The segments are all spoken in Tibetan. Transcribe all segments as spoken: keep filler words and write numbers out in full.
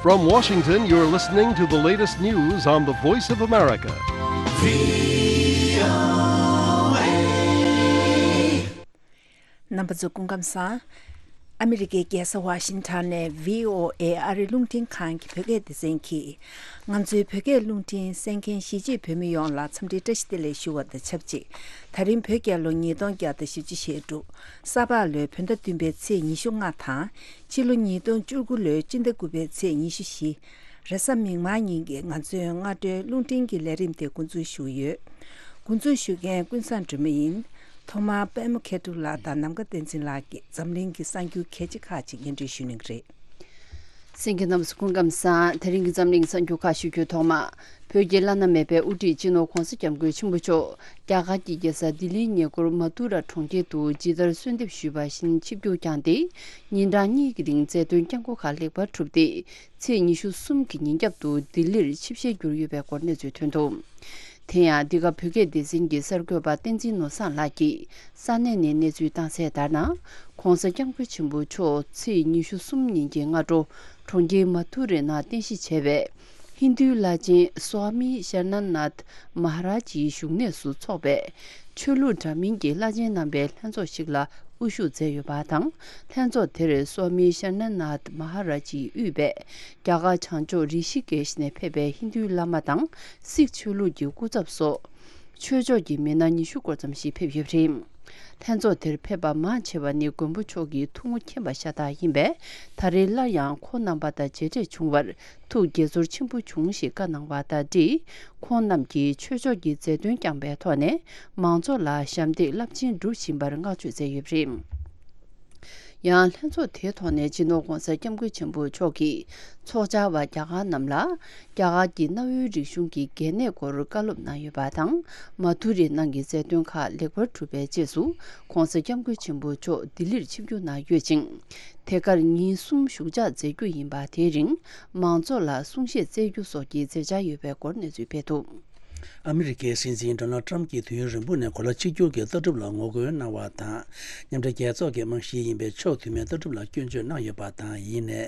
From Washington, you're listening to the latest news on the Voice of America. རྣམ་པ་ཚོ་སྐུ་ཁམས་བཟང་། ཨ་མི་རི་ཀའི་རྒྱལ་ས་ཝ་ཤིང་ཊོན་ནས་བྷི་ཨོ་ཨེ་ཨ་རི་རླུང་འཕྲིན་ཁང་གི་བོད་སྐད་སྡེ་ཚན་གྱིས། ང་ཚོའི་བོད་སྐད་རླུང་འཕྲིན་གསན་མཁན་གཞིས་བྱེས་བོད་མི་ཡོངས་ལ་འཚམས་འདྲིའི་བཀྲ་ཤིས་བདེ་ལེགས་ཞུ་བ་དང་ཆབས་ཅིག་ད་རིང་བོད་རྒྱལ་ལོ་ཉིས་སྟོང་བརྒྱ་དང་བཞི་བཅུ་ཞེ་དྲུག་ས་ཕག་ལོའི་བོད་ཟླ་བདུན་པའི་ཚེས་ཉི་ཤུ་ལྔ་དང་། ཕྱི་ལོ་ཉིས་སྟོང་བཅུ་དགུ་ལོའི་སྤྱི་ཟླ་དགུ་པའི་ཚེས་ཉི་ཤུ་བཞི། རེས་གཟའ་མིག་དམར་ཉིན་གྱི་ང་ཚོའི་སྔ་དྲོའི་རླུང་འཕྲིན་གྱི་ལས་རིམ་དེ་འགོ་འཛུགས་ཞུ་གི་ཡོད། འགོ་འཛུགས་ཞུ་མཁན་ཀུན་བཟང་སྒྲོལ་མ་ཡིན། ཐོག་མར་པད་མ་མཁས་གྲུབ་ལགས་དང་ནམ་མཁའ་བསྟན་འཛིན་ལགས་ཀྱིས་འཛམ་གླིང་གི་གསར་འགྱུར་གལ་ཆེ་ཁག་ཅིག་སྙན་སྒྲོན་ཞུ་གནང་གི་རེད། གསན་མཁན་རྣམ་པ་ཚོ་སྐུ་ཁམས་བཟང་། དེ་རིང་གི་འཛམ་གླིང་གསར་འགྱུར་ཁག་ཞུ་རྒྱུའི་ཐོག་མ། བོད་ཀྱི་བླ་ན་མེད་པའི་དབུ་ཁྲིད་སྤྱི་ནོར་༧གོང་ས་༧སྐྱབས་མགོན་ཆེན་པོ་མཆོག་རྒྱ་གར་གྱི་རྒྱལ་ས་ལྡི་ལིའི་ཉེ་འཁོར་མ་ཐུ་ར་གྲོང་ཁྱེར་དུ་ཇི་ལྟར་གསོལ་འདེབས་ཞུས་པ་བཞིན་ཆིབས་བསྒྱུར་བསྐྱངས་ཏེ། ཉིན་གྲངས་གཉིས་ཀྱི་རིང་མཛད་དོན་བསྐྱངས་སྒོ་ཁག་ལེགས་པར་གྲུབ་སྟེ། ཚེས་ཉི་ཤུ་གསུམ་གྱི་ཉིན་རྒྱབ་ཏུ་ལྡི་ལིར་ཆིབས་ཞལ་བསྒྱུར་ཡོད་པའི་སྐོར་གནས་ཚུལ་ཐོན་འདུག་དེ་ཡང་འདི་ག་བོད་སྐད་སྡེ་ཚན་གྱི་གསར་འགོད་པ་བསྟན་འཛིན་ནོར་བཟང་ལགས་ཀྱིས་ས་གནས་ནས་གནས་ཚུལ་བཏང་གསལ་ལྟར་ན། ྋགོང་ས་ྋསྐྱབས་མགོན་ཆེན་པོ་མཆོག་ཚེས་ཉི་ཤུ་གསུམ་ཉིན་གྱི་སྔ་དྲོ་གྲོང་ཁྱེར་མ་ཐུ་རའི་ནང་རྟེན་གཞི་བྱས་པའི་ཧིན་རྡུའི་བླ་ཆེན་སྭ་མི་ཤར་ན་ནཱཐ་མ་ཧ་རཱཇ་ཡི་བཞུགས་གནས་སུ་འཚོགས་པའི་ཆོས་ལུགས་འདྲ་མིན་གྱི་བླ་ཆེན་རྣམ་པའི་ལྷན་ཚོགས་ཤིག་ལ་དབུ་བཞུགས་མཛད་ཡོད་པ་དང་། ལྷན་ཚོགས་དེར་སྭ་མི་ཤར་ན་ནཱཐ་མ་ཧ་རཱཇ་ཡིས་དབུས་པའི་རྒྱ་གར་བྱང་ཕྱོགས་རི་ཤི་ཀེཤ་ནས་ཕེབས་པའི་ཧིན་རྡུའི་བླ་མ་དང་སིག་ཆོས་ལུགས་ཀྱི་སྐུ་ཚབ་སོགས། ཆོས་ཕྱོགས་ཀྱི་མི་སྣ་ཉི་ཤུ་སྐོར་ཙམ་ཞིག་ཕེབས་ཡོད་པ་རེད། ལྷན་ཚོགས་དེར་ཕེབས་པ་མང་ཆེ་བ་ནི་མགོན་པོ་མཆོག་གི་ཐུགས་མགོ་མཁྱེན་པ་ཤ་སྟག་ཡིན་པས། ད་རེས་སླར་ཡང་ཁོང་རྣམ་པ་དང་མཇལ་འཕྲད་བྱུང་བར་ཐུགས་དགྱེས་ཚོར་ཆེན་པོ་བྱུང་ཞེས་བཀའ་གནང་བ་དང་འབྲེལ། ཁོང་རྣམས་ཀྱིས་ཆོས་ཕྱོགས་ཀྱི་མཛད་དོན་བསྐྱངས་པའི་ཐོག་ནས་མང་ཚོགས་ལ་ཞབས་འདེགས་རླབས་ཆེན་སྒྲུབ་བཞིན་པར་བསྔགས་བརྗོད་མཛད་ཡོད་པ་རེད། ཡང་ལྷན་ཚོགས་དེའི་ཐོག་ནས་སྤྱི་ནོར་ྋགོང་ས་ྋསྐྱབས་མགོན་ཆེན་པོ་མཆོག་གིས་ཚོགས་བཅར་བ་རྒྱ་གར་རྣམས་ལ་རྒྱ་གར་གྱི་གནའ་བོའི་རིག་གཞུང་གི་གལ་གནད་སྐོར་བཀའ་སློབ་གནང་ཡོད་པ་དང་། མ་ཐུ་རའི་ནང་གི་མཛད་དོན་ཁག་ལེགས་པར་གྲུབ་པའི་རྗེས་སུ་ྋགོང་ས་ྋསྐྱབས་མགོན་ཆེན་པོ་མཆོག་ལྡི་ལིར་ཆིབས་བསྒྱུར་གནང་ཡོད་ཅིང་། དེ་གར་ཉིན་གསུམ་བཞུགས་ཕྱག་མཛད་རྒྱུ་ཡིན་པ། དེའི་རིང་མང་ཚོགས་ལ་གསུང་བཤད་སྩལ་རྒྱུ་སོགས་ཀྱི་མཛད་འཆར་ཡོད་པའི་སྐོར་གནས་ཚུལ་སྤེལ་འདུག་ཨ་མི་རི་ཀའི་སྲིད་འཛིན་ཌོ་ནལ་ཊམ་གྱིས་དུས་ཡུན་རིང་པོ་ནས་གོ་ལ་གཅིག་གྱུར་གྱི་ལྟ་གྲུབ་ལ་ངོ་རྒོལ་གནང་བ་དང་། མཉམ་འབྲེལ་རྒྱལ་ཚོགས་ཀྱི་རྨང་གཞི་ཡིན་པའི་ཕྱོགས་མཐུན་མའི་ལྟ་གྲུབ་ལ་སྐྱོན་བརྗོད་གནང་ཡོད་པ་དང་། ཡིན་ནའི།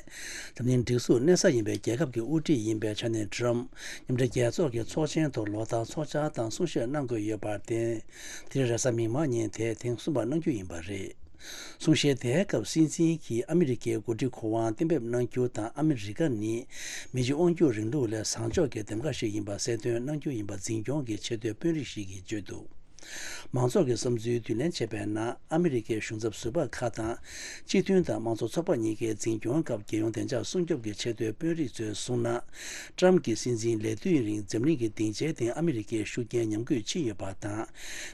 འཛམ་གླིང་སྒྲིག་འཛུགས་གནས་ས་ཡིན་པའི་རྒྱལ་ཁབ་ཀྱི་དབུ་ཁྲིད་ཡིན་པའི་ཆ་ནས་ཊམ་མཉམ་འབྲེལ་རྒྱལ་ཚོགས་ཀྱི་ཚོགས་ཆེན་ཐོག་ལོ་ལྟར་ཚོགས་བཅར་དང་གསུང་བཤད་གནང་དགོས་ཡོད་པར་བརྟེན། དེ་རིང་རེས་གཟའ་མིག་དམར་ཉིན་དེ་ཐེངས་གསུམ་པར་གནང་རྒྱུ་ཡིན་པ་རེད། གསུང་བཤད་དེའི་སྐབས་སྲིད་འཛིན་གྱིས་ཨ་མི་རི་ཀའི་འགོ་ཁྲིད་གོ་དབང་གཏན་འབེབས་གནང་རྒྱུ་དང་། ཨ་མི་རི་ཀ་ནི་མི་གཅིག་དབང་སྒྱུར་རིང་ལུགས་ལས་བཟང་ཕྱོགས་ཀྱི་འདེམས་ཀ་ཞིག་ཡིན་པ་གསལ་སྟོན་གནང་རྒྱུ་ཡིན་པ་འཛིན་སྐྱོང་གི་ཆེས་མཐོའི་དཔོན་རིགས་ཤིག་གིས་བརྗོད་འདུག་མང་ཚོགས་ཀྱི་བསམ་ཚུལ་བསྡུ་ལེན་བྱས་པའི་ནང་། ཨ་མི་རི་ཀའི་གཞུང་ཚབ་ཟུར་པ་ཁག་དང་། སྤྱི་མཐུན་དང་དམངས་གཙོ་ཚོགས་པ་གཉིས་ཀའི་འཛིན་སྐྱོང་སྐབས་རྒྱལ་ཡོངས་བདེ་འཇགས་སྲུང་སྐྱོབ་ཀྱི་ཆེས་མཐོའི་དཔོན་རིགས་ཚོས་གསུངས་ན། ཊམ་གྱི་སྲིད་འཛིན་ལས་དུས་རིང་འཛམ་གླིང་གི་སྡིངས་ཆའི་སྟེང་ཨ་མི་རི་ཀའི་ཤུགས་རྐྱེན་ཉམས་རྒུད་ཕྱིན་ཡོད་པ་དང་།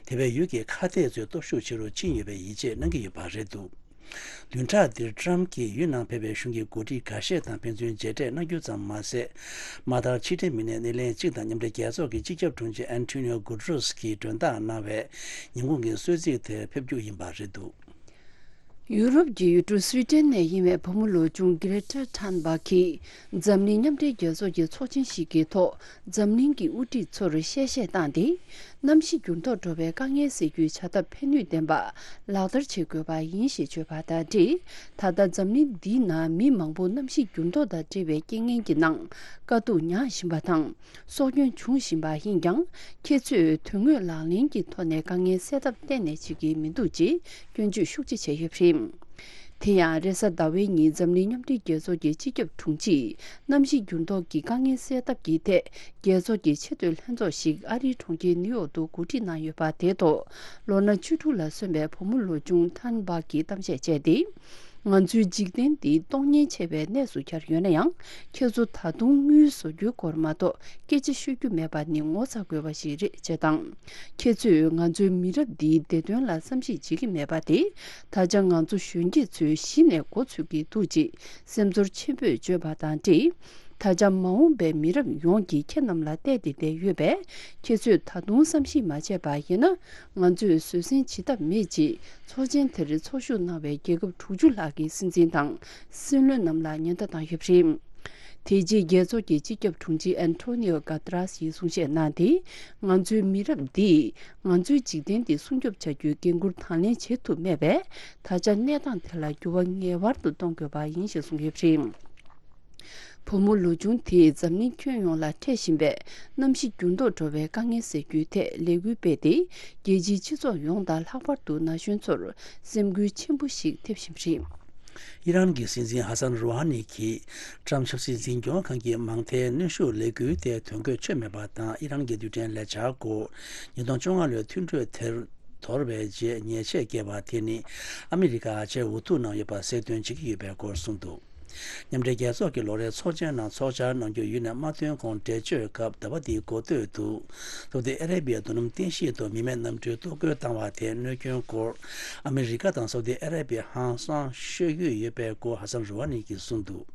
དེ་བས་ཡུལ་གྱི་ཁ་གཏད་ཚོའི་སྟོབས་ཤུགས་ཆེ་རུ་ཕྱིན་ཡོད་པའི་ཡིད་ཆེས་གནང་གི་ཡོད་པ་རེད་འདུག་བདུན་ཕྲག་འདིར་ཊམ་གྱིས་ཡུལ་ནང་ཕེབས་པའི་གཞུང་གི་འགོ་ཁྲིད་འགའ་ཤས་དང་ཕན་ཚུན་མཇལ་འཕྲད་གནང་རྒྱུ་ཙམ་མ་ཟད། མ་མཐར་ཕྱི་འབྲེལ་མི་སྣའི་སྣེ་ལེན་གཅིག་དང་མཉམ་འབྲེལ་རྒྱལ་ཚོགས་ཀྱི་སྤྱི་ཁྱབ་དྲུང་ཆེ་ཨན་ཐོ་ནིའོ་གུ་ཏྲོས་ཀྱིས་མགྲོན་བདག་གནང་བའི་ཉིན་གུང་གི་གསོལ་ཚིགས་དེར་ཕེབས་རྒྱུ་ཡིན་པ་རེད་འདུག་ཡུ་རོབ་ཀྱི་ཡུལ་གྲུ་སུའི་ཏན་ནས་ཡིན་པའི་བུ་མོ་ལོ་ཆུང་གི་རེ་ཊ་ཐན་བྷག་གིས་འཛམ་གླིང་མཉམ་འབྲེལ་རྒྱལ་ཚོགས་ཀྱི་ཚོགས་ཆེན་ཞིག་གི་ཐོག་འཛམ་གླིང་གི་དབུ་ཁྲིད་ཚོར་གསལ་བཤད་བཏང་སྟེ། གནམ་གཤིས་འགྱུར་ལྡོག་འགྲོ་བའི་དཀའ་ངལ་སེལ་རྒྱུའི་བྱ་ཐབས་ཕན་ནུས་ལྡན་པ་ལག་བསྟར་བྱེད་དགོས་པ་ཡིན་ཞེས་བརྗོད་པ་དང་འབྲེལ། ད་ལྟ་འཛམ་གླིང་འདིའི་ནང་མི་མང་པོ་གནམ་གཤིས་འགྱུར་ལྡོག་དང་འབྲེལ་བའི་རྐྱེན་ངན་གྱི་ནང་དཀའ་སྡུག་མྱངས་བཞིན་པ་དང་། སྲོག་སྐྱོན་བྱུང་བཞིན་པ་ཡིན་ཀྱང་། ཁྱེད་ཚོས་དོན་དངོས་ལག་ལེན་གྱི་ཐོག་ནས་དཀའ་ངལ་སེལ་ཐབས་གཏན་ནས་བྱེད་ཀྱི་མི་འདུག་ཅེས་སྐྱོན་བརྗོད་ཤུགས་ཆེ་བྱས་ཡོད་པ་རེད། དེ་ཡང་རེས་གཟའ་ཟླ་བའི་ཉིན་འཛམ་གླིང་མཉམ་འབྲེལ་རྒྱལ་ཚོགས་ཀྱི་སྤྱི་ཁྱབ་དྲུང་ཆེས་གནམ་གཤིས་འགྱུར་ལྡོག་གི་དཀའ་ངལ་སེལ་ཐབས་ཀྱི་ཐད་རྒྱལ་ཚོགས་ཀྱི་ཆེས་མཐོའི་ལྷན་ཚོགས་ཤིག་ཨ་རིའི་གྲོང་ཁྱེར་ནིའུ་ཡོག་ཏུ་གོ་སྒྲིག་གནང་ཡོད་པ་དེའི་ཐོག་ལོ་ན་བཅུ་དྲུག་ལ་སོན་པའི་བུ་མོ་ལོ་ཆུང་ཐན་བྷག་གིས་གཏམ་བཤད་བྱས་ཏེ། ང་ཚོའི་འཇིག་རྟེན་འདི་གཏོང་ཉེན་ཆེ་བའི་གནས་སུ་གྱར་ཡོད་ན་ཡང་། ཁྱེད་ཚོ་ད་དུང་དངུལ་བཟོ་རྒྱུའི་སྐོར་མ་གཏོགས་སྐད་ཆ་ཤོད་རྒྱུ་མེད་པ་ནི་ངོ་ཚ་དགོས་པ་ཞིག་རེད་ཅེས་དང་། ཁྱེད་ཚོས་ང་ཚོའི་མི་རབས་འདིའི་བདེ་དོན་ལ་བསམ་གཞིག་བྱེད་ཀྱི་མེད་པ་དེ། ད་ཆ་ང་ཚོ་གཞོན་སྐྱེས་ཚོས་གཞི་ནས་མགོ་ཚོས་ཀྱི་འདུག་ཅེས་སེམས་ཚོར་ཆེན་པོས་བརྗོད་པ་དང་འབྲེལ། ད་ཆ་མ་འོངས་པའི་མི་རབས་ཡོངས་ཀྱིས་ཁྱེད་རྣམས་ལ་བལྟས་ཏེ་བསྡད་ཡོད་པས། ཁྱེད་ཚོས་ད་དུང་བསམ་གཞིག་མ་བྱས་པ་ཡིན་ན། ང་ཚོས་བཟོད་བསྲན་བྱེད་ཐབས་མེད་ཅེས་ཚོགས་ཆེན་དེར་ཚོགས་ཞུགས་གནང་བའི་རྒྱལ་ཁབ་དྲུག་ཅུ་ལྷག་གི་སྲིད་འཛིན་དང་སྲིད་བློན་རྣམས་ལ་ཉེན་བརྡ་བཏང་ཡོད་པ་རེད། དེ་རྗེས་རྒྱལ་ཚོགས་ཀྱི་སྤྱི་ཁྱབ་དྲུང་ཆེ་ཨན་ཐོ་ནིའོ་ག་ཏ་རས་ཡིས་གསུང་བཤད་གནང་སྟེ། ང་ཚོའི་མི་རབས་འདིས་ང་ཚོའི་འཇིག་རྟེན་འདི་སྲུང་སྐྱོབ་བྱ་རྒྱུའི་འགན་འཁུར་དང་ལེན་བྱེད་ཐུབ་མེད་པས། ད་ཆ་གནས་སྟངས་དེ་ལ་འགྱུར་བ་ངེས་པར་དུ་གཏོང་དགོས་པ་ཡིན་ཞེས་གསུངས་ཡོད་པ་རེད། བུ་མོ་ལོ་ཆུང་དེས་འཛམ་གླིང་ཁྱོན་ཡོངས་ལ་འཕྲད་བཞིན་པའི་གནམ་གཤིས་འགྱུར་ལྡོག་འགྲོ་བའི་དཀའ་ངལ་སེལ་རྒྱུའི་ཐད་ལས་འགུལ་སྤེལ་ཏེ། རྒྱལ་སྤྱིའི་སྤྱི་ཚོགས་ཡོངས་དང་ལྷག་པར་དུ་ན་གཞོན་ཚོར་སེམས་འགུལ་ཆེན་པོ་ཞིག་ཐེབས་བཞིན་པ་རེད། ཨི་རན་གྱི་སྲིད་འཛིན་ཧ་སན་རུ་ཧ་ནི་གྱིས་ཀྲམ་ཆབ་སྲིད་འཛིན་སྐྱོང་ཁང་གི་མང་མཐའི་གནོན་ཤུགས་ལས་འགུལ་དེ་དོན་འཁྱོལ་ཆོད་མེད་པ་དང་། ཨི་རན་གྱི་རྡུལ་ཕྲན་ལས་འཆར་སྐོར་ཉིས་སྟོང་བཅོ་ལྔ་ལོའི་མཐུན་གྲོས་དེར་དོར་བའི་རྗེས་ཉེས་ཆད་བཀལ་བ་དེ་ནི་ཨ་མི་རི་ཀ་ཨ་ཆད་འུ་ཐུག་གནང་ཡོད་པ་གསལ་སྟོན་བྱེད་ཀྱི་ཡོད་པའི་སྐོར་གསུངས་འདུག། མཉམ་འབྲེལ་རྒྱལ་ཚོགས་ཀྱི་ལོ་རེའི་ཚོགས་ཆེན་ནང་ཚོགས་བཅར་གནང་རྒྱུ་ཡུན་ནས་མ་ཐོན་གོང་འགྲེལ་བརྗོད་སྐབས། ཟླ་བ་འདིའི་འགོ་སྟོད་དུ་སའུ་ཏི་ཨ་རེ་བྷི་ཡའི་མདུན་ལམ་རྟེན་གཞི་དུ་མི་མེད་གནམ་གྲུའི་གཏོར་རྒོལ་བཏང་བ་དེའི་གནོད་སྐྱོན་སྐོར་ཨ་མི་རི་ཀ་དང་སའུ་ཏི་ཨ་རེ་བྷི་ཡ་ཧང་སང་ཤོད་ཀྱི་ཡོད་པའི་སྐོར་ཧ་སན་རུ་ཧ་ནི་གྱིས་གསུངས་འདུག།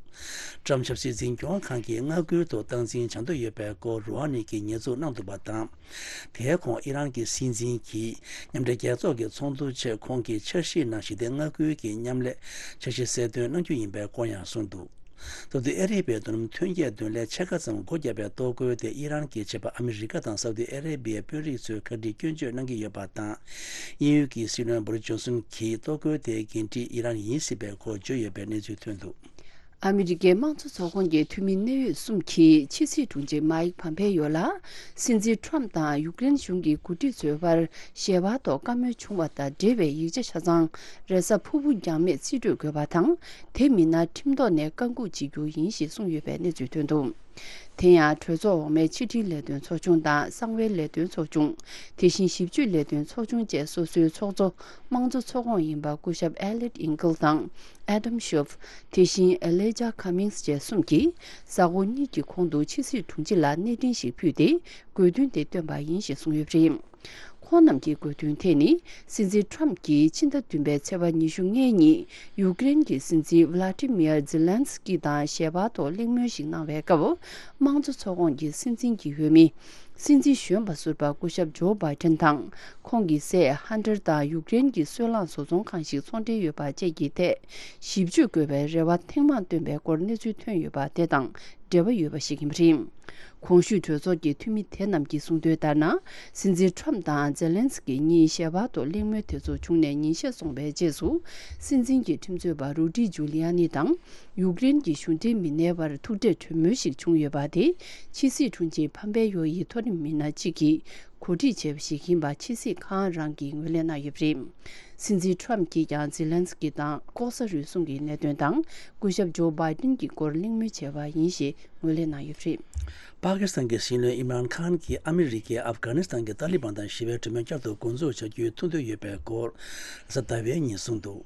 ཀྲམ་ཆབ་སྲིད་འཛིན་སྐྱོང་ཁང་གིས་མངའ་ཁུལ་དུ་སྟངས་འཛིན་བྱ་འདོད་ཡོད་པའི་སྐོར་རུ་ཧ་ནི་གྱིས་ཉེས་འཛུགས་གནང་འདུག་པ་དང་། དེའི་གོང་ཨི་རན་གྱི་སྲིད་འཛིན་གྱིས་མཉམ་འབྲེལ་རྒྱལ་ཚོགས་ཀྱི་ཚོགས་འདུ་ཆེད་ཁོང་གི་འཆར་གཞིའི་ནང་ཞི་བདེ་མངའ་ཁུལ་གྱི་མཉམ་ལས་འཆར་གཞི་གསལ་སྟོན་གནང་རྒྱུ་ཡིན་པའི་སྐོར་ཡང་གསུངས་འདུག། སའུ་ཏི་ཨ་རེ་བྷི་ཡའི་མདུན་ལམ་ཐོན་སྐྱེད་མདུན་ལས་ཕྱེད་ཀ་ཙམ་སྒོ་བརྒྱབ་པའི་གཏོར་རྒོལ་དེ་ཨི་རན་གྱི་ཆད་པ་ཨ་མི་རི་ཀ་དང་སའུ་ཏི་ཨ་རེ་བྷི་ཡའི་དཔོན་རིགས་ཚོས་གྲ་སྒྲིག་སྐྱོན་བརྗོད་གནང་གི་ཡོད་པ་དང་། དབྱིན་ཡུལ་གྱི་སྲིད་བློན་བོ་རི་ཇོན་སོན་གྱིས་གཏོར་རྒོལ་དེའི་འགན་འཁྲི་ཨི་རན་ཡིན་སྲིད་པའི་སྐོར་བརྗོད་ཡོད་པའི་གནས་ཚུལ་ཐོན་འདུག། ཨ་མི་རི་ཀའི་དམངས་གཙོ་ཚོགས་ཁོངས་ཀྱི་འཐུས་མི་གནད་ཡོད་གསུམ་གྱིས་ཕྱི་སྲིད་དྲུང་ཆེ་མཱིག་ཕམ་ཕེ་ཡོ་ལ་སྲིད་འཛིན་ཁྲོམ་དང་ཡུཀ་རེན་གཞུང་གི་འགོ་ཁྲིད་ཚོའི་བར་ཞལ་པར་ཐོག་བཀའ་མོལ་བྱུང་བ་དང་འབྲེལ་བའི་ཡིག་ཆ་ཆ་ཚང་རེས་གཟའ་ཕུར་བུ་འགྱངས་མེད་རྩིས་སྤྲོད་དགོས་པ་དང་། དེ་མིན་ན་ཁྲིམས་ཐོག་ནས་བཀག་འགོག་བྱེད་རྒྱུ་ཡིན་ཞེས་གསུངས་ཡོད་པའི་གནས་ཚུལ་ཐོན་འདུག། དེ་ཡང་གྲོས་ཚོགས་འོག་མའི་ཕྱི་དྲིལ་ལས་དོན་ཚོགས་ཆུང་དང་གསང་བའི་ལས་དོན་ཚོགས་ཆུང་། དེ་བཞིན་ཞིབ་དཔྱོད་ལས་དོན་ཚོགས་ཆུང་བཅས་སོ་སོའི་ཚོགས་གཙོ་དམངས་གཙོ་ཚོགས་ཁོངས་ཡིན་པ་སྐུ་ཞབས་ཨེ་ལེཊ་ཨིང་ཀལ་དང་ཨེ་ཌམ་ཤོབ། དེ་བཞིན་ཨེ་ལེ་ཇཱ་ཁ་མིངས་བཅས་གསུམ་གྱིས་གཟའ་འཁོར་གཉིས་ཀྱི་གོང་དུ་ཕྱི་སྲིད་དྲུང་ཆེ་ལ་གནས་འཕྲིན་ཞིག་ཕུལ་ཏེ། དགོས་འདུན་དེ་བཏོན་པ་ཡིན་ཞེས་གསུངས་ཡོད་པ་རེད། ཁོང་རྣམས་ཀྱི་དགོས་འདུན་དེ་ནི། སྲིད་འཛིན་ཁྲོམ་གྱིས་ཕྱི་ཟླ་བདུན་པའི་ཚེས་པ་ཉི་ཤུ་ལྔའི་ཉིན་ཡུཀ་རེན་གྱི་སྲིད་འཛིན་ཝ་ལ་ཏི་མིར་ཛེ་ལན་སི་ཀི་དང་ཞལ་པར་ཐོག་གླེང་མོལ་ཞིག་གནང་བའི་སྐབས། དམངས་གཙོ་ཚོགས་ཁོངས་ཀྱི་སྲིད་འཛིན་གྱི་འོས་མི། སྲིད་འཛིན་གཞོན་པ་ཟུར་པ་སྐུ་ཞབས་ཇོ་བྷའི་ཏན་དང་། ཁོང་གི་སྲས་ཧན་ཏར་དང་ཡུཀ་རེན་གྱི་སོལ་རླངས་བཟོ་ཚོང་ཁང་ཞིག་ཚོང་འབྲེལ་ཡོད་པ་བཅས་ཀྱི་ཐད་ཞིབ་དཔྱོད་དགོས་པའི་རེ་བ་ཐེངས་མང་བཏོན་པའི་སྐོར་གནས་ཚུལ་ཐོན་ཡོད་པ་དེ་དང་འབྲེལ་བ་ཡོད་པ་ཞིག་ཡིན་པ་རེད། གོང་ཞུས་གྲོས་ཚོགས་ཀྱི་འཐུས་མི་དེ་རྣམས་ཀྱིས་གསུངས་དོན་ལྟར་ན། སྲིད་འཛིན་ཁྲོམ་དང་ཛེ་ལན་སི་ཀི་གཉིས་ཞལ་པར་ཐོག་གླེང་མོལ་དེ་ཚོ་བྱུང་ནས་ཉིན་ཤས་སོང་བའི་རྗེས་སུ། སྲིད་འཛིན་གྱི་ཁྲིམས་རྩོད་པ་རུ་ཌི་ཇུ་ལི་ཡ་ནི་དང་། ཡུཀ་རེན་གྱི་གཞུང་འབྲེལ་མི་སྣའི་བར་ཐུག་འཕྲད་གྲོས་མོལ་ཞིག་བྱུང་ཡོད་པ་དེ། ཕྱི་སྲིད་དྲུང་ཆེ་ཕམ་པེ་ཡོ་ཡི་མཐོ་རིམ་མི་སྣ་གཅིག་གིས་གོ་སྒྲིག་བྱས་པ་ཞིག་ཡིན་པ་ཕྱི་སྲིད་ཁང་རང་གིས་ངོས་ལེན་གནང་ཡོད་པ་རེད། སྲིད་འཛིན་ཁྲོམ་གྱིས་ཀྱང་ཛེ་ལན་སི་ཀི་དང་ལྐོག་ཟ་རུལ་སུངས་ཀྱི་གནད་དོན་དང་། སྐུ་ཞབས་ཇོ་བྷའི་ཏིན་གྱི་སྐོར་གླེང་མོལ་བྱས་པ་ཡིན་ཞེས་ངོས་ལེན་གནང་ཡོད་པ་རེད། པ་ཀི་སི་ཐན་གྱི་སྲིད་བློན་ཨིམ་རཱན་ཁཱན་གྱིས་ཨ་མི་རི་ཀས་ཨབ་གྷ་ནི་སི་ཐན་གྱི་ཏཱ་ལི་བན་དང་ཞི་བའི་གྲོས་མོལ་བསྐྱར་དུ་འགོ་འཛུགས་བྱ་རྒྱུའི་ཐུགས་འདུན་ཡོད་པའི་སྐོར་གཟའ་ཟླ་བའི་ཉིན་གསུངས་འདུག།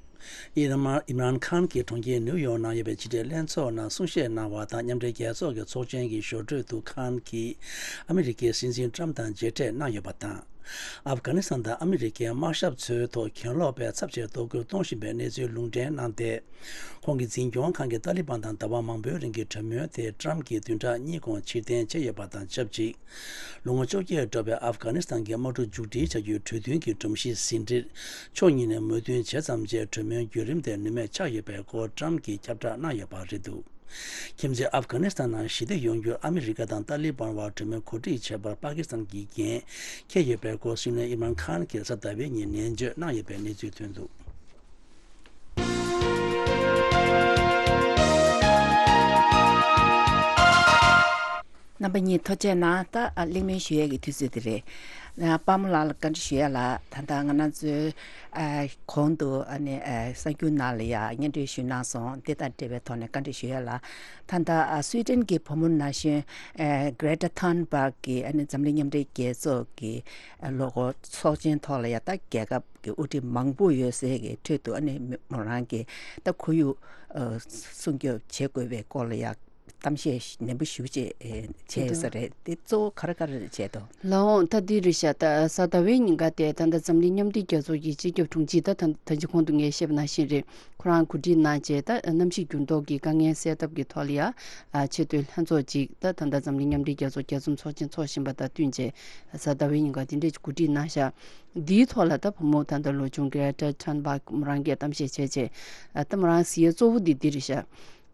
ཨིམ་རཱན་ཁཱན་གྱིས་གྲོང་ཁྱེར་ནིའུ་ཡོག་ནང་ཡོད་པའི་ཕྱི་འབྲེལ་ལྷན་ཚོགས་ནང་གསུང་བཤད་གནང་བ་དང་། མཉམ་འབྲེལ་རྒྱལ་ཚོགས་ཀྱི་ཚོགས་ཆེན་གྱི་ཞོར་འཕྲོས་དུ་ཁཱན་གྱིས་ཨ་མི་རི་ཀའི་སྲིད་འཛིན་ཏྲམ་དང་མཇལ་འཕྲད་གནང་ཡོད་པ་དང་། ཨབ་གྷ་ནི་སི་ཐན་དང་ཨ་མི་རི་ཀའི་དམག་ཞབས་ཚོའི་ཐོག་གྱེན་ལོག་པས་ཚབས་ཆེའི་གཏོར་རྒོལ་གཏོང་བཞིན་པའི་གནས་ཚུལ་ལུང་འདྲེན་གནང་སྟེ། ཁོང་གི་འཛིན་སྐྱོང་ཁང་གིས་ཏཱ་ལི་བན་དང་ཟླ་བ་མང་པོའི་རིང་གི་གྲོས་མོལ་དེ་ཏྲམ་གྱིས་བདུན་ཕྲག་གཉིས་གོང་ཕྱིར་འཐེན་བྱས་ཡོད་པ་དང་ཆབས་ཅིག། ལོ་ངོ་བཅོ་བརྒྱད་འགྲོ་བའི་ཨབ་གྷ་ནི་སི་ཐན་གྱི་དམག་འཁྲུག་མཇུག་སྒྲིལ་བྱ་རྒྱུའི་གྲོས་མཐུན་གྱི་སྒྲོམ་གཞི་ཟིན་བྲིས་ཕྱོགས་གཉིས་ནས་མོས་མཐུན་བྱས་ཙམ་བྱས། གྲོས་མོལ་བརྒྱུད་རིམ་དེ་ནུས་མེད་ཆགས་ཡོད་པའི་སྐོར་ཏྲམ་གྱིས་ཁྱབ་བསྒྲགས་གནང་ཡོད་པ་རེད་འདུག། ཁྱིམ་མཚེས་ཨབ་གྷ་ནི་སི་ཐན་ནང་ཞི་བདེ་ཡོང་རྒྱུར་ཨ་མི་རི་ཀ་དང་ཏཱ་ལི་བན་བར་གྲོས་མོལ་གོ་སྒྲིག་བྱེད་པར་པ་ཀི་སི་ཐན་གྱིས་འགན་འཁྱེར་ཡོད་པའི་སྐོར་སྲིད་བློན་ཨིམ་རཱན་ཁཱན་གྱིས་གཟའ་ཟླ་བའི་ཉིན་ནན་བརྗོད་གནང་ཡོད་པའི་གནས་ཚུལ་ཐོན་འདུག། རྣམ་པ་གཉིས་ཐུགས་རྗེ་གནང་། ད་ཨ་གླེང་མོལ་ཞུ་ཡས་ཀྱི་དུས་ཚོད་དེ་རེད། ཨ་དཔའ་མོ་ལགས་ལ་བཀའ་འདྲི་ཞུ་ཡ་ལ། ད་ལྟ་ང་རང་ཚོའི་ཨ་གོང་དུ་ཨ་ནི་ཨ་གསར་འགྱུར་ནང་ལ་ཡ་སྙན་སྒྲོན་ཞུས་གནང་སོང་། དེ་དང་འབྲེལ་བའི་ཐོག་ནས་བཀའ་འདྲི་ཞུ་ཡ་ལ། ད་ལྟ་ཨ་སུའི་ཏན་གྱི་བུ་མོ་ན་གཞོན་ཨ་Greta Thunberg་གིས་ཨ་ནི་འཛམ་གླིང་མཉམ་འབྲེལ་རྒྱལ་ཚོགས་ཀྱི་ཨ་ལོ་འཁོར་ཚོགས་ཆེན་ཐོག་ལ་ཡ་ད་རྒྱལ་ཁབ་ཀྱི་དབུ་ཁྲིད་མང་པོ་ཡོད་སའི་གི་ཁྲོད་དུ་ཨ་ནི་མོ་རང་གིས་ད་ཁོར་ཡུག་ཨ་སྲུང་སྐྱོབ་བྱེད་དགོས་པའི་སྐོར་ལ་ཡ་གཏམ་བཤད་ནན་པོ་ཞེ་པོ་ཅིག་ཨེ་བྱས་ཡོད་ས་རེད། དེ་གཙོ་བོ་ག་རེ་ག་རེ་བྱས་འདུག། ལགས་འོང་། ད་འདི་རེད་ཤག། ད་གཟའ་ཟླ་བའི་ཉིན་ཀ་དེ་ད་ལྟ་འཛམ་གླིང་མཉམ་འབྲེལ་རྒྱལ་ཚོགས་ཀྱི་སྤྱི་ཁྱབ་དྲུང་ཆེ་ད་ད་ད་ཅི་གོང་དུ་ངས་བཤད་པ་ནང་བཞིན་རེད། ཁོ་རང་གོ་སྒྲིག་གནང་བྱས། ད་གནམ་གཤིས་འགྱུར་ལྡོག་གི་དཀའ་ངལ་སེལ་ཐབས་ཀྱི་ཐོག་ལ་ཡ་ཨ་ཆེས་མཐོའི་ལྷན་ཚོགས་ཅིག་ད་ད་ལྟ་འཛམ་གླིང་མཉམ་འབྲེལ་རྒྱལ་ཚོགས་རྒྱས་འཛོམས་ཚོགས་ཆེན་འཚོགས་བཞིན་པ་དང་བསྟུན་བྱས། གཟའ་ཟླ་བའི་ཉིན་ཀ་དེ་འདྲས་གོ་སྒྲིག་གནང་ཤག། འདིའི་ཐོག་ལ་ད་བུ་མོ་ད་ལྟ་ལོ་ཆུང་Greta Thunberg་མོ་རང་གིས་གཏམ་བཤད་བྱས་བྱས། ཨ་ད་མོ་རང་གཟིགས་ཡས་གཙོ་བོ་འདི་འདི་རེད་ཤག།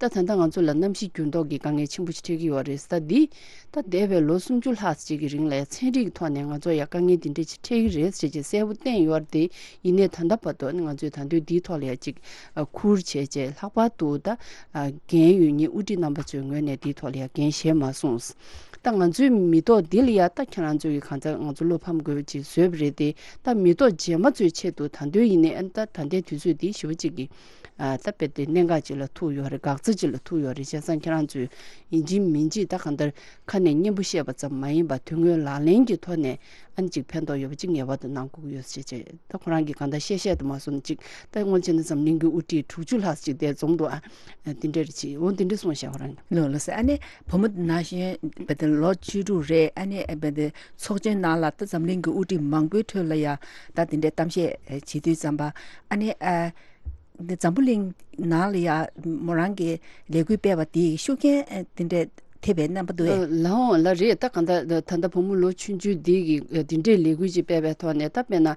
ད་ད་ལྟ་ང་ཚོ་ལ་གནམ་གཤིས་འགྱུར་ལྡོག་གི་དཀའ་ངལ་ཆེན་པོ་ཞིག་འཕྲད་ཀྱི་ཡོད་རེད། ད་འདི་ད་འདས་པའི་ལོ་སུམ་ཅུ་ལྷག་ཅིག་གི་རིང་ལ་ཡང་ཚན་རིག་གི་ཐོག་ནས་ང་ཚོ་ཡང་དཀའ་ངལ་འདི་འདྲ་ཅིག་འཕྲད་ཀྱི་རེད་ཟེར་ཅིག་གསལ་པོ་བསྟན་ཡོད་རེད། དེ་ཡིན་ནའི་ད་ལྟ་བར་དུ་ང་ཚོས་ད་དུང་འདིའི་ཐོག་ལ་ཡང་ཅིག་ཁུར་བྱས་བྱས་ལྷག་པར་དུ་ད་འགན་ཡོད་མཁན་དབུ་ཁྲིད་རྣམ་པ་ཚོའི་ངོས་ནས་འདིའི་ཐོག་ལ་ཡང་འགན་བཞེས་མ་སོང་། ད་ང་ཚོའི་མི་ཐོག་འདི་ལ་ཡང་ད་ཁྱེད་རང་ཚོས་ཀྱི་གང་ལྟར་ང་ཚོ་བློ་ཕམ་དགོས་ཅིག་བཟོས་པ་རེད་དེ། ད་མི་ཐོག་རྗེས་མ་ཚོའི་ཆེད་དུ་ད་དུང་ཡིན་ནའི་ཨ་ནི་ད་ད་ལྟའི་དུས་ཚོད་འདི་ཞེ་པོ་ཅིག་གི་ཨ་ད་དཔེ་དེ་གནད་འགག་ཅིག་ལ་ཐུག་ཡོད་རེད། འགག་རྩ་ཅིག་ལ་ཐུག་ཡོད་རེད། བྱས་ཙང་ཁྱེད་རང་ཚོས་ཡིན་གཅིག་མིན་གཅིག་ད་གང་ལྟར་ཁ་ནས་སྙན་པོ་བཤད་པ་ཙམ་མ་ཡིན་པར་དོན་དངོས་ལག་ལེན་གྱི་ཐོག་ནས་ཨ་ནི་ཅིག་ཕན་ཐོགས་ཡོད་པ་ཅིག་ངེས་པར་དུ་གནང་དགོས་ཀྱི་ཡོད་ཟེར་བྱས། ད་ཁོ་རང་གིས་གང་ལྟར་བཤད་བཤད་དུ་མ་སོང་ཅིག་ད་དངོས་གནས་བྱས་ན་འཛམ་གླིང་གི་དབུ་ཁྲིད་དྲུག་ཅུ་ལྷག་ཅིག་དེ་འཛོམས་འདུག་ཨ་དེ་འདྲ་རེད་ཅིག་འོ་དེ་འདྲ་གསུངས་བཞག་ཁོ་རང་གིས། ལོ་ལོ་ཟེར་ཨ་ནི་བུ་མོ་ན་གཞོན་བེ་དེ་ལོ་བཅུ་དྲུག་རེད། ཨ་ནི་བེ་དེ་ཚོགས་ཆེན་ནང་ལ་ད་འཛམ་གླིང་གི་དབུ་ཁྲིད་མང་པོའི་ཁྲོད་ལ་ཡ་ད་དེ་འདྲའི་གཏམ་བཤད་བྱེད་དུས་ཙམ་པ་ཨ་ནི་ཨ། འདི་འཛམ་བུ་གླིང་ནང་ལ་ཡ་མོ་རང་གི་ལས་འགུལ་སྤེལ་བ་དེའི་ཤུགས་རྐྱེན་ཨ་དེ་འདྲ་ཐེབས་པའི་རྣམ་པ་འདུག་ཨེ། ལའོ་ལ་རེད། ད་གང་ལྟར་ད་ལྟ་བུ་མོ་ལོ་ཆུང་ཆུང་འདི་གི་ཨ་དེ་འདྲའི་ལས་འགུལ་ཅིག་སྤེལ་བའི་ཐོག་ནས་ད་དཔེར་ན་ཨ་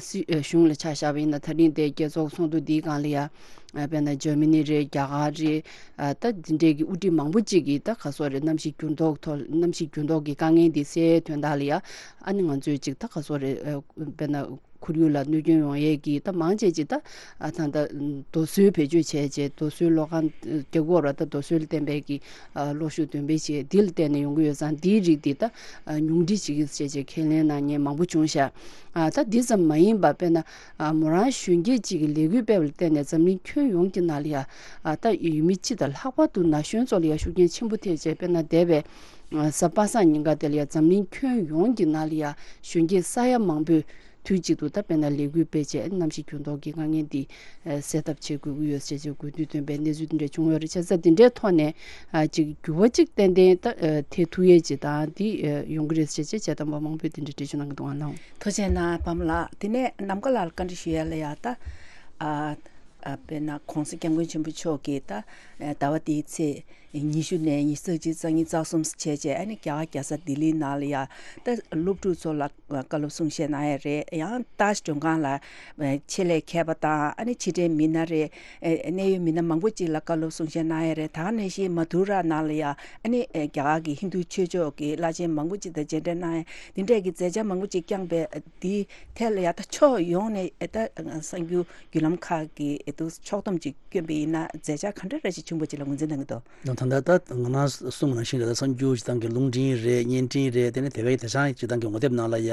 སྲིད་ཨ་གཞུང་ལ་ཆ་བཞག་པ་ཡིན་ན་ད་རིང་དེ་རྒྱལ་ཚོགས་ཚོགས་འདུ་འདིའི་སྒང་ལ་ཡ་ཨ་དཔེར་ན་འཇར་མ་ནི་རེད། རྒྱ་གར་རེད། ཨ་ད་དེ་འདྲའི་གི་དབུ་ཁྲིད་མང་པོ་ཅིག་གིས་ད་ག་སོག་རེད། གནམ་གཤིས་འགྱུར་ལྡོག་ཐོག་གནམ་གཤིས་འགྱུར་ལྡོག་གི་དཀའ་ངལ་འདི་སེལ་དོན་དག་ལ་ཡ་ཨ་ནི་ང་ཚོས་ཅིག་ད་ག་སོག་རེད། ཨ་དཔེར་ན། ཁོར་ཡུག་ལ་གནོད་སྐྱོན་ཡོང་ཡས་ཀྱི་ད་མང་ཆེ་ཅིག་ད་ཨ་ད་ད་རྡོ་སོལ་བེད་སྤྱོད་བྱས་བྱས་རྡོ་སོལ་གློག་ཁང་རྒྱག་གི་ཡོད་རེད། ད་རྡོ་སོལ་བརྟེན་པའི་གི་ཨ་གློག་ཤུགས་འདོན་སྤེལ་བྱས་འདི་ལ་བརྟེན་ནས་ཡོང་གི་ཡོད་ཙང་འདིའི་རིགས་འདི་ད་ཨ་ཉུང་འཕྲི་བྱེད་ཀྱི་བྱས་བྱས་ཁས་ལེན་གནང་མཁན་མང་པོ་བྱུང་ཤག་ཨ་ད་འདི་ཙམ་མ་ཡིན་པ་དཔེར་ན་ཨ་མོ་རང་གཞོན་སྐྱེས་ཅིག་གི་ལས་འགུལ་སྤེལ་བ་ལ་བརྟེན་ནས་འཛམ་གླིང་ཁྱོན་ཡོངས་ཀྱི་ནང་ལ་ཡ་ཨ་ད་ཡུལ་མི་སྤྱི་དང་ལྷག་པར་དུ་ན་གཞོན་ཚོ་ལ་ཡ་ཤུགས་རྐྱེན་ཆེན་པོ་ཐེབས་བྱས། དཔེར་ན་འདས་པའི་ཨ་གཟའ་པ་སངས་ཉིན་ཀ་དེ་ལ་ཡ་འཛམ་གླིང་ཁྱོན་ཡོངས་ཀྱི་ནང་ལ་ཡ་གཞོན་སྐྱེས་ས་ཡ་མང་པོས་དུས་གཅིག་ཏུ་ད་དཔེར་ན་ལས་འགུལ་སྤེལ་བྱས་གནམ་གཤིས་འགྱུར་ལྡོག་གི་དཀའ་ངལ་འདི་ཨ་སེལ་ཐབས་བྱེད་དགོས་ཀྱི་ཡོད་ཟེར་བྱས་དགོས་འདུན་བཏོན་པའི་གནས་ཚུལ་འདི་འདྲ་བྱུང་ཡོད་རེད། བྱས་ཙང་འདི་འདྲའི་ཐོག་ནས་ཨ་ཅིག་འགྱུར་བ་ཅིག་ཏན་ཏན་ད་ཨ་ཐེབས་ཐུབ་ཡས་ཅིག་དང་འདི་ཨ་ཡོང་གི་རེད་ཟེར་བྱས་བྱས་དང་པོ་མང་པོས་འདི་འདྲ་འགྲེལ་བརྗོད་གནང་གི་འདུག་ཨ་ནའོ། ཐུགས་རྗེ་གནང་བུ་མོ་ལགས། དེ་ནས་ནམ་མཁའ་ལ་བཀའ་འདྲི་ཞུ་ཡ་ལ་ཡ་ད་ཨ་ཨ་དཔེར་ན་༸གོང་ས་༸སྐྱབས་མགོན་ཆེན་པོ་མཆོག་གིས་ད་ཨ་ཟླ་བ་འདིའི་ཚེས་ཉི་ཤུ་ནས་ཉི་ཤུ་རྩ་གཅིག་རྩ་གཉིས་རྩ་གསུམ་བྱས་བྱས་ཨ་ནི་རྒྱ་གར་རྒྱལ་ས་ལྡི་ལིའི་ནང་ལ་ཡ་ད་སློབ་ཕྲུག་ཚོ་ལ་བཀའ་སློབ་གསུང་བཤད་གནང་ཡ་རེད། ཡང་ཏཱཇ་མགྲོན་ཁང་ལ་ཆེད་ལས་མཁས་པ་དང་ཨ་ནི་ཕྱི་འབྲེལ་མི་སྣ་རེད། གནད་ཡོད་མི་སྣ་མང་པོ་ཅིག་ལ་བཀའ་སློབ་གསུང་བཤད་གནང་ཡ་རེད། ད་ག་ནང་བཞིན་མ་དྷུ་ར་ནང་ལ་ཡ་ཨ་ནི་རྒྱ་གར་གྱི་ཧིན་རྡུ་ཆོས་ཕྱོགས་ཀྱི་བླ་ཆེན་མང་པོ་ཅིག་དང་མཇལ་འཕྲད་གནང་ཡ་འདི་འདྲས་ཀྱི་མཛད་འཆར་མང་པོ་ཅིག་བསྐྱངས་པའི་འདི་ཐད་ལ་ཡ་ད་ཕྱོགས་ཡོངས་ནས་ད་གསར་འགྱུར་བརྒྱུད་ལམ་ཁག་གི་ཨེ་ཏུ་ཕྱོགས་བསྡོམས་ཅིག་བསྐྱོན་པ་ཡིན་ན་མཛད་འཆར་ག་འདྲ་རེ་ཞིག་བྱུང་བ་ཅིག་ལ་ངོས་འཛིན་གནང་གི་འདུག་ད་ལྟ་ད་ང་རང་གསུངས་པ་ནང་བཞིན་རེད། ད་གསར་འགྱུར་སྤྱི་བཏང་གི་རླུང་འཕྲིན་རེད། བརྙན་འཕྲིན་རེད། དེ་ནས་དེ་བས་དེང་སང་སྤྱི་བཏང་གི་ངོ་དེབ་ནང་ལ་ཡ་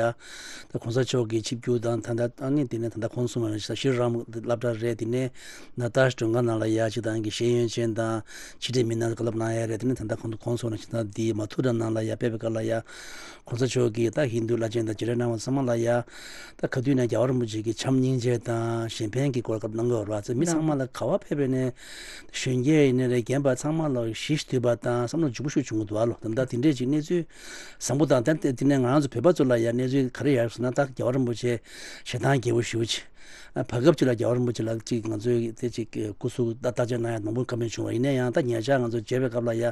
ད་གོང་ས་མཆོག་གི་ཆིབས་བསྒྱུར་དང་ད་ལྟ་ཨ་ནི་དེ་ནས་ད་ལྟ་ཁོང་གསུངས་པ་ནང་བཞིན་ད་ཤྲི་རཱམ་སློབ་གྲྭ་རེད། དེ་ནས་ན་ཏཱཇ་མགྲོན་ཁང་ནང་ལ་ཡ་སྤྱི་བཏང་གི་ཤེས་ཡོན་ཅན་དང་ཕྱི་འབྲེལ་མི་སྣ་བཀའ་སློབ་གནང་ཡ་རེད། དེ་ནས་ད་ལྟ་ཁོང་ཁོང་གསུངས་པ་ནང་བཞིན་ད་འདི་མ་ཐུ་ར་ནང་ལ་ཡ་ཕེབས་པའི་སྐབས་ལ་ཡ་གོང་ས་མཆོག་གིས་ད་ཧིན་རྡུ་བླ་ཆེན་དང་མཇལ་འཕྲད་གནང་བ་ཚང་མ་ལ་ཡ་ད་ག་དུས་ནས་རྒྱལ་བ་རིན་པོ་ཆེ་གི་བྱམས་སྙིང་རྗེ་དང་གཞན་ཕན་གྱི་སྐོར་སྐབས་གནང་གི་ཡོད་རེད་བ། ཚེ་མི་ཚང་མ་ལ་ག་བ་ཕེབས་པའི་ནས་གཞོན་སྐྱེས་ཡིན་ནའི་རེད། རྒན་པ་ཚང་མ་ལ་ཞི་ཞི་དུལ་བ་དང་བསམ་བློ་འཇུག་པོ་ཤུགས་བྱུང་གི་འདུག་ཨ་ལོ། ད་ལྟ་དེ་འདྲས་ཅིག་གནས་ཚུལ་བཟང་པོ་དང་། ད་དེ་ནས་ང་རང་ཚོ་བོད་པ་ཚོ་ལ་ཡང་གནས་ཚུལ་ག་རེ་ཡོད་ཟེར་ན་ད་རྒྱལ་བ་རིན་པོ་ཆེ་ཞེ་སྡང་རྒྱལ་པོ་ཞེ་པོ་ཅིག་བར་སྐབས་ཅིག་ལ་རྒྱལ་བ་རིན་པོ་ཆེ་ལ་ཅིག་ང་ཚོས་དེ་ཅིག་སྐུ་གཟུགས་ད་བརྟག་དཔྱད་གནང་ཡ་མང་པོ་བཀའ་མོལ་བྱུང་བ་ཡིན་ན་ཡང་ད་ཉེ་ཆར་ང་ཚོ་མཇལ་བའི་སྐབས་ལ་ཡ་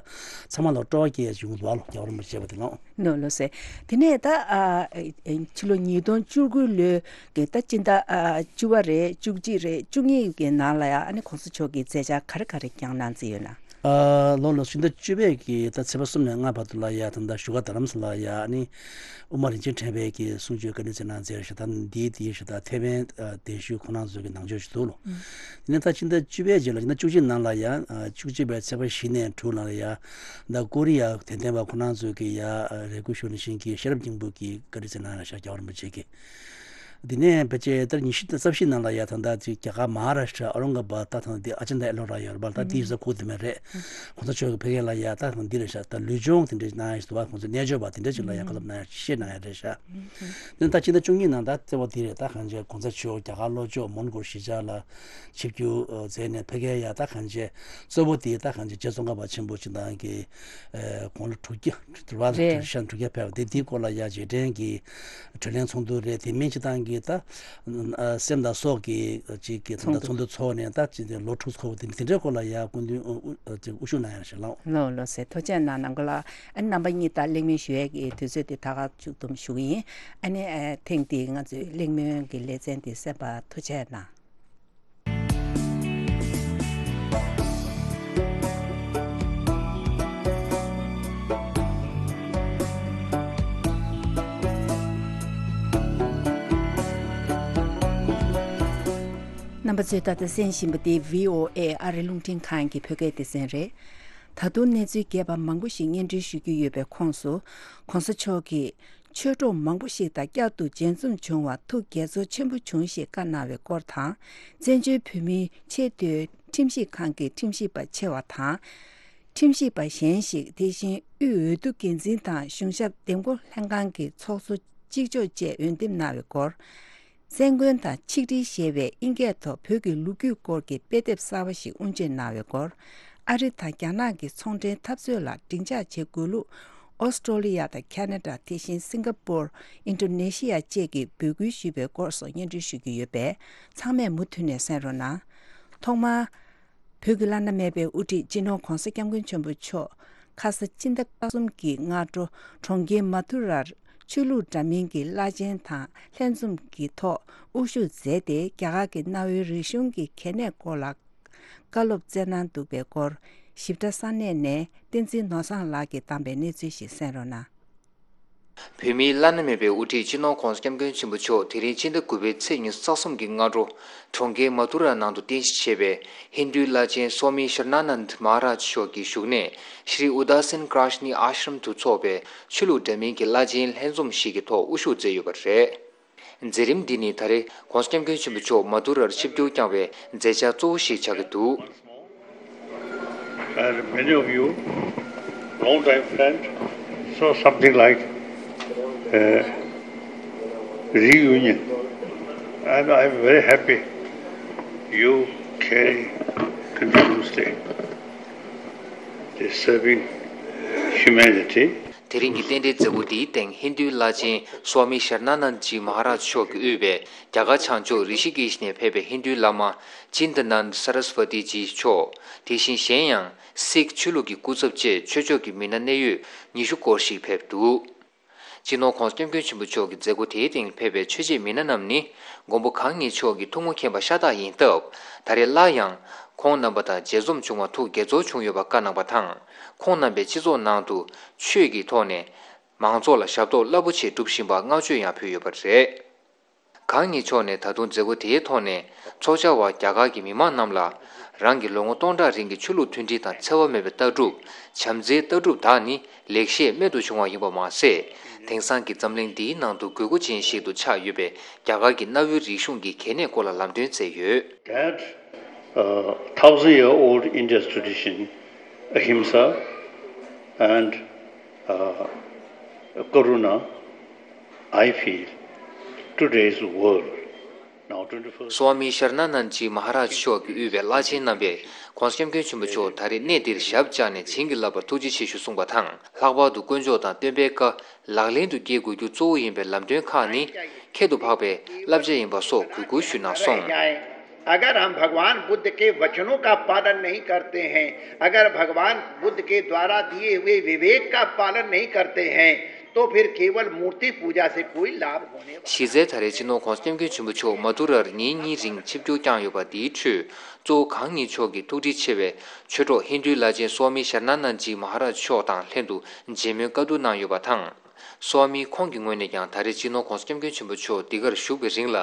ཚང་མ་ལ་སྤྲོ་བ་སྐྱེ་ཡ་བྱུང་འདུག་ཨ་ལོ། རྒྱལ་བ་རིན་པོ་ཆེ་བ་དེ་ལ། ནོ་ལོ་སེ། དེ་ནས་ད་ཨ་ཕྱི་ལོ་ཉིས་སྟོང་བཅུ་དགུ་ལོའི་གི་ད་སྤྱི་ཟླ་ཨ་བཅུ་པ་རེད། བཅུ་གཅིག་རེད། བཅུ་གཉིས་གི་ནང་ལ་ཡ་ཨ་ནི་གོང་ས་མཆོག་གི་མཛད་འཆར་ག་རེ་ག་རེ་བསྐྱངས་གནང་རྩིས་ཡོད་ན། ཨ་ལོ་ལོ་སྤྱི་ཟླ་བཅུ་པའི་གི་ད་ཚེས་པ་གསུམ་ནས་ལྔ་བར་དུ་ལ་ཡ་ད་ལྟ་བཞུགས་སྒར་རྡ་རམ་ས་ལ་ཡ་ཨ་ནི་དབུ་མ་རིན་ཆེན་ཕྲེང་བའི་གི་གསུང་ཆོས་བཀའ་དྲིན་སྩལ་གནང་མཛད་ཞེ་ད་འདིའི་དེའི་ཞེ་ད་ཐེ་ཝན་ཨ་གདན་ཞུས་ཁོང་རྣམ་ཚོ་གི་ནང་ཆོས་ཞུ་འདུག་ལོ། དེ་ནས་ད་ཕྱི་ཟླ་བཅུ་པའི་རྗེས་ལ་ཕྱི་ཟླ་བཅུ་གཅིག་ནང་ལ་ཡང་ཨ་བཅུ་གཅིག་པའི་ཚེས་པ་བཞི་ནས་དྲུག་ལ་ཡ་ད་ཀོ་རི་ཡ་དད་ལྡན་པ་ཁོང་རྣམ་ཚོ་གི་ཡ་ཨ་རེ་སྐུལ་ཞུ་ནི་བཞིན་གྱི་ཤེས་རབ་སྙིང་པོ་གི་བཀའ་དྲིན་སྩལ་གནང་ཡ་ཤར་རྒྱལ་བ་རིན་པོ་ཆེ་གི། དེ་ནས་ཕལ་ཆེར་ད་ཉི་ཤུ་རྩ་བཞི་ནང་ལ་ཡ་ད་ལྟ་ཅིག་རྒྱ་གར་མ་ཧཱ་རཱ་ཤྲ་ཨོ་རང་ག་བཱད་ད་ད་འདི་ཨ་ཅན་ད་ཨེ་ལོ་ར་ཡོད་རེད་པ། ད་འདི་ས་ཁུག་དེ་མེད་རེད། གོང་ས་མཆོག་གི་ཕ་གི་ལ་ཡ་ད་འདི་རེད་ཤག་ད་ལུས་སྦྱོང་དེ་འདྲ་གནང་ཡ་ཞིག་འདུག་བ། གོང་ས་རྣལ་འབྱོར་པ་དེ་འདྲ་ཅིག་ལ་ཡ་བཀའ་སློབ་གནང་ཡ་ཤེས་གནང་ཡ་རེད་ཤག་དེ་ད་ཕྱི་ཟླ་བཅུ་གཉིས་ནང་ད་གཙོ་བོ་དེ་རེད། ད་གང་ཅི་གོང་ས་མཆོག་རྒྱ་གར་ལྷོ་ཕྱོགས་མོན་གྷོ་གཞིས་ཆགས་ལ་ཆིབས་བསྒྱུར་མཛད་ནས་ཕ་གིར་ཡ་ད་གང་ཅི་གཙོ་བོ་དེ་ད་གང་ཅི་རྗེ་ཙོང་ཁ་པ་ཆེན་པོ་སྤྱི་བཏང་གི་དགུང་ལོ་དྲུག་བརྒྱ་དྲུག་པ་ལ་རེད། དྲུག་བརྒྱ་ཕེབས་པ་དེ་དེའི་སྐོར་ལ་ཡ་རྗེས་དྲན་གྱི་དྲིན་ལན་ཚོགས་འདུ་རེད། དེ་མིན་སྤྱི་བཏང་གི་ད་སེམས་དང་སྲོག་གི་ཅིག་གི་ད་ཚོགས་འདུ་ཚོགས་ནས་ད་ཅིག་ལོ་དྲུག་འཁོར་བ་དེ་དེ་འདྲའི་སྐོར་ལ་ཡ་སྐུ་མདུན་དབུ་ཞུ་གནང་ཡ་ཞིག་ལགས། ལོ་ལོ་ཟེར་ཐུགས་རྗེ་གནང་། ནང་ཁུལ་ལ་ཨ་རྣམ་པ་གཉིས་ད་གླེང་མོལ་ཞུ་ཡས་ཀྱི་དུས་ཚོད་དེ་ད་ག་མཇུག་བསྡོམས་ཞུ་གི་ཡིན། ཨ་ནི་ཨ་ཐེངས་འདིའི་ང་ཚོའི་གླེང་མོལ་གྱི་ལེ་ཚན་དེ་གསན་པར་ཐུགས་རྗེ་གནང་། རྣམ་པ་ཚོས་ད་ལྟ་གསན་བཞིན་པ་འདི་བྷི་ཨོ་ཨེ་ཨ་རི་རླུང་འཕྲིན་ཁང་གི་བོད་སྐད་སྡེ་ཚན་རེད། ད་དུང་གནས་ཚུལ་རྒྱས་པ་མང་པོ་ཞིག་སྙན་སྒྲོན་ཞུ་རྒྱུ་ཡོད་པའི་ཁོངས་སུ། ༸གོང་ས་མཆོག་གིས་ཆོས་གྲོགས་མང་པོ་ཞིག་དང་བསྐྱར་དུ་མཇལ་འཛོམས་བྱུང་བར་ཐུགས་དགྱེས་ཚོར་ཆེན་པོ་བྱུང་ཞེས་བཀའ་གནང་བའི་སྐོར་དང་། བཙན་བྱོལ་བོད་མིའི་ཆེས་མཐོའི་ཁྲིམས་ཞིབ་ཁང་གི་ཁྲིམས་ཞིབ་པ་ཆེ་བ་དང་། ཁྲིམས་ཞིབ་པ་གཞན་ཞིག་དེ་བཞིན་དབུས་འོས་བསྡུ་འགན་འཛིན་དང་གཞུང་ཞབས་འདེམས་བསྐོ་ལྷན་ཁང་གི་ཚོགས་གཙོ་གཅིག་ལྕོགས་བཅས་འོས་འདེམས་གནང་བའི་སྐོར། བཙན་མགོན་དང་ཆིག་སྒྲིལ་ཞེས་པའི་ཨིན་སྐད་ཐོག་བོད་ཀྱི་ལོ་རྒྱུས་སྐོར་གྱི་དཔེ་དེབ་གསར་བ་ཞིག་དབུ་འབྱེད་གནང་བའི་སྐོར། ཨ་རི་དང་རྒྱ་ནག་གི་ཚོང་འབྲེལ་འཐབ་རྩོད་ལ་སྡིངས་ཆ་བྱེད་དགོས་ལུགས། ཨོ་སི་ཀྲོ་ལི་ཡ་དང་ཁ་ན་ཌ། དེ་བཞིན་སིང་ག་པུར། ཨིན་ཌོ་ནེ་ཤི་ཡ་བཅས་ཀྱིས་འབོད་སྐུལ་ཞུས་པའི་སྐོར་སོགས་སྙན་སྒྲོན་ཞུ་རྒྱུ་ཡོད་པས། ཚང་མས་མུ་མཐུད་ནས་གསན་རོགས་གནང་། ཐོག་མར། བོད་ཀྱི་བླ་ན་མེད་པའི་དབུ་ཁྲིད་སྤྱི་ནོར་༸གོང་ས་༸སྐྱབས་མགོན་ཆེན་པོ་མཆོག་ཁ་ས་ཕྱི་ཟླ་བཅུ་གསུམ་གྱི་སྔ་དྲོ་གྲོང་ཁྱེར་མ་ཐུ་རར་ཆོས་ལུགས་འདྲ་མིན་གྱི་བླ་ཆེན་དང་ལྷན་འཛོམས་ཀྱི་ཐོག་དབུ་བཞུགས་མཛད་དེ། རྒྱ་གར་གྱི་གནའ་བོའི་རིག་གཞུང་གི་གལ་གནད་སྐོར་ལ་བཀའ་སློབ་སྩལ་གནང་འདུག་པའི་སྐོར། ཞིབ་ཕྲ་ས་གནས་ནས་བསྟན་འཛིན་ནོར་བཟང་ལགས་ཀྱིས་བཏང་པའི་གནས་ཚུལ་ཞིག་གསན་རོགས་གནང་། བོད་མིའི་བླ་ན་མེད་པའི་དབུ་ཁྲིད་སྤྱི་ནོར་༸གོང་ས་༸སྐྱབས་མགོན་ཆེན་པོ་མཆོག་དེ་རིང་ཕྱི་ཟླ་དགུ་པའི་ཚེས་ཉི་ཤུ་རྩ་གསུམ་གྱི་སྔ་དྲོ་གྲོང་ཁྱེར་མ་ཐུ་ར་ནང་དུ་རྟེན་གཞི་བྱས་པའི་ཧིན་རྡུའི་བླ་ཆེན་སོ་མི་ཤར་ན་ནན་མ་ཧ་རཱཇ་མཆོག་གི་བཞུགས་གནས་ཤྲི་ཨུ་དཱ་སིན་ཀྲ་ཤ་ནི་ཨཱ་ཤྲམ་དུ་འཚོགས་པའི་ཆོས་ལུགས་འདྲ་མིན་གྱི་བླ་ཆེན་ལྷན་འཛོམས་ཤིག་གི་ཐོག་དབུ་བཞུགས་མཛད་ཡོད་པ་རེད། མཛད་རིམ་འདི་ནི་ད་རེས་༸གོང་ས་༸སྐྱབས་མགོན་ཆེན་པོ་མཆོག་མ་དུ་རར་ཆིབས་བསྒྱུར་བསྐྱངས་པའི་མཛད་འཆར་གཙོ་བོ་ཞིག་ཆགས་ཀྱི་འདུག། And many of you, long time friend, so something like a reunion. And I'm very happy you carry continuously the serving humanity. དེ་རིང་གི་རྟེན་འབྲེལ་མཛད་སྒོ་འདིའི་སྟེང་ཧིན་རྡུའི་བླ་ཆེན་སོ་མི་ཤར་ན་ནན་ཇི་མ་ཧ་རཱཇ་མཆོག་གིས་དབུས་པའི་རྒྱ་གར་བྱང་ཕྱོགས་རི་ཤི་ཀེཤ་ནས་ཕེབས་པའི་ཧིན་རྡུའི་བླ་མ་ཅིན་ཏ་ནན་ད་སར་སི་ཝ་ཏི་ཇི་མཆོག། དེ་བཞིན་གཞན་ཡང་སིག་ཆོས་ལུགས་ཀྱི་སྐུ་ཚབ་བཅས་ཆོས་ཕྱོགས་ཀྱི་མི་སྣ་གནད་ཡོད་ཉི་ཤུ་སྐོར་ཞིག་ཕེབས་འདུག། སྤྱི་ནོར་༸གོང་ས་༸སྐྱབས་མགོན་ཆེན་པོ་མཆོག་གི་མཛད་སྒོ་དེའི་སྟེང་ཕེབས་པའི་ཆོས་བྱེད་མི་སྣ་རྣམས་ནི་མགོན་པོ་གང་ཉིད་མཆོག་གི་ཐུགས་མོས་མཁྱེན་པ་ཤ་སྟག་ཡིན་སྟབས། ད་རེས་སླར་ཡང་ཁོང་རྣམ་པ་དང་མཇལ་འཛོམས་བྱུང་བར་ཐུགས་དགྱེས་ཚོར་བྱུང་ཡོད་པ་བཀའ་གནང་བ་དང་། ཁོང་རྣམ་པས་སྤྱི་ཚོགས་ནང་དུ་ཆོས་ཀྱི་ཐོག་ནས་མང་ཚོགས་ལ་ཞབས་ཏོག་རླབས་པོ་ཆེ་སྒྲུབ་བཞིན་པར་བསྔགས་བརྗོད་ཡང་ཕུལ་ཡོད་པ་རེད། གང་ཉིད་མཆོག་ནས་ད་དུང་མཛད་སྒོ་དེའི་ཐོག་ནས་ཚོགས་བཅར་བ་རྒྱ་གར་གྱི་མི་མང་རྣམས་ལ་རང་གི་ལོ་ངོ་སྟོང་ཕྲག་རིང་གི་ཆོས་ལུགས་མཐུན་སྒྲིལ་དང་འཚེ་བ་མེད་པའི་ལྟ་གྲུབ། བྱམས་བརྩེའི་ལྟ་གྲུབ་དག་ནི་ལེགས་བཤད་རྨད་དུ་བྱུང་བ་ཡིན་པ་མ་ཟད། དེང་སང་གི་འཛམ་གླིང་འདིའི་ནང་དུ་དགོས་མཁོ་ཅན་ཞིག་ཏུ་ཆགས་ཡོད་པའི་རྒྱ་གར་གྱི་གནའ་བོའི་རིག་གཞུང་གི་གལ་གནད་སྐོར་ལ་ལམ་སྟོན་མཛད་ཡོད། That uh, thousand year old India's tradition, ahimsa and uh, karuna, I feel today's world, now twenty-first. སོ་མི་ཤར་ན་ནན་ཇི་མ་ཧ་རཱཇ་མཆོག་གིས་དབུས་པའི་བླ་ཆེན་རྣམ་པས་༸གོང་ས་༸སྐྱབས་མགོན་ཆེན་པོ་མཆོག་ད་རེས་གནས་འདིར་ཞབས་བཅགས་ནས་བྱིན་གྱིས་བརླབས་པར་ཐུགས་རྗེ་ཆེ་ཞུ་གསུངས་པ་དང་། ལྷག་པར་དུ་དཀོན་མཆོག་དང་སྟོན་པའི་བཀའ་ལག་ལེན་དུ་སྐྱེལ་དགོས་རྒྱུ་གཙོ་བོ་ཡིན་པའི་ལམ་སྟོན་ཁག་ནི་ཁྱད་དུ་འཕགས་པའི་བསླབ་བྱ་ཡིན་པ་སོགས་གུས་བཀུར་ཞུས་གནང་སོང་། अगर हम भगवान बुद्ध के वचनों का पालन नहीं करते हैं, अगर भगवान बुद्ध के द्वारा दिए हुए विवेक का पालन नहीं करते हैं, तो फिर केवल मूर्ति पूजा से कोई लाभ होने वाला གཞི་རྩའི་ད་རེས་སྤྱི་ནོར་༸གོང་ས་༸སྐྱབས་མགོན་ཆེན་པོ་མཆོག་མ་དུ་རར་ཉིན་གཉིས་རིང་ཆིབས་བསྒྱུར་བསྐྱངས་ཡོད་པ། དེའི་ཁྲོད་གཙོ་བོ་གང་ཉིད་མཆོག་གི་ཐུགས་འདྲིས་ཆེ་བའི་ཆོས་གྲོགས་ཧིན་རྡུའི་བླ་ཆེན་སོ་མི་ཤར་ན་ནན་ཇི་མ་ཧ་རཱཇ་མཆོག་དང་ལྷན་དུ་མཇལ་མོལ་བཀའ་བསྡུར་གནང་ཡོད་པ་དང་། སོ་མི་ཁོང་གི་ངོས་ནས་ཀྱང་ད་རེས་སྤྱི་ནོར་༸གོང་ས་༸སྐྱབས་མགོན་ཆེན་པོ་མཆོག་འདི་གར་བཞུགས་པའི་རིང་ལ་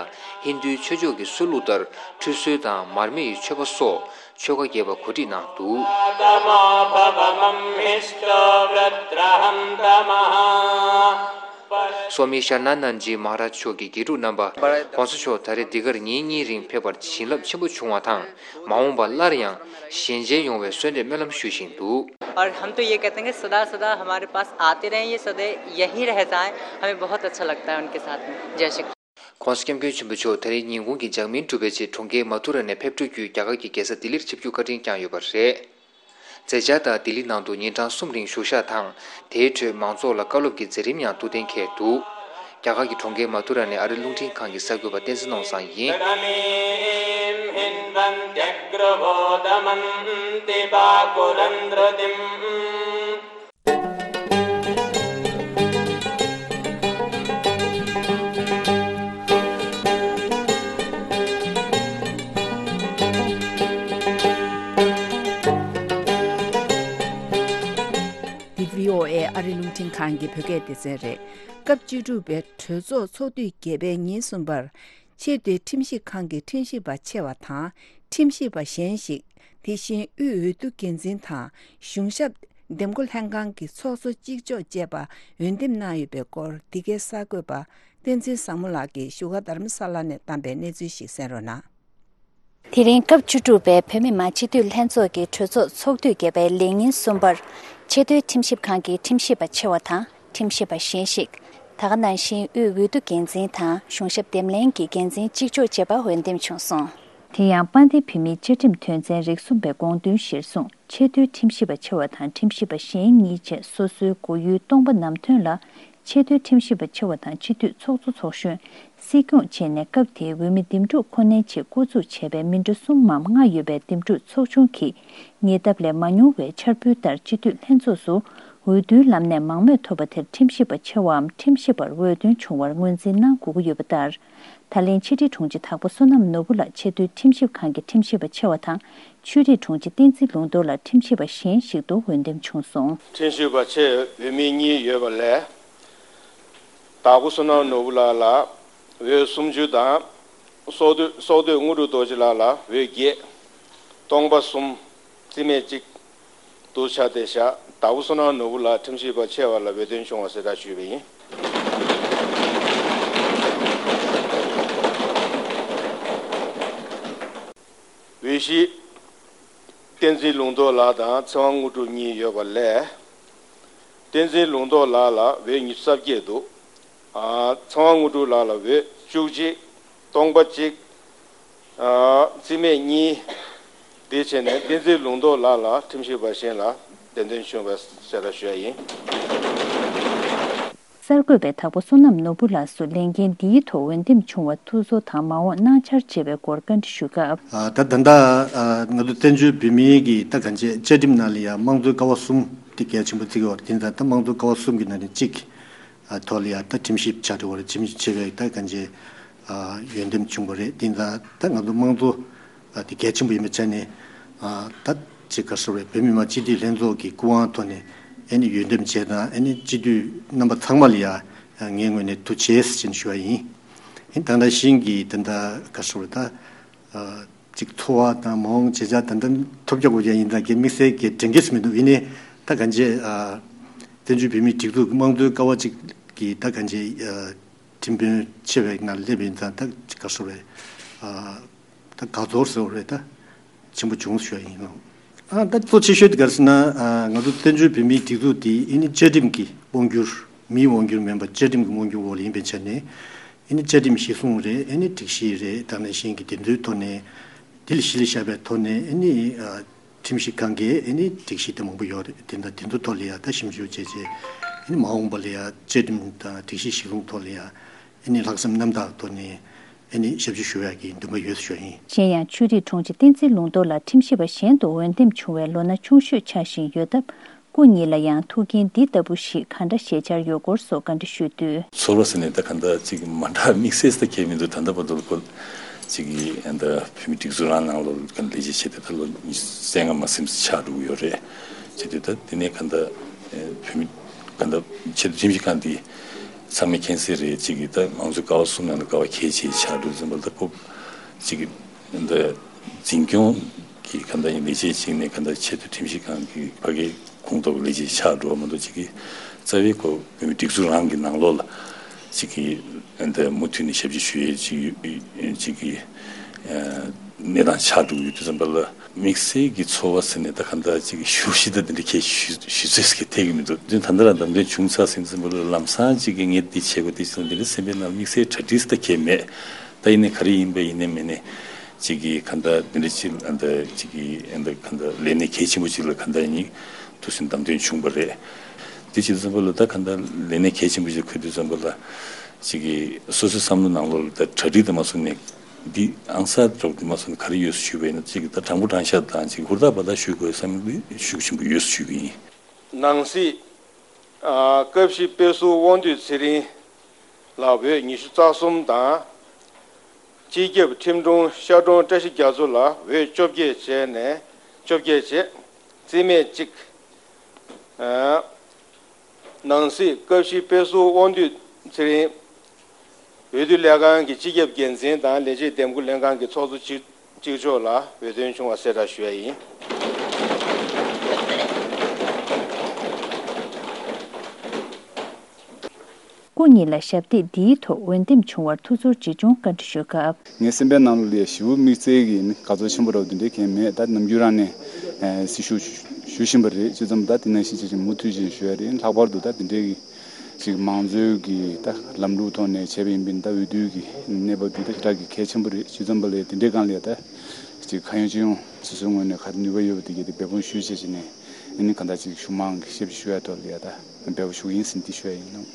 ཧིན་རྡུའི་ཆོས་ཕྱོགས་ཀྱི་སྲོལ་ལུགས་ལྟར་ཁྲུས་གསོལ་དང་མར་མེ་ཡི་མཆོད་པ་སོགས་ཆོ་ག་རྒྱས་པ་གོ་སྒྲིག་གནང་འདུག། སོ་མི་ཤར་ན་ནན་ཇི་མ་ཧ་རཱཇ་མཆོག་གི་དགེ་ཕྲུག་རྣམ་པ་༸གོང་ས་མཆོག་ད་རེས་འདི་གར་ཉིན་གཉིས་རིང་ཕེབས་པར་བྱིན་རླབས་ཆེན་པོ་བྱུང་བ་དང་། མ་འོངས་པར་སླར་ཡང་ཞལ་མཇལ་ཡོང་བའི་གསོལ་འདེབས་སྨོན་ལམ་ཞུ་བཞིན་འདུག། और हम तो ये कहते हैं कि सदा सदा हमारे पास आते रहें, ये सदा यहीं रह जाएं, हमें बहुत अच्छा लगता है उनके साथ में। जय श्री कृष्ण। ༸གོང་ས་༸སྐྱབས་མགོན་ཆེན་པོ་མཆོག་ད་རེས་ཉིན་གུང་གི་ལྗགས་སྨིན་གྲུབ་པའི་རྗེས་གྲོང་ཁྱེར་མ་ཐུ་ར་ནས་ཕེབས་འགྲོ་རྒྱུའི་རྒྱ་གར་གྱི་རྒྱལ་ས་ལྡི་ལིར་ཆིབས་བསྒྱུར་བཀའ་དྲིན་བསྐྱངས་ཡོད་པ་རེད། མཛད་འཆར་ལྟར་ལྡི་ལི་ནང་དུ་ཉིན་གྲངས་གསུམ་རིང་བཞུགས་ཞག་དང་། དེའི་ཁྲོད་མང་ཚོགས་ལ་བཀའ་སློབ་ཀྱི་མཛད་རིམ་ཡང་ཐུགས་གཏན་འཁེལ་འདུག། རྒྱ་གར་གྱི་གྲོང་ཁྱེར་མ་ཐུ་ར་ནས་ཨ་རིའི་རླུང་འཕྲིན་ཁང་གི་གསར་འགོད་པ་བསྟན་འཛིན་ནོར་བཟང་ཡིན། འདི་བྷི་ཨོ་ཨེ་ཨ་རི་རླུང་འཕྲིན་ཁང་གི་བོད་སྐད་སྡེ་ཚན་རེད། སྐབས་བཅུ་དྲུག་པའི་གྲོས་ཚོགས་ཚོགས་དུས་བརྒྱད་པའི་ཉིན་གསུམ་པར། ཆེས་མཐོའི་ཁྲིམས་ཞིབ་ཁང་གི་ཁྲིམས་ཞིབ་པ་ཆེ་བ་དང་ཁྲིམས་ཞིབ་པ་གཞན་ཞིག་དེ་བཞིན་དབུས་འོས་བསྡུ་འགན་འཛིན་དང་གཞུང་ཞབས་འདེམས་བསྐོ་ལྷན་ཁང་གི་ཚོགས་གཙོ་གཅིག་ལྕོགས་བཅས་པ་འོས་འདེམས་གནང་ཡོད་པའི་སྐོར་འདི་གའི་གསར་འགོད་པ་བསྟན་འཛིན་བཟང་མོ་ལགས་ཀྱིས་བཞུགས་སྒར་རྡ་རམ་ས་ལ་ནས་བཏང་པའི་གནས་ཚུལ་ཞིག་གསན་རོགས་གནང་། དེ་རིང་སྐབས་བཅུ་དྲུག་པའི་བོད་མི་མང་སྤྱི་འཐུས་ལྷན་ཚོགས་ཀྱི་གྲོས་ཚོགས་ཚོགས་དུས་བརྒྱད་པའི་ལས་ཉིན་གསུམ་པར་ཆེས་མཐོའི་ཁྲིམས་ཞིབ་ཁང་གི་ཁྲིམས་ཞིབ་པ་ཆེ་བ་དང་ཁྲིམས་ཞིབ་པ་གཞན་ཞིག་ད་ག་ནང་བཞིན་དབུས་འོས་བསྡུ་འགན་འཛིན་དང་གཞུང་ཞབས་འདེམས་ལྷན་གྱི་འགན་འཛིན་གཅིག་ལྕོགས་བཅས་པ་འོས་འདེམས་བྱུང་སོང་། དེ་ཡང་དཔལ་ལྡན་བོད་མིའི་བཅའ་ཁྲིམས་དོན་ཚན་རིགས་གསུམ་པའི་དགོངས་དོན་གཞིར་བཟུང་ཆེས་མཐོའི་ཁྲིམས་ཞིབ་པ་ཆེ་བ་དང་ཁྲིམས་ཞིབ་པ་གཞན་གཉིས་བཅས་སོ་སོའི་མགོ་ཡུལ་སྟོང་པ་ནམ་ཐོན་ལ་ཆེས་མཐོའི་ཁྲིམས་ཞིབ་པ་ཆེ་བ་དང་སྤྱི་འཐུས་ཚོགས་གཙོ་ཚོགས་གཞོན། སྲིད་སྐྱོང་བཅས་ནས་སྐབས་དེའི་འོས་མི་འདེམས་སྒྲུག་ཁོ་ནའི་ཆེད་བསྐོ་འཛུགས་བྱས་པའི་མི་འགྲོ་གསུམ་མམ་ལྔ་ཡོད་པའི་འདེམས་སྒྲུག་ཚོགས་ཆུང་གིས་ཉེ་འདབས་ལས་མ་མྱོང་བའི་འཆར་འབུལ་ལྟར་སྤྱི་འཐུས་ལྷན་ཚོགས་སུ་འོས་བསྡུའི་ལམ་ནས་མང་མོས་ཐོབ་པ་དེར་ཁྲིམས་ཞིབ་པ་ཆེ་བའམ་ཁྲིམས་ཞིབ་པར་འོས་ཐོན་བྱུང་བར་ངོས་འཛིན་གནང་དགོས་ཀྱི་ཡོད་པ་ལྟར། ད་ལན་ཕྱི་དྲིལ་དྲུང་ཆེ་དྭགས་པོ་བསོད་ནམས་ནོར་བུ་ལགས་ཆེས་མཐོའི་ཁྲིམས་ཞིབ་ཁང་གི་ཁྲིམས་ཞིབ་པ་ཆེ་བ་དང་ཆོས་རིག་དྲུང་ཆེ་བསྟན་འཛིན་ལུང་རྟོགས་ལགས་ཁྲིམས་ཞིབ་པ་གཞན་ཞིག་ཏུ་འོས་འདེམས་བྱུང་སོང་། ཁྲིམས་ཞིབ་པ་ཆེ་འོས་མི་གཉིས་ཡོད་པ་ལས། དྭགས་པོ་བསོད་ནམས་ནོར་བུ་ལགས་ལ་འོས་སུམ་ཅུ་དང་། སྲོག་བདུད་སྲོག་བདུད་དངོས་གྲུབ་རྡོ་རྗེ་ལགས་ལ་འོས་བརྒྱད། སྟོང་པ་གསུམ། རྩིས་མེད་གཅིག་ཏུ་ཆགས་ཏེ་བཞག་དྭགས་པོ་བསོད་ནམས་ནོར་བུ་ལགས་ཁྲིམས་ཞིབ་པ་ཆེ་བ་ལ་འོས་ཐོན་བྱུང་བ་གསལ་བསྒྲགས་ཞུས་པ་ཡིན། འོས་གཞི། བསྟན་འཛིན་ལུང་རྟོགས་ལགས་དང་ཚེ་དབང་དངོས་གྲུབ་གཉིས་ཡོད་པ་ལས། བསྟན་འཛིན་ལུང་རྟོགས་ལགས་ལ་འོས་ཉི་ཤུ་རྩ་བརྒྱད་འདུག་ཨ། ཚེ་དབང་དངོས་གྲུབ་ལགས་ལ་འོས་བཅུ་གཅིག་སྟོང་པ་གཅིག་ཨ། རྩིས་མེད་གཉིས། དེ་བྱས་ནས་བསྟན་འཛིན་ལུང་རྟོགས་ལགས་ལ་ཁྲིམས་ཞིབ་པ་གཞན་ལ་འོས་འདེམས་བྱུང་བའི་གསལ་བསྒྲགས་ཞུ་ཡ་ཡིན། གསར་འགོད་པས་དྭགས་པོ་བསོད་ནམས་ནོར་བུ་ལགས་སུ་ལས་འགན་འདིའི་ཐོག་འོས་འདེམས་བྱུང་བར་ཐུགས་གསོ་དང་མ་འོངས་གནང་འཆར་བཅས་པའི་སྐོར་བཀའ་འདྲི་ཞུས་སྐབས། ཨ། ད་ད་ལྟ་ཨ་ང་ཚོ་བཙན་བྱོལ་བོད་མིའི་གི་ད་གང་ཅི་བཅའ་ཁྲིམས་ནང་ལ་ཡང་དམངས་གཙོའི་ཀ་བ་གསུམ་དེ་གལ་ཆེན་པོ་བརྩི་གི་ཡོད་རེད། དེ་ཡིན་ཙང་ད་དམངས་གཙོའི་ཀ་བ་གསུམ་གྱི་ནང་ནས་གཅིག་ཨ་ཐོག་ལ་ཡང་ད་ཁྲིམས་ཞིབ་བྱ་འགྲོ་བ་རེད། ཁྲིམས་ཞིབ་བྱེད་པའི་ད་གང་ཅི་ཨ་འོས་འདེམས་བྱུང་བ་རེད། དེ་ཡིན་ཙང་ད་ང་ཚོ་དམངས་གཙོ་ཨ་དེ་གལ་ཆེན་པོ་ཡིན་པའི་ཆ་ནས་ཨ་ད་ཅིག་ག་རེ་ཟེར་དགོས་རེད། བོད་མི་མང་སྤྱི་འཐུས་ལྷན་ཚོགས་ཀྱི་སྐུ་དབང་ཐོག་ནས་ཨ་ནི་འོས་འདེམས་བྱས་དང་ཨ་ནི་སྤྱི་འཐུས་རྣམ་པ་ཚང་མ་ལ་ཡང་ངའི་ངོས་ནས་ཐུགས་རྗེ་ཆེ་ཞུ་བ་ཡིན། ཨ་ནི་ད་ལྟ་ཤིང་གི་ད་ལྟ་ག་རེ་ཟེར་དགོས་རེད། ད་ཨ་ཅིག་འཚོ་བ་དང་མ་འོངས་བྱེད་འཆར་ད་ལྟ་ཐོབ་རྒྱག་དགོས་ཀྱང་ཡིན་ད་གའི་དམིགས་བསལ་གྱི་དྲན་གྱི་མི་འདུག་ཡིན་ནའི་ད་གང་ཅི་ཨ་བཙན་བྱོལ་བོད་མིའི་སྒྲིག་འཛུགས་དམངས་གཙོའི་ཀ་བ་གཅིག་གི་ད་གང་ཅི་ཨ་ཁྲིམས་དཔོན་ཆེ་བའི་ནང་སླེབས་ཡིན་ཙང་ད་ག་རེ་ཟེར་དགོས་རེད། ཨ་ད་དགའ་ཚོར་ཟེར་བ་རེད། ད་ཆེན་པོ་བྱུང་ཞུ་བ་ཡིན་ནོ། ཨ་ད་གཙོ་ཆེ་ཤོས་དེ་ག་རེ་ཟེར་ན་ཨ་ང་ཚོ་བཙན་བྱོལ་བོད་མིའི་སྒྲིག་འཛུགས་དེ་ཨ་ནི་བཅའ་ཁྲིམས་ཀྱི་དབང་སྒྱུར། མིའི་དབང་སྒྱུར་མིན་པར་བཅའ་ཁྲིམས་ཀྱི་དབང་སྒྱུར་འོག་ལ་ཡིན་པའི་ཆ་ནས་ཨ་ནི་བཅའ་ཁྲིམས་གཞི་བཟུང་རེད། ཨ་ནི་སྒྲིག་གཞི་རེད། དེ་ནང་བཞིན་གྱི་དེ་ཚོའི་ཐོག་ནས་དེ་ལ་གཞི་ལ་བཞག་པའི་ཐོག་ནས་ཨ་ནི་ཨ་ཁྲིམས་ཞིབ་ཁང་གིས་ཨ་ནི་སྒྲིག་གཞི་དེ་མང་པོ་ཡོད་རེད། དེ་འདྲ་དེ་ཚོ་ཐོག་ལ་ཡང་ད་ཞིབ་འཇུག་བྱས་རྗེས་ཨ་ནི་མ་འོངས་པ་ལ་ཡང་བཅའ་ཁྲིམས་དང་སྒྲིག་གཞི་གཞི་བཟུང་ཐོག་ལ་ཡང་ཨ་ནི་ལྷག་བསམ་རྣམ་དག་ཐོག་ནས་ཨ་ནི་ཞབས་ཕྱི་ཞུ་ཡག་གི་འདུན་པ་ཡོད་ཞུ་ཡིན། གཞན་ཡང་ཆོས་རིག་དྲུང་ཆེ་བསྟན་འཛིན་ལུང་རྟོགས་ལགས་ཁྲིམས་ཞིབ་པ་གཞན་དུ་འོས་འདེམས་བྱུང་བའི་ལོ་ན་ཆུང་ཤོས་ཆགས་བཞིན་ཡོད་སྟབས། སྐུ་ཉིད་ལ་ཡང་ཐུགས་འགན་འདི་ལྟ་བུ་ཞིག་གང་འདྲ་བཞེས་འཆར་ཡོད་སྐོར་སོགས་བཀའ་འདྲི་ཞུས་དུས། ཚོར་བ་ཟེར་ནས་ད་ག་འདྲ་ཅིག་མ་འདྲ་དམིགས་བསལ་ད་གང་ཡང་མི་འདུག་ད་ལྟ་བར་དུ་ལ་ཁོ་ཅིག་གིས་ད་བོད་མིའི་སྒྲིག་འཛུགས་རང་ནང་ལོགས་ལ་ལས་བྱེད་བྱས་ཏེ་ད་ལོ་ཉི་ཤུ་རྩ་ལྔ་མ་ཟིན་ཙམ་ཆགས་འགྲོ་གི་ཡོད་རེད། བྱས་དུས་ད་དེ་ནས་ག་འདྲ་བོད་མི་ག་འདྲ་ཆེད་དུ་ཁྲིམས་ཞིབ་ཁང་འདི་ཚང་མས་མཁྱེན་གསལ་རེད། ཅིག་གིས་ད་མང་གཙོའི་ཀ་བ་གསུམ་ནང་ལ་ཀ་བ་གལ་ཆེ་ཆགས་འགྲོ་ཙམ་པ་ད་ཁོ་ཅིག་གིས་ད་འཛིན་སྐྱོང་གི་ག་འདྲ་ཡིན་ལས་བྱེད་ཅིག་ནས་ག་འདྲ་ཆེད་དུ་ཁྲིམས་ཞིབ་ཁང་གི་ཕ་གིའི་ཁོངས་གཏོགས་ལས་བྱེད་ཆགས་འགྲོ་བ་མ་གཏོགས་ཅིག་གིས་རྩ་བའི་ཁོ་བོད་མིའི་སྒྲིག་འཛུགས་རང་གི་ནང་ལོགས་ལ་ཅིག་གིས་ད་མུ་མཐུད་ནས་ཞབས་ཕྱི་ཞུ་ཡས་ཅིག་ཡོད་ཅིག་གིས་གནས་སྟངས་ཆགས་འགྲོ་གི་ཡོད་དུས་ཙམ་པ་ལ། དམིགས་བསལ་གྱི་ཚོར་བ་ཟེར་ནས་ད་ག་འདྲ་ཅིག་ཞུ་ཞིག་ད་འདི་འདྲ་ཁྱད་ཞུ་ཞུ་ཚོད་ཟེར་གྱི་ཐད་ཀྱི་མི་འདུག་དེ་ད་ལྟ་རང་འདམ་དོན་བྱུང་ཚར་ཟིན་ཙམ་པ་ལ་ལམ་སང་ཅིག་གི་ངས་འདི་བྱེད་དགོས་འདི་བྱེད་དགོས་འདི་འདྲ་སེམས་པའི་ནང་དམིགས་བསལ་གྲ་སྒྲིག་ད་གས་མེད། ད་ཡིན་ནའི་ག་རེ་ཡིན་པ་ཡིན་ནའི་མིན་ནའི་ཅིག་གི་ག་འདྲ་འདི་འདྲ་ཅིག་ཨ་འདྲ་ཅིག་གི་ཨ་འདྲ་ག་འདྲ་ལས་གནས་གལ་ཆེན་པོ་ཅིག་ལ་ག་འདྲ་ཡིན་ཐུགས་སེམས་འདམ་དོན་བྱུང་བ་རེད། འདི་བྱེད་དུས་ཙམ་པ་ལ་ད་ག་འདྲ་ལས་གནས་གལ་ཆེན་པོ་ཅིག་འཁུར་དུས་ཙམ་པ་ལ་ཅིག་གི་སོ་སོའི་བསམ་བློ་ནང་ལོགས་ལ་ད་གྲ་སྒྲིག་དང་མ་སོང་ནས། འདི་ཨང་གསར་སྒྲོག་འདི་མ་སོང་ག་རེ་ཡོད་ཞུས་པ་ཡིན་ན་ཅིག་ད་དྲང་པོ་དྲང་བཞག་དང་ཅིག་ཧུར་ཐག་འབད་ཐག་ཞུ་དགོས་བསམ་པའི་ཤུགས་ཆེན་པོ་ཡོད་ཞུས་པ་ཡིན། ནང་སྲིད་ཨ་སྐབས་བཞི་དཔེ་ཟུར་དབང་འདུས་ཚེ་རིང་ལ་འོས་ཉི་ཤུ་རྩ་གསུམ་དང་། སྤྱི་ཁྱབ་ཁྲིམས་དྲུང་ཤར་དྲུང་བཀྲ་ཤིས་རྒྱ་མཚོ་ལ་འོས་བཅོ་བརྒྱད་བྱས་ནས་བཅོ་བརྒྱད་བྱས། རྩིས་མེད་གཅིག་ཨ་ནང་སྲིད་སྐབས་བཞི་དཔེ་ཟུར་དབང་འདུས་ཚེ་རིང་། འོས་བསྡུ་ལས་ཁང་གི་སྤྱི་ཁྱབ་འགན་འཛིན་དང་ལས་བྱེད་འདེམས་བསྐོ་ལྷན་ཁང་གི་ཚོགས་གཙོ་གཅིག་གཅིག་ལྕོགས་ལ་འོས་ཐོན་བྱུང་བ་གསལ་བསྒྲགས་ཞུ་ཡ་ཡིན། སྐུ་ཉིད་ལ་ཞབས་སྟེགས་འདིའི་ཐོག་འོས་འདེམས་བྱུང་བར་ཐུགས་ཚོར་ཇི་བྱུང་བཀའ་འདྲི་ཞུས་སྐབས། ངའི་སེམས་པའི་ནང་ལ་ཡ་ཞེ་པོ་དམིགས་བསལ་གྱི་ནི་དགའ་ཚོར་ཆེན་པོ་འདྲ་བོ་དེ་འདྲའི་གང་ཡང་མེད། ད་ནམ་རྒྱུན་རང་ནས་ཨ་སྲི་ཞུ་ཞུ་བཞིན་པ་རེད། ཅི་ཙམ་ད་དེ་ནང་བཞིན་བྱས་ཅིག་མུ་མཐུད་ཅིག་ཞུ་ཡ་རེད། ལྷག་པར་དུ་ད་དེ་འདྲའི་གི་ཅིག་མང་གཙོའི་གི་ད་ལམ་ལུགས་ཐོག་ནས་བྱས་པ་ཡིན་པས་ད་འོས་བསྡུའི་གི་གནས་བབ་འདི་ད་ཞེ་དྲག་གི་གལ་ཆེན་པོ་རེད། ཅི་ཙམ་པ་ལས་དེ་འདྲའི་སྒང་ལ་ཡ་ད་ཅིག་ཁ་ཡོད་ཅི་ཡོད་སོ་སོའི་ངོས་ནས་ག་རེ་ནུས་པ་ཡོད་པ་དེ་གི་དེ་འབད་འབུངས་ཞུས་བྱས་ཅིག་ནས་ཨ་ནི་གང་ལྟར་ཅིག་གཞུང་མང་གི་ཞབས་ཕྱི་ཞུ་ཡ་ཐོག་ལ་ཡ་ད་འབད་པ་ཞུ་གི་ཡིན་ཟེར་འདི་ཞུ་ཡ་ཡིན་ནོ།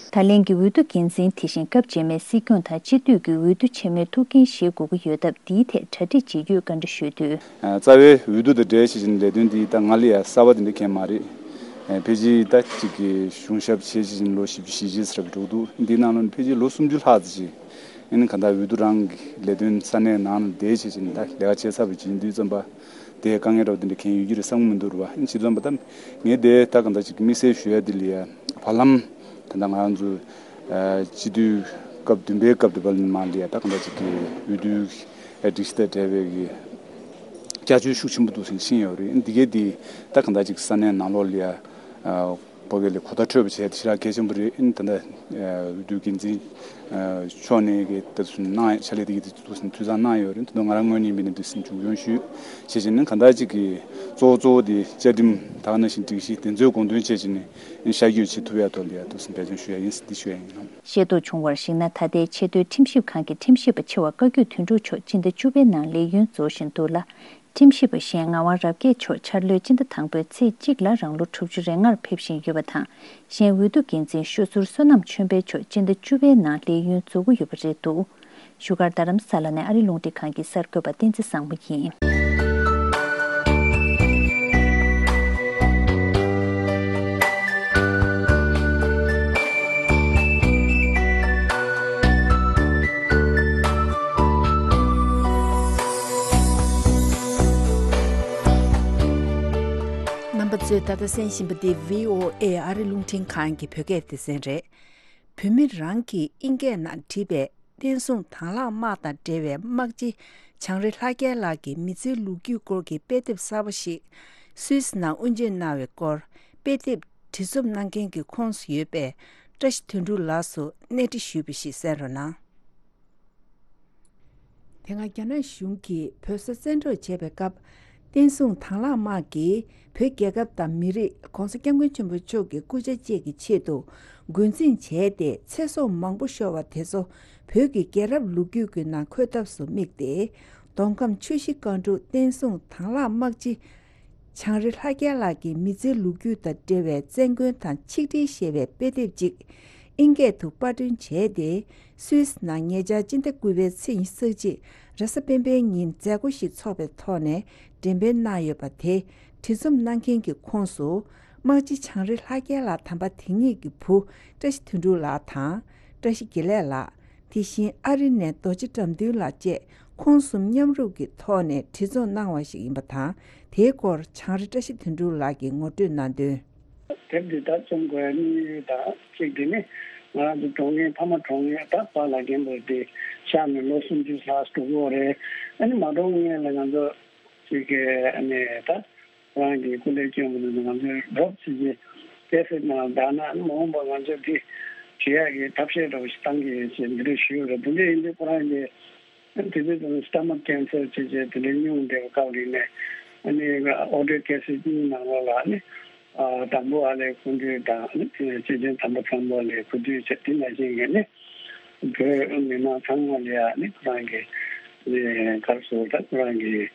ད་ལན་གྱི་འོས་བསྡུ་འགན་འཛིན་དེ་བཞིན་སྐབས་རྗེས་མའི་སྲིད་སྐྱོང་དང་སྤྱི་འཐུས་ཀྱི་འོས་བསྡུ་ཆེན་མོའི་ཐུགས་འགན་བཞེས་དགོས་ཀྱི་ཡོད་སྟབས། འདིའི་ཐད་གྲ་སྒྲིག་ཇི་ཡོད་བཀའ་འདྲི་ཞུས་དུས། རྩ་བའི་འོས་བསྡུ་དང་འབྲེལ་བྱས་ཅིང་ལས་དོན་འདི་ད་ང་ལ་ཡ་གསར་པ་དེ་འདྲ་གང་ཡང་མ་རེད། ཕལ་ཆེར་ད་ཅིག་གི་གཞུང་ཞབས་བྱས་བྱས་ཅིང་ལོ་བཞི་བཅུ་ཞེ་གཅིག་ཙམ་འགྲོ་འདུག་འདིའི་ནང་ལོགས་ནས་ཕལ་ཆེར་ལོ་སུམ་ཅུ་ལྷག་ཙམ་ཅིག་ཨ་ནི་གང་ལྟར་འོས་བསྡུ་རང་གི་ལས་དོན་ས་གནས་ནང་ལ་བསྡད་བྱས་ཅིང་ད་ལས་ཀ་བྱས་ཚར་བ་ཅིག་ཡིན་དུས་ཙམ་པ། དེ་དཀའ་ངལ་འདྲ་བོ་དེ་འདྲ་གང་ཡང་ཡོད་ཀྱི་རེད་བསམ་གྱི་མི་འདུག་རེད་བ། ཨ་ནི་བྱས་ཙམ་པ་ད་ངས་དེ་ད་གང་ལྟར་ཅིག་དམིགས་བསལ་ཞུ་ཡ་དེ་ལ་ཡ་བར་ལམ་ད་ལྟ་ང་རང་ཚོ་སྤྱི་འཐུས་སྐབས་བདུན་པའི་སྐབས་དེ་བར་ལ་མ་ལ་ཡ་ད་གང་ལྟར་ཅིག་གི་འོས་བསྡུའི་སྒྲིག་གཞི་དང་འབྲེལ་བའི་གི་བསྐྱར་བཅོས་ཤུགས་ཆེན་པོ་འདུག་སེ་ཕྱིན་ཡོད་རེད། འདི་གའི་དེ་ད་གང་ལྟར་ཅིག་ས་གནས་ནང་ལོགས་ལ་ཡ་བོད་སྐད་ལ་གོ་བརྡ་འཕྲོད་པ་བྱས་ཏེ་ཞེ་དྲག་གལ་ཆེན་པོ་རེད། ཨ་ནི་ད་ལྟ་འོས་བསྡུ་འགན་འཛིན་ཕྱོགས་ནས་གི་ད་དུ་གནང་ཕྱག་ལས་དེ་གི་དུས་ཚོད་བཟང་གནང་ཡོད་རེད། ད་དུང་ང་རང་ངོས་ནས་ཡིན་པ་ནི་འདི་སེམས་མཇུག་སྐྱོང་ཞུས་བྱས་བྱས་ནས་གང་ལྟར་ཅིག་གི་གཙོ་བོ་གཙོ་བོ་དེ་བཅའ་ཁྲིམས་ད་ག་ནང་བཞིན་སྒྲིག་གཞི་དེ་ཚོའི་དགོངས་དོན་བྱས་བྱས་ནས་ཤར་བསྐྱོད་བྱེད་ཐུབ་ཡ་ཐོག་ལ་ཡ་དུ་སེམས་འབད་བརྩོན་ཞུ་ཡ་ཡིན་འདི་ཞུ་ཡ་ཡིན། ཤེས་རྟོགས་བྱུང་བར་གཞིགས་ན། ད་ལྟའི་ཆེས་མཐོའི་ཁྲིམས་ཞིབ་ཁང་གི་ཁྲིམས་ཞིབ་པ་ཆེ་བ་བཀའ་བརྒྱུད་དོན་གྲུབ་མཆོག་སྤྱི་ཟླ་བཅུ་པའི་ནང་ལས་ཡུན་རྫོགས་བཞིན་འདུག་ལ། ཁྲིམས་ཞིབ་པ་གཞན་ངག་དབང་རབ་རྒྱས་མཆོག་འཆར་ལོའི་སྤྱི་ཟླ་དང་པོའི་ཚེས་གཅིག་ལ་རང་ལོ་དྲུག་ཅུ་རེ་ལྔར་ཕེབས་བཞིན་ཡོད་པ་དང་། གཞན་འོས་བསྡུ་འགན་འཛིན་ཤོ་ཟུར་བསོད་ནམས་ཆོས་འཕེལ་མཆོག་སྤྱི་ཟླ་བཅུ་པའི་ནང་ལས་ཡུན་རྫོགས་ཀྱི་ཡོད་པ་རེད་འདུག་བཞུགས་སྒར་རྡ་རམ་ས་ལ་ནས་ཨ་རི་རླུང་འཕྲིན་ཁང་གི་གསར་འགོད་པ་བསྟན་འཛིན་བཟང་མོ་ཡིན། རྣམ་པ་ཚོས་ད་ལྟ་གསན་བཞིན་པ་འདི་བྷི་ཨོ་ཨེ་ཨ་རི་རླུང་འཕྲིན་ཁང་གི་བོད་སྐད་སྡེ་ཚན་རེད། བོད་མི་རང་གིས་ཨིན་སྐད་ནང་བྲིས་པའི་བསྟན་སྲུང་དང་བླངས་དམག་དང་འབྲེལ་བའི་དམག་སྤྱི་བྱང་རི་ལྷ་རྒྱལ་ལགས་ཀྱི་མི་ཚེའི་ལོ་རྒྱུས་སྐོར་གྱི་དཔེ་དེབ་གསར་པ་ཞིག་སུད་སི་ནང་དབུ་འབྱེད་གནང་བའི་སྐོར། དཔེ་དེབ་བྲིས་རྩོམ་གནང་མཁན་གྱི་ཁོངས་སུ་ཡོད་པའི་བཀྲ་ཤིས་དོན་གྲུབ་ལགས་སུ་གནས་འདྲི་ཞུས་པ་ཞིག་གསན་རོགས་གནང་། དེ་སྔ་རྒྱ་ནག་གཞུང་གིས་བོད་ས་བཙན་འཕྲོག་བྱས་པའི་སྐབས། བསྟན་སྲུང་དང་བླངས་དམག་གིས་བོད་རྒྱལ་ཁབ་དང་མི་རིགས་༸གོང་ས་༸སྐྱབས་མགོན་ཆེན་པོ་མཆོག་གི་སྐུ་ཕྱྭ་བཅས་ཀྱི་ཆེད་དུ་རྒོལ་འཛིང་བྱས་ཏེ་ཚེ་སྲོག་མང་པོ་ཤོར་བ་དེ་ཚོ་བོད་ཀྱི་རྒྱལ་རབས་ལོ་རྒྱུས་ཀྱི་ནང་འཁོད་ཐབས་སུ་དམིགས་ཏེ། མདོ་ཁམས་ཆུ་བཞི་སྒང་དྲུག་བསྟན་སྲུང་དང་བླངས་དམག་སྤྱི་བྱང་རི་ལྷ་རྒྱལ་ལགས་ཀྱི་མི་ཚེའི་ལོ་རྒྱུས་དང་འབྲེལ་བའི་བཙན་རྒོལ་དང་ཆིག་སྒྲིལ་ཞེས་པའི་དཔེ་དེབ་ཅིག་ཨིན་སྐད་དུ་པར་སྐྲུན་བྱས་ཏེ། སུད་སི་ནང་ཉེ་ཆར་སྤྱི་ཟླ་དགུ་པའི་ཚེས་ཉི་ཤུ་རྩ་གཅིག་རེས་གཟའ་སྤེན་པའི་ཉིན་མཛད་སྒོ་ཞིག་འཚོགས་པའི་ཐོག་ནས་འགྲེམས་སྤེལ་གནང་ཡོད་པ་དེ། བྲིས་རྩོམ་གནང་མཁན་གྱི་ཁོངས་སུ། དམག་སྤྱི་བྱང་རི་ལྷ་རྒྱལ་ལགས་དམ་པ་དེ་ཉིད་ཀྱི་བུ་བཀྲ་ཤིས་དོན་གྲུབ་ལགས་དང་། བཀྲ་ཤིས་དགེ་ལེགས་ལགས། དེ་བཞིན་ཨ་རི་ནས་རྡོ་རྗེ་དགྲ་འདུལ་ལགས་བཅས་ཁོང་གསུམ་མཉམ་རུབ་ཀྱི་ཐོག་ནས་བྲིས་རྩོམ་གནང་བ་ཞིག་ཡིན་པ་དང་། དེའི་སྐོར་བྱང་རི་བཀྲ་ཤིས་དོན་གྲུབ་ལགས་ཀྱིས་ངོ་སྤྲོད་གནང་དོན། དེབ་འདི་ད་རྩོམ་དགོས་ཡ་དམིགས་ཡུལ་དང་གཅིག་དེ་ནི་ང་རང་ཚོ་གྲོངས་མཁན་ཕ་མ་གྲོངས་མཁན་ད་པཱ་ལགས་རྒན་པོ་དེ་གཤེགས་ནས་ལོ་སུམ་ཅུ་ལྷག་འགྲོ་གི་ཡོད་རེད། ཨ་ནི་མ་གྲོངས་སྔོན་ལ་ང་ཚོ་ཅིག་གི་ཨ་ནི་ད་རང་གི་སྐུ་ལས་བསྐྱོན་པ་དེ་ང་ཚོའི་རོབ་ཙམ་གྱི་ཀེ་སེཊ་ནང་བདག་ན་ཨ་ནི་མ་འོངས་པ་ང་ཚོས་དེ་བྲིས་ཡག་གི་ཐབས་ཤེས་འདྲ་བོ་ཞིག་བཏང་གི་ཡོད་ཅེས་འདི་འདྲ་ཞུས་ཡོད་རེད། དེ་འདྲ་ཡིན་དུས་ཁོ་རང་གི་དེ་དུས་ཙམ་སི་ཊ་མག་ཀེན་སར་བྱས་བྱས་དེ་འདྲའི་སྙུང་བསྡད་པའི་སྐབས་རིང་ནས་ཨ་ནི་ཨོ་ཌིའོ་ཀེ་སེཊ་གཉིས་ནང་ལོགས་ལ་ཨ་ནི་དང་པོ་ཨ་ལས་སྐུ་མདུན་དང་ཨ་ནི་སྲས་ཆེན་དམ་པ་བཟང་པོ་ལ་སྐུ་མདུན་བྱས་དེ་ནང་བཞིན་གྱི་ནི་བོད་མི་མང་ཚང་མ་ལ་ཨ་ནི་ཁོ་རང་གི་ག་རེ་ཟེར་ད་ཁོ་རང་གི་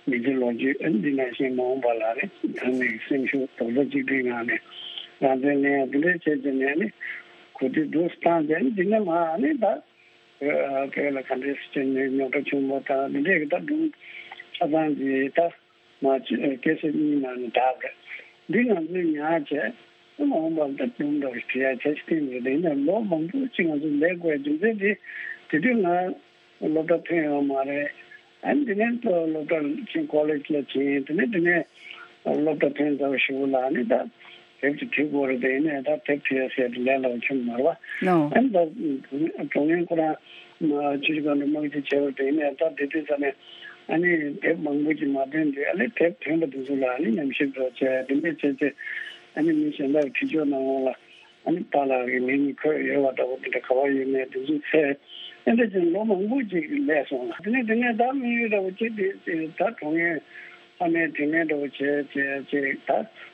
མི་ཚེ་ལོ་རྒྱུས་ཨ་ནི་འདི་ནང་བཞིན་མ་འོངས་པ་ལ་ཨ་ནི་ད་ནི་སེམས་ཤུགས་རྡོག་རྩ་གཅིག་སྒྲིལ་ངང་ནས་རང་བཙན་ལེན་ཡ་དེ་འདྲ་བྱས་བྱས་ནས་ཨ་ནི་གོ་སྒྲིག་སྡུག་བཏང་བྱས་ཨ་ནི་འདི་ནས་མར་ཨ་ནི་ད། བོད་ལ་ག་འདྲའི་སྤྱི་ནས་རྙོག་དྲ་ཆེན་པོ་དང་འདི་འདྲའི་གི་ད་སྒྲུང་ཆ་ཚང་གི་ད་མ་ཅི་ཀེ་སེཊ་གཉིས་ནང་ནས་བསྒྲགས་རེད། འདི་ང་ཚོས་ཉར་བྱས་མ་འོངས་པར་ད་སྒྲུང་འདྲ་བོ་ཞིག་བྲིས་ཡ་བྱས་ཤིག་བསྟན་ཡོད་རེད། ཡིན་ནའི་ལོ་མང་པོ་ཅིག་ང་ཚོ་ལས་དགོས་རྒྱུ་མཚན་དེ་དེ་དུས་ང་སློབ་གྲྭ་ཐོན་ཡོད་མ་རེད། ཨ་ནི་དེ་ནས་ད་སློབ་གྲྭ་ཕྱིན་ཀོ་ལེཇ་ལ་ཕྱིན་དེ་ནས་དེ་ནས་སློབ་གྲྭ་ཐོན་ཚར་བ་ཞིག་ལ་ཨ་ནི་ད། དེབ་ཅིག་བྲིས་དགོས་རེད་དེ། ཡིན་ནའི་ད་དེབ་བྲིས་ཡ་ཟེར་དེ་ལས་སླ་པོ་ཁྱོན་མ་རེད་པ། ནོ། ཨ་ནི་ད་གྲོང་ཡན་ཁོ་རང་ཆུ་བཞི་སྒང་དྲུག་དམག་སྤྱི་བྱས་པ་དེ། ཡིན་ནའི་ད་དེ་དུས་ཙ་ནས་ཨ་ནི་དེབ་མང་པོ་ཅིག་མ་ཐོན་དུས། ཨ་ནི་དེབ་ཐོན་པ་དེ་ཚོ་ལ་ཨ་ནི་ཉམས་ཞིབ་འདྲ་བྱས། དེ་འདྲ་བྱས་བྱས་ཨ་ནི་མི་གཞན་དག་བྲིས་ཆོག་གནང་འོང་ལ། ཨ་ནི་པཱ་ལགས་ཀྱི་མིང་འཁོད་ཡོད་པ་འདྲ་པོ་དེ་འདྲ་ག་པར་ཡོད་མེད་དེ་ཚོ་བཙལ། ཨེ་འདྲ་བྱས་ལོ་མང་པོ་ཅིག་སླེབས་སོང་ལ། དེ་ནས་དེ་ནས་ད་དམིགས་ཡུལ་འདྲ་པོ་ཅིག་དེ་ད་གྲོང་ཡན་ཕ་མའི་དྲིན་ལན་འདྲ་པོ་བྱས་བྱས་བྱས། ད་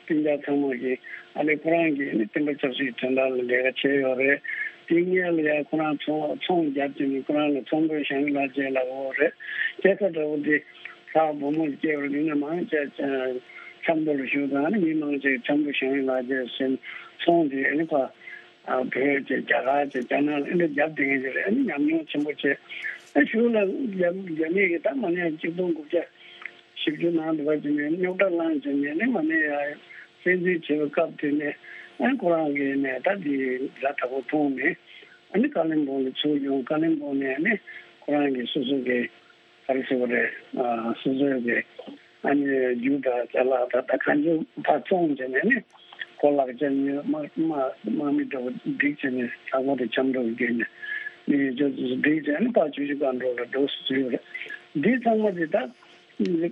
སྤུན་ཀྱག་ཚང་མ་གིས་ཨ་ལས་ཁོ་རང་གིས་ནི་བསྟན་པ་ཆབ་སྲིད་དོན་དག་ལ་ལས་ཀ་བྱས་ཡོད་རེད། དེ་སྔོན་ལ་ཡང་ཁོ་རང་ཚོང་ཚོང་རྒྱབ་བྱས་ནས་ཁོ་རང་ལ་ཚོང་དཔོན་བྱང་ཡུལ་ལགས་བཅས་ལབ་ཡོད་རེད། སྐྱེས་ས་འདྲ་པོ་དེ་ལྷ་བུ་མོ་སྐྱེས་པ་རེད། དེ་ནས་མང་ཆེ་ཆབ་མདོ་ལ་བཞུགས་དང་། ཨ་ནི་མི་མང་ཆེ་ཆབ་མདོ་བྱང་ཡུལ་ལགས་བཅས་ཟེར་ཚོང་དེ་ཨ་ནི་ཕ་ཨ་བོད་ཀྱི་རྒྱ་གར་གྱི་རྒྱ་ནག་ལ་ཨེ་འདྲ་རྒྱབ་བསྡད་མཁན་ཅིག་རེད། ཨ་ནི་ཉམས་མྱོང་ཆེན་པོ་བྱས། ཨ་གཞུག་ལ་རྒྱ་རྒྱ་མི་གིས་ད་མ་ནས་གཅིག་སྟོང་དགུ་བརྒྱ་བཞི་བཅུ་ནང་དུ་བ་ཅིག་ནས་རྙོག་དྲ་བསླངས་བྱས་ནས་ནི་མ་ནས་ཡ་བཙན་འཛུལ་བྱས་པའི་སྐབས་དེ་ནས། ཨ་ཁོ་རང་གིས་ནས་ད་དེ་ཛ་དྲག་པོ་མཐོང་ནས། ཨ་ནི་ཀ་ལིམ་པོང་ལ་ཚུར་ཡོང་། ཀ་ལིམ་པོང་ནས་ནི་ཁོ་རང་གིས་སོ་སོ་གི་ག་རེ་ཟེར་བ་རེད། ཨ་སོ་སོའི་གི་ཨ་ནི་རྒྱུ་དང་ཅ་ལག་དང་ད་གང་ཅི་ཕར་བཙོངས་བྱས་ནས་ནི། ཁོ་ལག་ཆ་ཉོས། དམག་དམག་དམག་མི་འདྲ་བོ་བསྒྲིགས་བྱས་ནས། ས་ཁོ་དེ་ཆབ་མདོ་བརྒལ་ནས་ནི་ཡོད་ཆོག་ཚོ་བསྒྲིགས་བྱས་ནས་ཕར་ཆུ་བཞི་སྒང་དྲུག་ལ་འགྲོ་སྲིད་ཡོད་རེད། འདི་ཚང་མ་དེ་ད་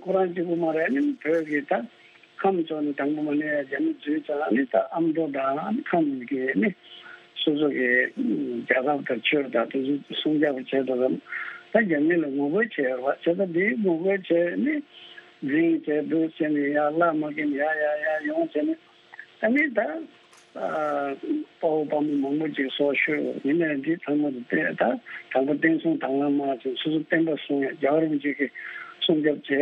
ཁོ་རང་གཅིག་པུ་མ་རེད། ཨ་ནི་བོད་ཀྱི་ད་ཁམས་ཕྱོགས་ནས་དང་པོ་མ་ནས་ཡ་རྒྱ་མི་འཛུལ་ཙང་། ཨ་ནི་ད་ཨ་མདོ་དང་ཨ་ནི་ཁམས་ཀྱི་ནི་སོ་སོ་གི་རྒྱལ་ཁབ་དང་ཆོས་དང་དེ་ཚོ་སྲུང་སྐྱོབ་བྱས་འདུག་གམ། ད་རྒྱ་མི་ལ་ངོ་རྒོལ་བྱས་ཡོད་པ་བྱས། ད་འདིའི་ངོ་རྒོལ་བྱས་ནི་འཛིང་བྱས་འདུག་བྱས་ནས་ཡར་བླ་མ་གིན་ཡར་ཡར་ཡར་ཡོང་བྱས་ནས། ཨ་ནི་ད་ཨ་དཔའ་བོ་དཔའ་མོ་མང་པོ་ཅིག་སྲོག་ཤོར། ཡིན་ནའི་འདི་ཚང་མ་དེ་ད་དང་པོ་བསྟན་སྲུང་དང་བླངས་དམག་ཅིག་སོ་སོ་བསྟན་པ་སྲུང་ཡ། རྒྱལ་བ་རིན་པོ་ཆེ་གི་སྲུང་སྐྱོབ་བྱེད་ཡ།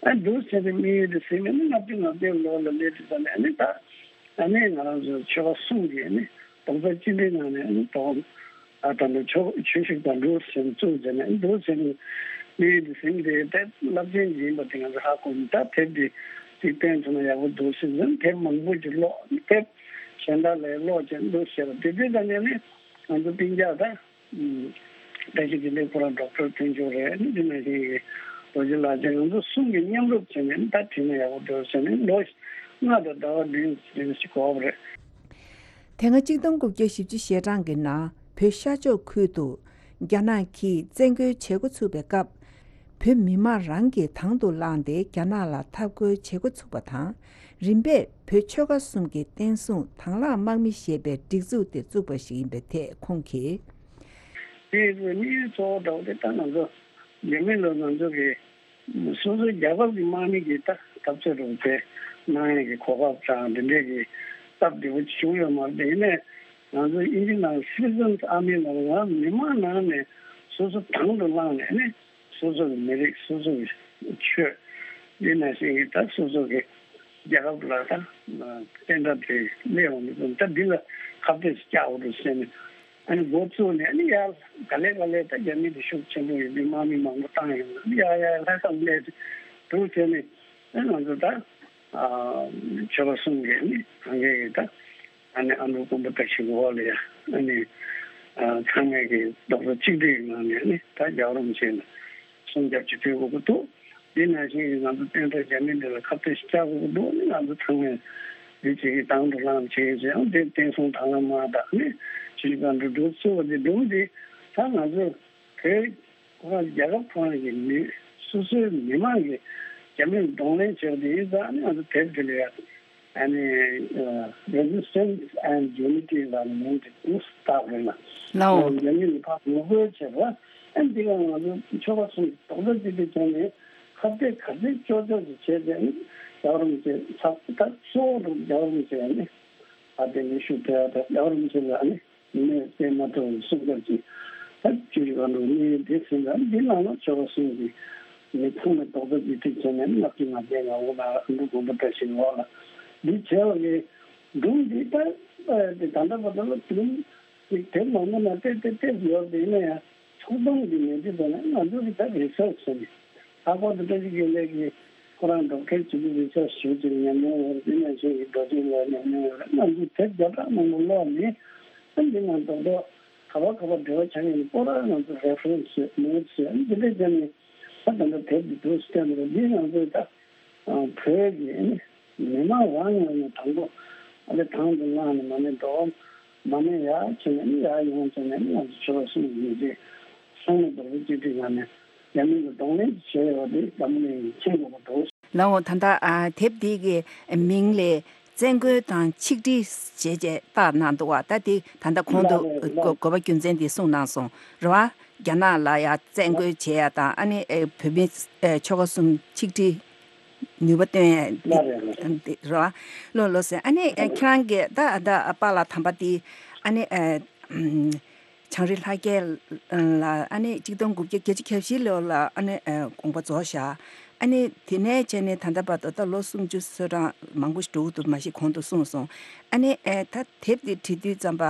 ཨ་འདུག་བྱས་ཏེ་དམིགས་ཡུལ་དེ་ཟིན་ནས་ནི་ལྔ་བཅུ་ང་བརྒྱད་ལོ་ལ་སླེབས་དུས་ཙམ་ནས། ཨ་ནི་ད་ཨ་ནི་ང་རང་ཚོ་ཆོལ་ཁ་གསུམ་གྱི་ཨ་ནི་རྡོག་རྩ་གཅིག་སྒྲིལ་ངང་ནས། ཨ་ནི་དོ་ཨ་ད་ནི་ཆོས་ཆོས་ཞིག་དང་འགྲོ་ཟིན་བཙུགས་བྱས་ནས། ཨ་ནི་འདུག་བྱས་ནས་དམིགས་ཡུལ་དེ་ཟིན་ཏེ། ད་རླབས་ཆེན་ཅིག་ཡིན་པ་དེ་ང་ཚོ་ཧ་གོ་ནས། ད་དེབ་འདི་ཅིག་བཏོན་ཐུབ་ན་ཡག་པོ་འདུག་ཟེར་ནས་དེབ་མང་པོ་ཅིག་ཀློག་དེབ་གཞན་དག་ལས་ཀློག་བྱས་འདུག་བྱས་པ་དེ་དུས་ཙམ་ནས་ནི་ང་ཚོ་སྤུན་ཀྱག་ད་བཀྲ་ཤིས་བདེ་ལེགས་ཁོ་རང་ཌོག་ཊར་ཐོན་ཆོག་རེད། ཨ་ནི་དེ་ནང་བཞིན་གྱི་རྡོ་རྗེ་ལགས་བཅས་ང་ཚོ་གསུམ་གྱིས་མཉམ་རུབ་བྱས་ནས་ད་བྲིས་ན་ཡག་པོ་འདུག་ཟེར་ནས། ལོ་ལྔ་དང་ཟླ་བ་བདུན་ཙམ་ཞིག་འགོར་བ་རེད། དེ་སྔ་གཅིག་སྟོང་དགུ་བརྒྱ་བཞི་བཅུ་ཞེ་གྲངས་ཀྱི་ནང་བོད་ཤར་ཕྱོགས་ཁུལ་དུ་རྒྱ་ནག་གིས་བཙན་རྒོལ་བྱེད་འགོ་ཚུགས་པའི་སྐབས། བོད་མི་མང་རང་གིས་དང་དུ་བླངས་ཏེ་རྒྱ་ནག་ལ་འཐབ་རྒོལ་བྱེད་འགོ་ཚུགས་པ་དང་། རིམ་པས་བོད་ཆོལ་ཁ་གསུམ་གྱི་བསྟན་སྲུང་དང་བླངས་དམག་མི་ཞེས་པའི་སྒྲིག་འཛུགས་དེ་བཙུགས་པ་ཞིག་ཡིན་པའི་ཐད་ཁོང་གིས། དེའི་དམིགས་ཡུལ་གཙོ་བོ་འདྲ་བོ་དེ་ད་ང་ཚོ་རྒྱ་མི་ལ་ང་ཚོ་གི་སོ་སོའི་རྒྱལ་ཁབ་ཀྱི་དམག་མི་གི་ད་འཐབ་རྩོད་རོགས་པའི་གནང་ཡས་ཀྱི་གོ་སྐབས་དང་འདི་འདྲས་ཀྱི་སྟབས་བདེ་པོ་བྱུང་ཡོད་མ་རེད། ཡིན་ནའི་ང་ཚོ་ཨིན་ཇི་ནང་Citizens Army ལ་ང་མི་མང་ནང་ནས་སོ་སོ་དང་དུ་བླངས་ནས་ནི། སོ་སོ་གི་མི་རིགས། སོ་སོ་གི་ཆོས། འདི་ནང་བཞིན་གྱི་ད་སོ་སོ་གི་རྒྱལ་ཁབ་ལ་ད་བརྟན་དྲག་དེ་སླེབས་ཡོང་གི་འདུག་ད་འདི་ལ་ཁ་གཏད་ཅིག་བཅག་དགོས་འདུག་ཟེར་ནས། ཨ་ནི་འགོ་བཙུགས་ནས། ཨ་ནི་ཡར་ག་ལེ་ག་ལེ་ད་རྒྱ་མི་དེ་ཤུགས་ཆེན་པོ་ཡོད་དུས་དམག་མི་མང་པོ་བཏང་ཡོང་། ཨ་ནི་ཡར་ཡར་ལྷ་ས་སླེབས་འདུག་ཟེར་ནས། ཨ་ནི་ང་ཚོ་ད་ཨ་ཆོལ་ཁ་གསུམ་གྱི་ཨ་ནི་གང་གའི་ད། ཨ་ནི་ཨ་ནུ་དཀོན་པོ་བཀྲ་ཤིས་འོག་ལ་ཡ། ཨ་ནི་ཨ་ཚང་མས་ཀྱི་རྡོག་རྩ་གཅིག་སྒྲིལ་ངང་ནས་ནི་ད་རྒྱལ་བ་རིན་པོ་ཆེ་ལ་སྲུང་སྐྱོབ་ཅིག་སྤེལ་དགོས་ཀྱི་འདུག་འདི་ནང་བཞིན་གྱི་ང་ཚོ་བསྟན་དགྲ་རྒྱ་མི་འདི་ལ་ཁ་གཏད་ཅིག་བཅག་དགོས་ཀྱི་འདུག་ནི་ང་ཚོ་ཚང་མས་འདི་བྱེད་ཀྱི་དང་དུ་བླངས་བྱེད་ཀྱི་ཡང་འདི་བསྟན་སྲུང་དང་བླངས་དམག་དང་ནི་ཆུ་བཞི་སྒང་དྲུག་འདུག་གཙོ་བོ་འདི་སྒྲུང་འདི་ད་ང་ཚོ་བོད་ཁོ་རང་རྒྱལ་ཁབ་ཁོ་རང་གི་མི་སོ་སོའི་མི་མང་གིས་རྒྱ་མིར་གདོང་ལེན་བྱས་པ་དེ་ཡིན་ཙང་། ཨ་ནི་ང་ཚོ་དེབ་འདི་ལ་ཡ་ཨ་ནི་Resistance and Unity ལ་མིང་དེ་དུ་བཏགས་རེད་ལ། ལའོ། རྒྱ་མི་ལ་ཕར་ངོ་རྒོལ་བྱས་པ། ཨ་ནི་འདི་ག་ང་ཚོ་ཆོལ་ཁ་གསུམ་རྡོག་རྩ་གཅིག་སྒྲིལ་བྱས་ནས་ཁ་གཏད་ག་ཚོད་ལྕོགས་ལྕོགས་ཀྱིས་བྱས་ཏེ། ཨ་ནི་རྒྱལ་བ་རིན་པོ་ཆེ་ཚབ་ད་གཙོ་བོ་རུ་རྒྱལ་བ་རིན་པོ་ཆེ་ཨ་ནི་ཨ་དེ་ནས་ཤུགས་ཐེབས་ཡ་ད་རྒྱལ་བ་རིན་པོ་ཆེ་ལ་ཨ་ནི། མི་མེད་རྩེ་མ་ཐུབ་སྲུང་སྐྱོབ་ཀྱིས་ད་བཅུ་བཞི་ག་འགྲོ་མི་དེ་ཟིན་ལ། འདི་ནང་ལ་ཆོལ་ཁ་གསུམ་གྱི་མི་ཚང་མས་རྡོག་རྩ་གཅིག་སྒྲིལ་བྱས་ནས་ལྔ་བཅུ་ང་བརྒྱད་ང་དགུ་ནང་ཨ་འབྲུག་དགོན་པ་བཀྲ་ཤིས་འོག་ལ་འདི་བྱས་པ་གི་སྒྲུང་འདི་ད་དེ་ད་ལྟ་བར་དུ་ལ་སྒྲུང་ཅིག་དེབ་མང་པོ་ནང་བལྟས་བལྟས་བལྟས་ཡོད་པ་ཡིན་ན་ཡང་། ཚོགས་སྡོམ་གྱི་ནས་འདི་ལ་ནི་ང་ཚོ་གི་ད་རི་སར་ཆི་ཟེར་ནས། ལྷག་པར་དུ་བཀྲ་ཤིས་དགེ་ལེགས་ཀྱིས་ཁོ་རང་ཌོག་ཊར་བྱེད་རྒྱུ་རི་སར་ཆི་ཞུ་རྒྱུར་ཉམས་མྱོང་ཡོད་རེད། དེ་ནང་བཞིན་གྱི་རྡོ་རྗེ་ལགས་ཉམས་མྱོང་ཡོད་རེད། ང་ཚོ་དེབ་བརྒྱ་ཕྲག་མང་པོ་ཀློག་ནས། ཨ་འདི་ནང་རྡོག་རྡོག་ག་པར་ག་པར་འབྲེལ་བ་ཆགས་ཡོད་ན་པོ་ར་ང་ཚོ་རེ་ཕ་རེན་སི་ནོ་ཊི་སི་ཨ་འདི་འདྲ་བརྒྱབ་ནས། ད་ད་ལྟ་དེབ་འདི་འདུག་སེ་བལྟས་ན་འདི་ང་ཚོས་ད་བོད་ཀྱི་མི་མང་རང་ངོས་ནས་དང་པོ་ ཨ་ལེ་ཐང་དུ་ལངས་ནས་མ་ཎི་འགྲོ། མ་ཎི་ཡར་བྱས་ནས་ནི་ཡར་ཡོང་བྱས་ནས་ནི་ང་ཚོ་ཆོལ་ཁ་གསུམ་གྱི་མི་རྗེ་ཚང་མ་རྡོ་རྗེ་གཅིག་སྒྲིལ་ངང་ནས་རྒྱ་མི་ལ་གདོང་ལེན་བྱས་ཡོད་པ་དེ་འཛམ་བུ་གླིང་གིས་མཁྱེན་དགོས་པ་འདུག། ལའོ། ད་ལྟ་ཨ་དེབ་འདི་གི་མིང་ལས་བཙན་རྒོལ་དང་ཆིག་སྒྲིལ་ཞེས་བྱས་བཏགས་གནང་འདུག་བ། ད་དེ་ད་ལྟ་གོང་དུ་ལགས་རེད་གོ་ལགས། གོ་བ་རྒྱུ་མཚན་དེ་གསུངས་གནང་སོང་རེད་བ། རྒྱ་ནག་ལ་ཡ་བཙན་རྒོལ་བྱེད་ཡ་དང་ཨ་ནི་ཨེ་བོད་མི་ཨེ་ཆོལ་ཁ་གསུམ་ཆིག་སྒྲིལ་ནུས་པ་བཏོན་ཡ་འདི་ལགས་རེད་ལགས། འདི་རེད་བ། ལོ་ལོ་ཟེར་ཨ་ནི་ཨེ་ཁྱེད་རང་གིས་ད་ད་པཱ་ལགས་དམ་པ་འདི་ཨ་ནི་ཨེ་བྱང་རི་ལྷ་རྒྱལ་ལ་ཨ་ནི་གཅིག་སྟོང་དགུ་བརྒྱ་བརྒྱད་ཅུ་གྱ་བཞི་ལོ་ལ་ཨ་ནི་ཨེ་དགོངས་པ་རྫོགས་བཞག། ཨ་ནི་དེ་ནས་བྱས་ནས་ད་ལྟ་བར་དུ་ད་ལོ་སུམ་ཅུ་སོ་གྲངས་མང་པོ་ཞིག་འགྲོ་གི་འདུག་མ་གཞི་གོང་དུ་གསུངས་སོང་། ཨ་ནི་ཨེ་ད་དེབ་འདི་བྲིས་དུས་ཙམ་པ་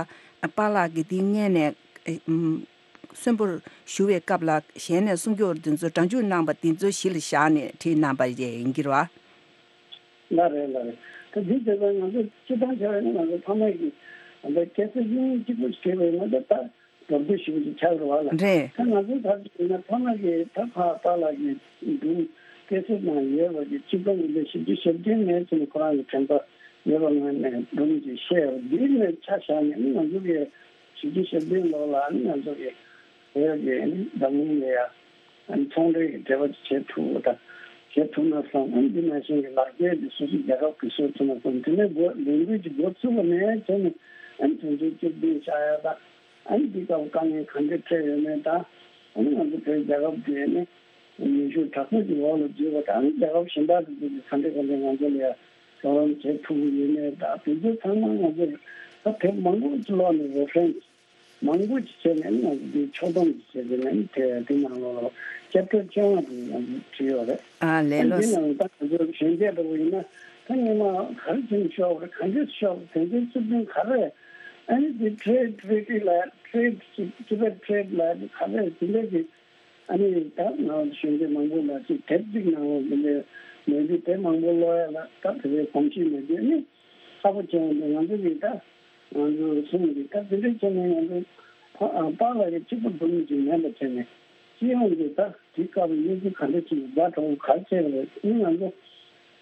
པཱ་ལགས་ཀྱིས་འདི་སྔོན་ནས་ཨེ་ཨམ་གསོན་པོར་བཞུགས་པའི་སྐབས་ལ་ཞལ་ནས་གསུང་སྐྱོར་འདི་ཚོ་སྒྲ་འཇུག་གནང་པ་འདི་ཚོ་གཞི་ལ་བཞག་ནས་བྲིས་གནང་པ་ཡིན་གྱི་རེད་བ། ལགས་རེད་ལགས་རེད། ད་འདི་བྱས་ཙང་ང་ཚོ་སྤྱིར་བཏང་བྱས་པ་ཡིན་ན་ང་ཚོ་ཕ་མ་གི་ད་ཁ་སང་ཉིན་གཅིག་པུ་བྱས་པ་ཡིན་ན་ད་ད་མདོར་བསྡུས་ཞིབ་ཅིག་ཆགས་རེད་བ་ལ། རེད། ད་ང་ཚོ་ད་ཡིན་ན་ཕ་མ་གི་ད་ཕ་པཱ་ལགས་ཀྱི་སྒྲུང་ཁ་སང་ནང་ཡོད་པ་གི་གཅིག་པ་ཡིན་པའི་བཞི་བཅུ་ཞེ་བདུན་ནས་བྱས་ནས་ཁོ་རང་གི་དྲན་པ་ཡོད་པ་ངོས་ནས་སྒྲུང་ཅིག་བཤད་ཡོད། འདི་ནས་ཆ་བཞག་ནས་ང་ཚོ་གི་བཞི་བཅུ་ཞེ་བདུན་ལོ་ལ་ང་ཚོ་གི་བོད་ཀྱི་འཛམ་གླིང་ལ་ཡ། ཨ་ནི་ཚོང་འབྲེལ་གྱི་འབྲེལ་བ་ཅིག་བྱེད་ཐུབ་པ་དང་བྱེད་ཐུབ་ན་བསམ། ཨ་ནི་འདི་ནང་བཞིན་གྱི་ལག་འཁྱེར་འདི་སོ་སོའི་རྒྱལ་ཁབ་ཀྱིས་བཟོ་ཐུབ་ན་བསམ། དེ་ནས་སྒོ་ལས་འགུལ་གྱི་འགོ་ཚུགས་པ་ནས་བྱས་ནས་ཨ་ནི་དོན་ཚན་བཅུ་བདུན་བཞག་ཡ་དང་། ཨ་ནི་འདི་སྐབས་དཀའ་ངལ་ག་འདྲས་འཕྲད་ཡོད་མེད་དང་། ཨ་ནི་ང་ཚོ་བོད་རྒྱལ་ཁབ་འདི་ནི་ནུས་ཤུགས་དྲག་པོ་ཅིག་འོག་ལ་འཛུལ་བ་དང་། ཨ་ནི་རྒྱལ་ཁབ་གཞན་དག་དེ་ཚོ་གིས་ག་འདྲས་ག་འདྲས་ང་ཚོ་ལ་ཡ་རོགས་རམ་བྱེད་ཐུབ་ཀྱི་ཡོད་མེད་དང་། དེ་ཚོ་ཚང་མ་ང་ཚོ་ད་དེབ་མང་པོ་ཅིག་ཀློག་ནས་རེ་ཕ་རེན་སི་མང་པོ་ཅིག་བྱས་ནས་ང་ཚོ་འདི་ཕྱོགས་བསྡོམས་ཅིག་བྱས་ཏེ་ནས་དེ་དེ་ནང་ལོགས་ལ་ཅེབ་ཊར་བཅོ་ལྔ་དེ་ང་ཚོ་བྲིས་ཡོད་རེད། ཨ་ལས། ཨ་ལོ། འདི་ནང་ད་ང་ཚོ་གཞོན་སྐྱེས་འདྲ་པོ་ཡིན་ན་ད་སྔོན་མ་ག་རེ་བྱས་ནས་ཤོག་རེད། ག་འདྲས་ཤོག་དོན་ཚན་བཅུ་བདུན་ག་རེ། ཨ་ནི་འདི་ཊེ་རེ་ཌི་ཊི་རི་ཊི་ལ་ཊེ་རེ་ཌི་ཊི་བེཊ་ཊེ་རེ་ཌི་ལ་ག་རེ་དེ་འདྲས་ཀྱི། ཨ་ནི་ད་ང་གཞོན་སྐྱེས་མང་པོ་ལ་ཅིག་དེབ་ཅིག་ནང་ལ་འདི་འདྲའི་མེད་དུས་དེབ་མང་པོ་ཀློག་ཡ་ལ་ད་དེ་འདྲའི་གོམས་གཤིས་མེད་དུས་ནི་ཁག་པོ་ཆེ་བ་འདུག། ང་ཚོ་གིས་ད་ང་ཚོ་གསུམ་གྱིས་ད་དེ་འདྲའི་ཆ་ནས་ང་ཚོ་ཕ་པཱ་ལགས་ཀྱི་གཅིག་པུ་སྒྲུབ་མི་ཅིག་མེད་པ་བྱས་ནས་སྤྱི་ཡོངས་ཀྱི་ད་དེའི་སྐབས་ལ་གནས་ཚུལ་ག་འདྲ་ཅིག་ཛ་དྲག་པོ་ག་རེ་བྱས་པ་རེད། ཨ་ནི་ང་ཚོ་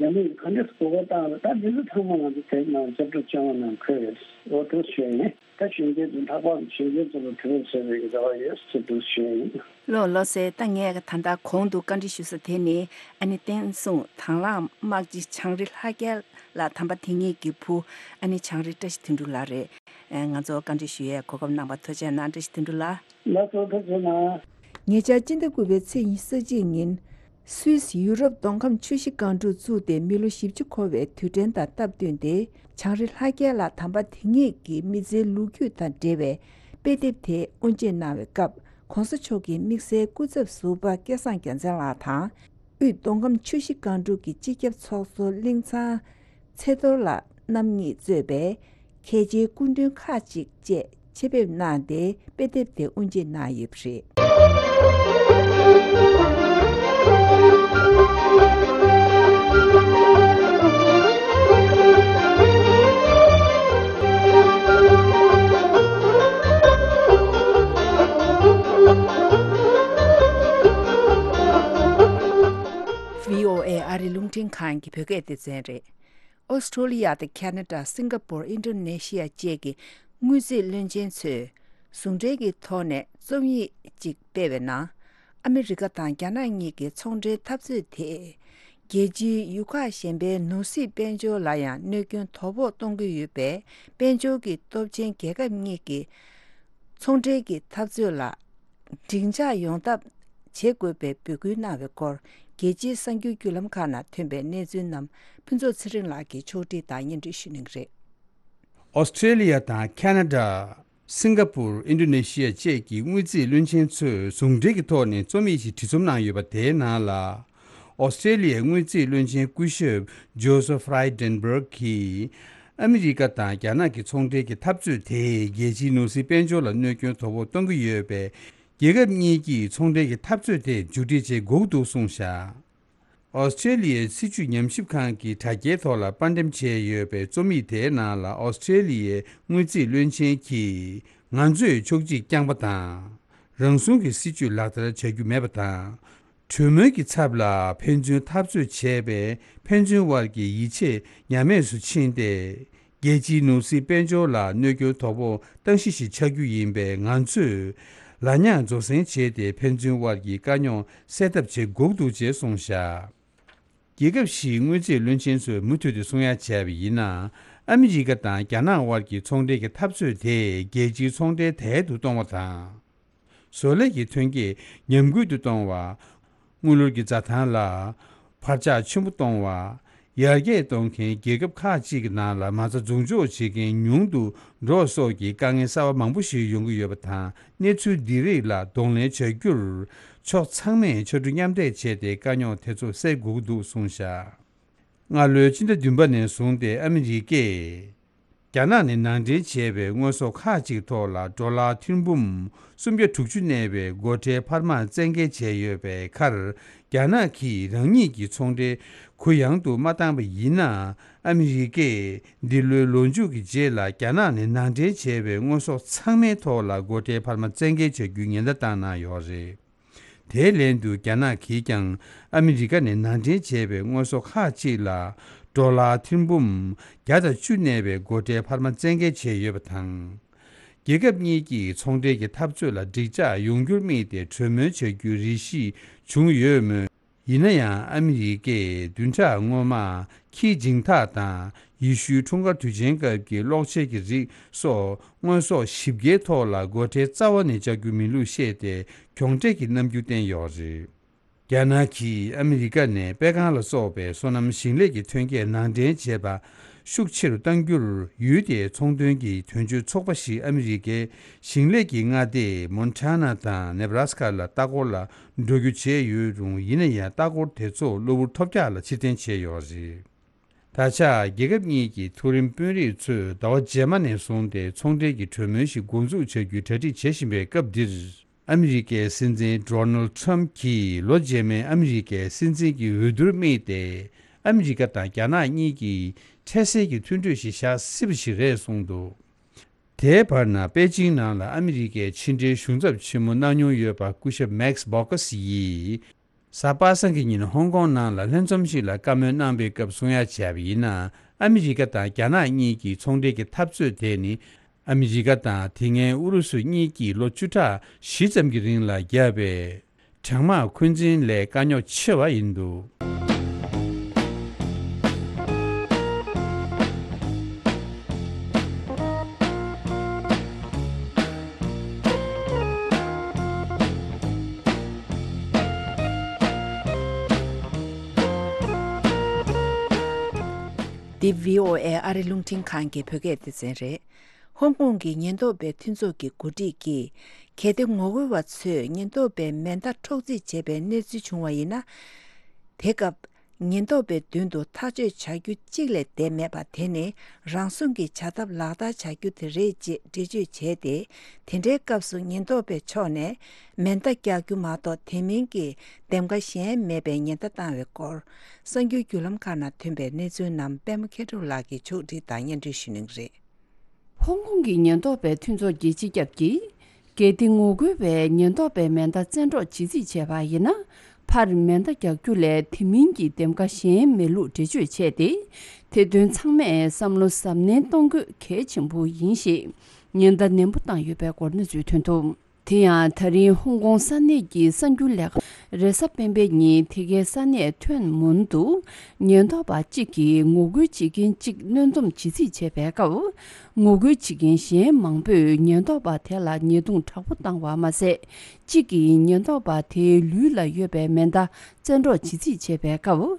རྒྱ་མིས་ག་འདྲས་གོ་སྐབས་བཏང་རེད། ད་འདི་ཚོ་ཚང་མ་ང་ཚོ་དེབ་ནང་ཅེབ་ཊར་བཅོ་ལྔ་ནང་འཁོད་ཡོད། འོ་དེ་ཞུ་ཡ་ཡིན། ད་གཞོན་སྐྱེས་ཚོ་ལྷག་པར་གཞོན་སྐྱེས་ཚོ་ལ་དྲི་བ་བཟོ་བའི་རེ་བ་ཡོད་ཟེར་འདུག་ཞུ་ཡ་ཡིན། ལོ་ལོ་ཟེར། ད་ངས་ད་ལྟ་གོང་དུ་བཀའ་འདྲི་ཞུ་ས་དེ་ནི་ཨ་ནི་བསྟན་སྲུང་དང་བླངས་དམག་སྤྱི་བྱང་རི་ལྷ་རྒྱལ་ལགས་དམ་པ་དེ་ཉིད་ཀྱི་བུ་ཨ་ནི་བྱང་རི་བཀྲ་ཤིས་དོན་གྲུབ་ལགས་རེད། ཨ་ང་ཚོ་བཀའ་འདྲི་ཞུ་ཡས་གོ་སྐབས་གནང་བར་ཐུགས་རྗེ་གནང་། བཀྲ་ཤིས་དོན་གྲུབ་ལགས། ལགས་སོ། ཐུགས་རྗེ་གནང་། ཉེ་ཆར་སྤྱི་ཟླ་དགུ་པའི་ཚེས་ཉི་ཤུ་རྩ་གཅིག་ཉིན། སུད་སི་ཡུ་རོབ་མདོ་ཁམས་ཆུ་བཞི་སྒང་དྲུག་བཙུགས་ཏེ་མི་ལོ་བཞི་བཅུ་འཁོར་བའི་དུས་དྲན་དང་སྟབས་བསྟུན་ཏེ། བྱང་རི་ལྷ་རྒྱལ་ལགས་དམ་པ་དེ་ཉིད་ཀྱི་མི་ཚེའི་ལོ་རྒྱུས་དང་འབྲེལ་བའི་དཔེ་དེབ་དེ་དབུ་འབྱེད་གནང་བའི་སྐབས། ྋགོང་ས་མཆོག་གི་དམིགས་བསལ་སྐུ་ཚབ་ཟུར་པ་སྐལ་བཟང་རྒྱལ་མཚན་ལགས་དང་། དབུས་མདོ་ཁམས་ཆུ་བཞི་སྒང་དྲུག་གི་སྤྱི་ཁྱབ་ཚོགས་གཙོ་གླིང་ཚང་ཚེ་རྡོར་ལགས་རྣམ་གཉིས་གཙོས་པའི་མཁས་ཆེན་སྐུ་མགྲོན་ཁག་ཅིག་བཅས་ཆེད་ཕེབས་གནང་སྟེ་དཔེ་དེབ་དེ་དབུ་འབྱེད་གནང་ཡོད་པ་རེད། བྷི་ཨོ་ཨེ་ཨ་རིའི་རླུང་འཕྲིན་ཁང་གི་བོད་སྐད་སྡེ་ཚན་རེད། ཨོ་སི་ཁྲོ་ལི་ཡ་དང་ཁ་ན་ཌ། སིང་ག་པུར། ཨིན་ཌོ་ནེ་ཤི་ཡ་བཅས་ཀྱི་དངུལ་རྩིས་བློན་ཆེན་ཚོས་ཟུང་འབྲེལ་གྱི་ཐོག་ནས་རྩོམ་ཡིག་ཅིག་སྤེལ་བའི་ནང་། ཨ་མི་རི་ཀ་དང་རྒྱ་ནག་གཉིས་ཀྱི་ཚོང་འབྲེལ་འཐབ་རྩོད་དེས་རྒྱལ་སྤྱིའི་ཡུལ་ཁག་གཞན་པའི་ནོར་སྲིད་དཔལ་འབྱོར་ལ་ཡང་གནོད་སྐྱོན་དོ་ཕོག་གཏོང་གི་ཡོད་པས། དཔལ་འབྱོར་གྱི་སྟོབས་ཆེན་རྒྱལ་ཁབ་གཉིས་ཀྱི་ཚོང་འབྲེལ་གྱི་འཐབ་རྩོད་ལ་འགྲིག་འཇགས་ཡོང་ཐབས་བྱེད་དགོས་པའི་འབོད་སྐུལ་གནང་བའི་སྐོར། རྒྱལ་སྤྱིའི་གསར་འགྱུར་བརྒྱུད་ལམ་ཁག་ནང་ཐོན་པའི་གནས་ཚུལ་རྣམས་ཕུན་ཚོགས་ཚེ་རིང་ལགས་ཀྱིས་ཕྱོགས་སྒྲིག་དང་སྙན་སྒྲོན་ཞུ་གནང་གི་རེད། ཨོ་སི་ཁྲེ་ལི་ཡ་དང་ཁ་ན་ཌ། སིང་ག་པུར། ཨིན་ཌོ་ནེ་ཤི་ཡ་བཅས་ཀྱི་དངུལ་རྩིས་བློན་ཆེན་ཚོས་ཟུང་འབྲེལ་གྱི་ཐོག་ནས་རྩོམ་ཡིག་ཞིག་བྲིས་རྩོམ་གནང་ཡོད་པ། དེའི་ནང་ལ། ཨོ་སི་ཁྲེ་ལི་ཡའི་དངུལ་རྩིས་བློན་ཆེན་སྐུ་ཞབས་ཇོ་སེཕ་ཧྥ་རའི་ཌེན་སྦརག་གིས། ཨ་མི་རི་ཀ་དང་རྒྱ་ནག་གི་ཚོང་འབྲེལ་གྱི་འཐབ་རྩོད་དེས་རྒྱལ་སྤྱིའི་ནོར་སྲིད་དཔལ་འབྱོར་ལ་གནོད་སྐྱོན་དོ་ཕོག་གཏོང་གི་ཡོད་པས། རྒྱལ་ཁབ་གཉིས་ཀྱིས་ཚོང་འབྲེལ་གྱི་འཐབ་རྩོད་དེ་མཇུག་སྒྲིལ་བྱེད་དགོས་འདུག་གསུངས་བཞག། ཨོ་སི་ཁྲེ་ལི་ཡའི་སྲིད་བྱུས་ཉམས་ཞིབ་ཁང་གི་དྲ་རྒྱའི་ཐོག་ལ་པར་འགྲེམས་བྱས་ཡོད་པའི་རྩོམ་ཡིག་དེའི་ནང་ལ། ཨོ་སི་ཁྲེ་ལི་ཡའི་དངུལ་རྩིས་བློན་ཆེན་གྱིས། ང་ཚོས་ཕྱོགས་གཅིག་རྐྱང་པ་དང་། རང་བྱུང་གི་སྲིད་བྱུས་ལག་བསྟར་བྱ་རྒྱུ་མེད་པ་དང་། གྲོས་མོལ་གྱི་ཚབ་ལ་ཕན་ཚུན་འཐབ་རྩོད་བྱས་པས། ཕན་ཚུན་དབར་གྱི་ཡིད་ཆེས་ཉམས་དམས་སུ་ཕྱིན་ཏེ། རྒྱལ་སྤྱིའི་ནོར་སྲིད་དཔལ་འབྱོར་ལ་གནོད་སྐྱོན་དོ་ཕོག་སྟངས་གཞི་ཞིག་ཆགས་རྒྱུ་ཡིན་པས། ང་ཚོས་ལ་ཉག་རྫོགས་སེང་བྱས་ཏེ་ཕན་ཚུན་དབར་གྱི་དཀའ་རྙོག་སེལ་ཐབས་བྱེད་དགོས་འདུག་ཅེས་གསུངས་བཞག་རྒྱལ་ཁབ་བཞིའི་དངུལ་རྩིས་བློན་ཆེན་ཚོས་མུ་མཐུད་དུ་གསུང་ཡ་བྱས་པ་ཡིན་ན། ཨ་མི་རི་ཀ་དང་རྒྱ་ནག་དབར་གྱི་ཚོང་འབྲེལ་གྱི་འཐབ་རྩོད་དེ་རྒྱལ་སྤྱིའི་ཚོང་འབྲེལ་དལ་དུ་གཏོང་བ་དང་། བཟོ་ལས་ཀྱི་ཐོན་སྐྱེད་ཉམས་རྒུད་དུ་གཏོང་བ། དངུལ་ལོར་གྱི་འཛའ་ཐང་ལ་འཕར་ཆག་ཆེན་པོ་གཏོང་བ། ཡར་རྒྱས་གཏོང་མཁན་རྒྱལ་ཁབ་ཁག་ཅིག་གི་ནང་ལ་མ་རྩ་འཛུགས་འཇོག་བྱེད་མཁན་ཉུང་དུ་འགྲོ་སོགས་ཀྱི་དཀའ་ངལ་གསར་པ་མང་པོ་ཞིག་ཡོང་གི་ཡོད་པ་དང་། གནས་ཚུལ་འདི་རིགས་ལ་གདོང་ལེན་བྱ་རྒྱུར་ཕྱོགས་ཚང་མས་ཕྱར་གྲུ་མཉམ་འདེགས་བྱས་ཏེ་དཀའ་རྙོག་དེ་ཚོ་སེལ་དགོས་ཀྱི་འདུག་གསུངས་བཞག་སྔ་ལོའི་ཕྱི་ཟླ་བདུན་པ་ནས་བཟུང་སྟེ་ཨ་མི་རི་ཀས་རྒྱ་ནག་ནས་ནང་འདྲེན་བྱས་པའི་དངོས་ཟོག་ཁག་ཅིག་ཐོག་ལ་ཌོ་ལར་ཐེར་འབུམ་སུམ་བརྒྱ་དྲུག་ཅུ་གནས་པའི་སྒོ་ཁྲལ་འཕར་མ་བཙན་འགེལ་བྱས་ཡོད་པའི་ཁར། རྒྱ་ནག་གིས་རང་ཉིད་ཀྱི་ཚོང་འབྲེལ་གུ་ཡངས་དུ་མ་བཏང་པ་ཡིན་ན། ཨ་མི་རི་ཀས་འདི་ལོའི་ལོ་མཇུག་གི་རྗེས་ལ་རྒྱ་ནག་ནས་ནང་འདྲེན་བྱས་པའི་དངོས་ཟོག་ཚང་མའི་ཐོག་ལ་སྒོ་ཁྲལ་འཕར་མ་བཙན་འགེལ་བྱ་རྒྱུའི་ཉེན་བརྡ་བཏང་གནང་ཡོད་རེད། དེའི་ལན་དུ་རྒྱ་ནག་གིས་ཀྱང་ཨ་མི་རི་ཀ་ནས་ནང་འདྲེན་བྱས་པའི་དངོས་ཟོག་ཁག་ཅིག་ལ་ཌོ་ལར་ཐེར་འབུམ་བརྒྱ་དང་བཅུ་གནས་པའི་སྒོ་ཁྲལ་འཕར་མ་བཙན་འགེལ་བྱས་ཡོད་པ་དང་། རྒྱལ་ཁབ་གཉིས་ཀྱི་ཚོང་འབྲེལ་གྱི་འཐབ་རྩོད་ལ་འགྲིག་འཇགས་ཡོང་རྒྱུར་དམིགས་ཏེ་གྲོས་མོལ་བྱ་རྒྱུའི་རེ་ཞིག་བྱུང་ཡོད་མོད། ཡིན་ན་ཡང་ཨ་མི་རི་ཀས་བདུན་ཕྲག་སྔོན་མ་ཁི་ཇིང་ཐག་དང་ཡེ་ཤུའི་འཁྲུངས་སྐར་དུས་ཆེན་སྐབས་ཀྱི་གློག་ཆས་ཀྱི་རིགས་སོགས་དངོས་ཟོག་བཞི་བརྒྱའི་ཐོག་ལ་སྒོ་ཁྲལ་རྩ་བ་ནས་བཅག་རྒྱུ་མིན་ལུགས་བཤད་དེ་གྱོང་ཁྲལ་གྱི་རྣམ་འགྱུར་བསྟན་ཡོད་རེད། རྒྱ་ནག་གིས་ཨ་མི་རི་ཀ་ནས་པད་ཁང་ལ་སོགས་པའི་སོ་ནམ་ཞིང་ལས་ཀྱི་ཐོན་སྐྱེད་ནང་འདྲེན་བྱེད་པ་ཤུགས་ཆེ་རུ་གཏང་རྒྱུར་ཡུལ་དེའི་ཚོང་དོན་གྱི་དོན་གཅོད་ཚོགས་པ་ཞིག་ཨ་མི་རི་ཀའི་ཞིང་ལས་ཀྱི་མངའ་སྡེ་མོན་ཊ་ན་དང་ནེ་བྷ་ར་སི་ཀ་ལ་ལྟ་སྐོར་ལ་འགྲོ་རྒྱུ་བྱས་ཡོད་རུང་། ཡིན་ན་ཡང་ལྟ་སྐོར་དེ་ཚོ་གློ་བུར་ཐོལ་རྒྱག་ལ་ཕྱིར་འཐེན་བྱས་ཡོད་རེད། ད་ཆ་རྒྱལ་ཁབ་གཉིས་ཀྱི་མཐོ་རིམ་དཔོན་རིགས་ཚོས་ཟླ་བ་རྗེས་མ་ནས་བཟུང་སྟེ་ཚོང་འབྲེལ་གྱི་གྲོས་མོལ་ཞིག་འགོ་འཛུགས་བྱ་རྒྱུའི་གྲ་སྒྲིག་བྱེད་བཞིན་པའི་སྐབས་འདིར། ཨ་མི་རི་ཀའི་སྲིད་འཛིན་ཌོ་ནལ་ཌི་ཊརམ་ཕ་གྱིས་ལོ་རྗེས་མའི་ཨ་མི་རི་ཀའི་སྲིད་འཛིན་གྱི་འོས་བསྡུར་དམིགས་ཏེ། ཨ་མི་རི་ཀ་དང་རྒྱ་ནག་གཉིས་ཀྱིས་འཕྲལ་སེལ་གྱི་མཐུན་གྲོས་ཤིག་བཞག་སྲིད་པ་ཞིག་རེད་གསུངས་འདུག་དེའི་བར་ན་པེ་ཅིང་ནང་ལ་ཨ་མི་རི་ཀའི་ཕྱི་འབྲེལ་གཞུང་ཚབ་ཆེན་མོ་གནང་མྱོང་ཡོད་པ་སྐུ་ཞབས་མེག་སི་བྷོ་ཀ་སི་ཡིས། གཟའ་པ་སངས་ཀྱི་ཉིན་ཧོང་ཀོང་ནང་ལ་ལྷན་འཛོམས་ཤིག་ལ་བཀའ་མོལ་གནང་པའི་སྐབས་གསུང་ཡ་བྱས་པ་ཡིན་ན། ཨ་མི་རི་ཀ་དང་རྒྱ་ནག་གཉིས་ཀྱི་ཚོང་འབྲེལ་གྱི་འཐབ་རྩོད་དེ་ནི། ཨ་མི་རི་ཀ་དང་དེ་སྔའི་ཨུ་རུ་སུ་གཉིས་ཀྱིས་ལོ་བཅུ་ཕྲག་བཞི་ཙམ་གྱི་རིང་ལ་བརྒྱབ་པའི་གྲང་དམག་འཁོན་འཛིན་ལས་དཀའ་རྙོག་ཆེ་བ་ཡིན་འདུག་འདི་བྷི་ཨོ་ཨེ་ཨ་རི་རླུང་འཕྲིན་ཁང་གི་བོད་སྐད་སྡེ་ཚན་རེད། ཧོང་ཀོང་གི་ཉེན་རྟོག་པའི་མཐུན་ཚོགས་ཀྱི་འགོ་ཁྲིད་ཀྱིས། གལ་ཏེ་ངོ་རྒོལ་བ་ཚོས་ཉེན་རྟོག་པའི་མེ་མདའ་འཕྲོག་རྩིས་བྱས་པའི་གནས་ཚུལ་བྱུང་བ་ཡིན་ན། དེ་སྐབས་ཉེན་རྟོག་པའི་མདུན་དུ་ཐག་གཅོད་བྱ་རྒྱུ་གཅིག་ལས་བསྡད་མེད་པ་དེ་ནི་རང་སྲུང་གི་བྱ་ཐབས་ལག་བསྟར་བྱ་རྒྱུ་དེ་རེད་ཅེས་འགྲེལ་བརྗོད་བྱས་ཏེ། དེ་འདྲའི་སྐབས་སུ་ཉེན་རྟོག་པའི་ཕྱོགས་ནས་མེ་མདའ་རྒྱག་རྒྱུ་མ་གཏོགས་དེ་མིན་གྱི་འདེམས་ཀ་གཞན་མེད་པའི་ཉེན་བརྡ་བཏང་བའི་སྐོར། གསར་འགྱུར་བརྒྱུད་ལམ་ཁག་ནང་ཐོན་པའི་གནས་ཚུལ་རྣམས་པད་མ་མཁས་གྲུབ་ལགས་ཀྱིས་ཕྱོགས་སྒྲིག་དང་སྙན་སྒྲོན་ཞུ་གནང་གི་རེད། ཧོང་ཀོང་གི་ཉེན་རྟོག་པའི་མཐུན་ཚོགས་ཀྱི་སྤྱི་ཁྱབ་ཀྱིས། གལ་ཏེ་ངོ་རྒོལ་བས་ཉེན་རྟོག་པའི་མེ་མདའ་བཙན་འཕྲོག་བྱེད་རྩིས་བྱས་པ་ཡིན་ན། ཕར་མེ་མདའ་རྒྱག་རྒྱུ་ལས་དེ་མིན་གྱི་འདེམས་ཀ་གཞན་མེད་ལུགས་འགྲེལ་བརྗོད་བྱས་ཏེ། དེ་དོན་ཚང་མས་བསམ་བློ་གཟབ་ནན་གཏོང་དགོས་གལ་ཆེན་པོ་ཡིན་ཞེས་ཉེན་བརྡ་ནན་པོ་བཏང་ཡོད་པའི་སྐོར་གནས་ཚུལ་ཐོན་འདུག་དེ་ཡང་ད་རིང་ཧོང་ཀོང་ས་གནས་ཀྱི་གསར་འགྱུར་ལས་ཁང་རེས་གཟའ་སྤེན་པའི་ཉིན་དེ་གའི་ས་གནས་ཐོན་མུན་དུ་ཉེན་རྟོག་པ་གཅིག་གིས་ངོ་རྒོལ་བྱེད་མཁན་གཅིག་གནོན་འཛོམས་བྱེད་རྩིས་བྱས་པའི་སྐབས། ངོ་རྒོལ་བྱེད་མཁན་གཞན་མང་པོས་ཉེན་རྟོག་པ་དེ་ལ་ཉེས་རྡུང་དྲག་པོ་བཏང་བ་མ་ཟད། གཅིག་གིས་ཉེན་རྟོག་པ་དེའི་ལུས་ལ་ཡོད་པའི་མེ་མདའ་བཙན་འཕྲོག་བྱེད་རྩིས་བྱས་པའི་སྐབས།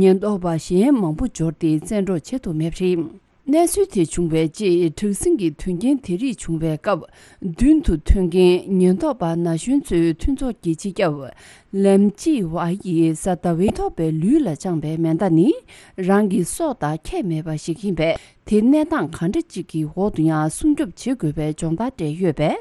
ཉེན་རྟོག་པ་གཞན་མང་པོ་འབྱོར་ཏེ་བཙན་འཕྲོག་བྱེད་ཐུབ་མེད་པ་རེད། གནས་ཚུལ་དེ་བྱུང་བའི་རྗེས་དྲག་ཟིང་གི་དོན་རྐྱེན་དེ་རིགས་བྱུང་བའི་སྐབས། མདུན་དུ་ཐོན་མཁན་ཉེན་རྟོག་པ་ན་གཞོན་ཚོའི་མཐུན་ཚོགས་ཀྱི་སྤྱི་ཁྱབ་ལེམ་ཅི་ཝ་ཡིས་གཟའ་ཟླ་བའི་ཉེན་རྟོག་པའི་ལུས་ལ་བཅངས་པའི་མེ་མདའ་ནི་རང་གི་སྲོག་དང་ཁྱད་མེད་པ་ཞིག་ཡིན་པས། དེ་གནས་སྟངས་གང་འདྲ་ཅིག་གི་འོག་ཏུ་ཡང་སྲུང་སྐྱོབ་བྱེད་དགོས་པའི་སྦྱོང་བརྡར་སྤྲད་ཡོད་པས།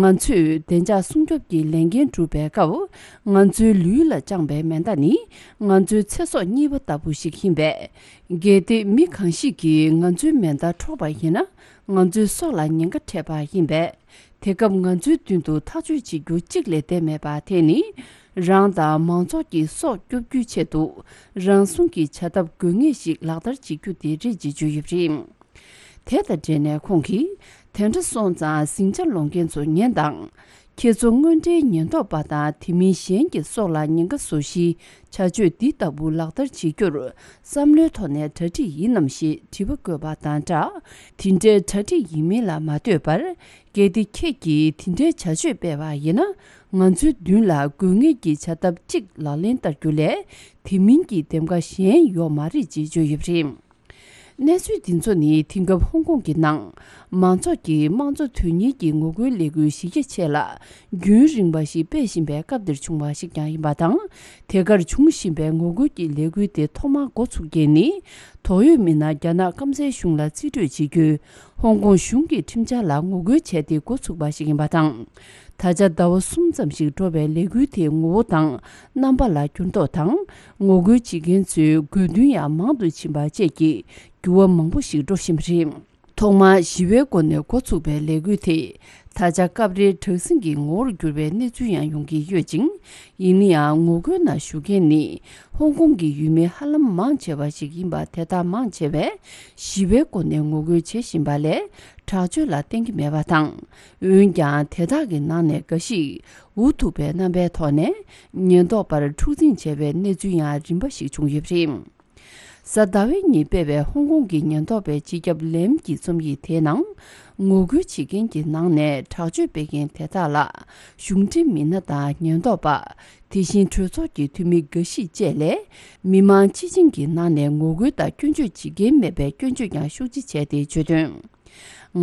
ང་ཚོས་བདེ་འཇགས་སྲུང་སྐྱོབ་ཀྱི་ལས་འགན་སྒྲུབ་པའི་སྐབས། ང་ཚོའི་ལུས་ལ་བཅངས་པའི་མེ་མདའ་ནི་ང་ཚོའི་ཚེ་སྲོག་གཉིས་པ་ལྟ་བུ་ཞིག་ཡིན་པས། གལ་ཏེ་མི་གང་ཞིག་གིས་ང་ཚོའི་མེ་མདའ་འཕྲོག་པ་ཡིན་ན། ང་ཚོའི་སྲོག་ལ་ཉེན་ཁ་འཕྲད་པ་ཡིན་པས། དེ་སྐབས་ང་ཚོའི་མདུན་དུ་ཐག་གཅོད་བྱེད་རྒྱུ་གཅིག་ལས་བསྡད་མེད་པ་དེ་ནི། རང་དང་མང་ཚོགས་ཀྱི་སྲོག་སྐྱོབ་རྒྱུའི་ཆེད་དུ། རང་སྲུང་གི་བྱ་ཐབས་དགོས་ངེས་ཤིག་ལག་བསྟར་བྱེད་རྒྱུ་དེ་རེད་ཅེས་བརྗོད་ཡོད་པ་རེད། དེ་དང་འབྲེལ་ནས་ཁོང་གིས། དེ་འདྲ་སོང་ཙང་ཟིང་ཆ་སློང་མཁན་ཚོ་ཉན་དང་། ཁྱེད་ཚོ་དངོས་འབྲེལ་ཉེན་རྟོག་པ་དང་དེ་མིན་གཞན་གྱི་སྲོག་ལ་ཉེན་ཁ་བཟོ་གཞིའི་བྱ་སྤྱོད་འདི་ལྟ་བུ་ལག་བསྟར་བྱེད་རྒྱུར་བསམ་བློའི་ཐོག་ནས་གྲ་སྒྲིག་ཡིན་ནམ་ཞེས་དྲི་བ་བཀོད་པ་དང་སྦྲགས། དེ་འདྲའི་གྲ་སྒྲིག་ཡིན་མིན་ལ་མ་ལྟོས་པར། གལ་ཏེ་ཁྱེད་ཀྱིས་དེ་འདྲའི་བྱ་སྤྱོད་སྤེལ་བ་ཡིན་ན། ང་ཚོའི་མདུན་ལ་དགོས་ངེས་ཀྱི་བྱ་ཐབས་གཅིག་ལག་ལེན་བསྟར་རྒྱུ་ལས། དེ་མིན་གྱི་འདེམས་ཀ་གཞན་ཡོད་མ་རེད་ཅེས་བརྗོད་ཡོད་པ་རེད། གནས་ཚུལ་འདི་ཚོ་ནི་དེང་སྐབས་ཧོང་ཀོང་གི་ནང་མང་ཚོགས་ཀྱིས་དམངས་གཙོ་དོན་གཉེར་གྱི་ངོ་རྒོལ་ལས་འགུལ་གཞི་རྒྱ་ཆེ་ལ་རྒྱུན་རིང་པ་ཞིག་སྤེལ་བཞིན་པའི་སྐབས་འདིར་བྱུང་བ་ཞིག་ཀྱང་ཡིན་པ་དང་། དེ་གར་འབྱུང་བཞིན་པའི་ངོ་རྒོལ་གྱི་ལས་འགུལ་དེ་ཐོག་མར་འགོ་ཚུགས་མཁན་ནི། དོགས་ཡོད་མི་སྣ་རྒྱ་ནག་སྐམ་སའི་གཞུང་ལ་རྩིས་སྤྲོད་བྱེད་རྒྱུའི་ཧོང་ཀོང་གཞུང་གི་ཁྲིམས་འཆར་ལ་ངོ་རྒོལ་བྱས་ཏེ་འགོ་ཚུགས་པ་ཞིག་ཡིན་པ་དང་། ད་ཆ་ཟླ་བ་གསུམ་ཙམ་ཞིག་འགྲོ་བའི་ལས་འགུལ་དེའི་ངོ་བོ་དང་རྣམ་པ་ལ་འགྱུར་ལྡོག་དང་། ངོ་རྒོལ་བྱེད་མཁན་ཚོའི་དགོས་འདུན་ཡང་མང་དུ་ཕྱིན་པ་བཅས་ཀྱི་འགྱུར་བ་མང་པོ་ཞིག་འགྲོ་བཞིན་པ་རེད། ཐོག་མར་ཞི་བའི་སྒོ་ནས་འགོ་ཚུགས་པའི་ལས་འགུལ་དེ། ད་ཆ་སྐབས་རེ་དྲག་ཟིང་གི་ངོ་བོར་གྱུར་བའི་གནས་ཚུལ་ཡང་ཡོང་གི་ཡོད་ཅིང་། ཡིན་ན་ཡང་ངོ་རྒོལ་ནང་ཞུགས་མཁན་ནི་ཧོང་ཀོང་གི་ཡུལ་མི་ཧ་ལམ་མང་ཆེ་བ་ཞིག་ཡིན་པ་དེ་དག་མང་ཆེ་བས་ཞི་བའི་སྒོ་ནས་ངོ་རྒོལ་བྱེད་བཞིན་པ་ལས་དྲག་སྤྱོད་ལ་བརྟེན་གྱི་མེད་པ་དང་། འོན་ཀྱང་དེ་དག་གི་ནང་ནས་འགའ་ཞིག་འུ་ཐུག་པའི་རྣམ་པའི་ཐོག་ནས་ཉེན་རྟོག་པར་འཁྲུག་འཛིང་བྱས་པའི་གནས་ཚུལ་ཡང་རིམ་པ་ཞིག་བྱུང་ཡོད་པ་རེད། གཟའ་ཟླ་བའི་ཉིན་སྤེལ་བའི་ཧོང་ཀོང་གི་ཉེན་རྟོག་པའི་སྤྱི་ཁྱབ་ལེམ་གྱི་རྩོམ་ཡིག་དེའི་ནང་། ངོ་རྒོལ་བྱེད་མཁན་གྱི་ནང་ནས་དྲག་སྤྱོད་སྤེལ་མཁན་དེ་དག་ལ་གཞུང་འབྲེལ་མི་སྣ་དང་ཉེན་རྟོག་པ། དེ་བཞིན་གྲོས་ཚོགས་ཀྱི་འཐུས་མི་འགའ་ཞིག་བཅས་ལས། མི་མང་སྤྱི་བྱིངས་ཀྱི་ནང་ནས་ངོ་རྒོལ་དང་སྐྱོན་བརྗོད་བྱེད་མཁན་མེད་པའི་སྐྱོན་བརྗོད་ཀྱང་ཤུགས་ཆེ་བྱས་ཏེ་བརྗོད་དོན།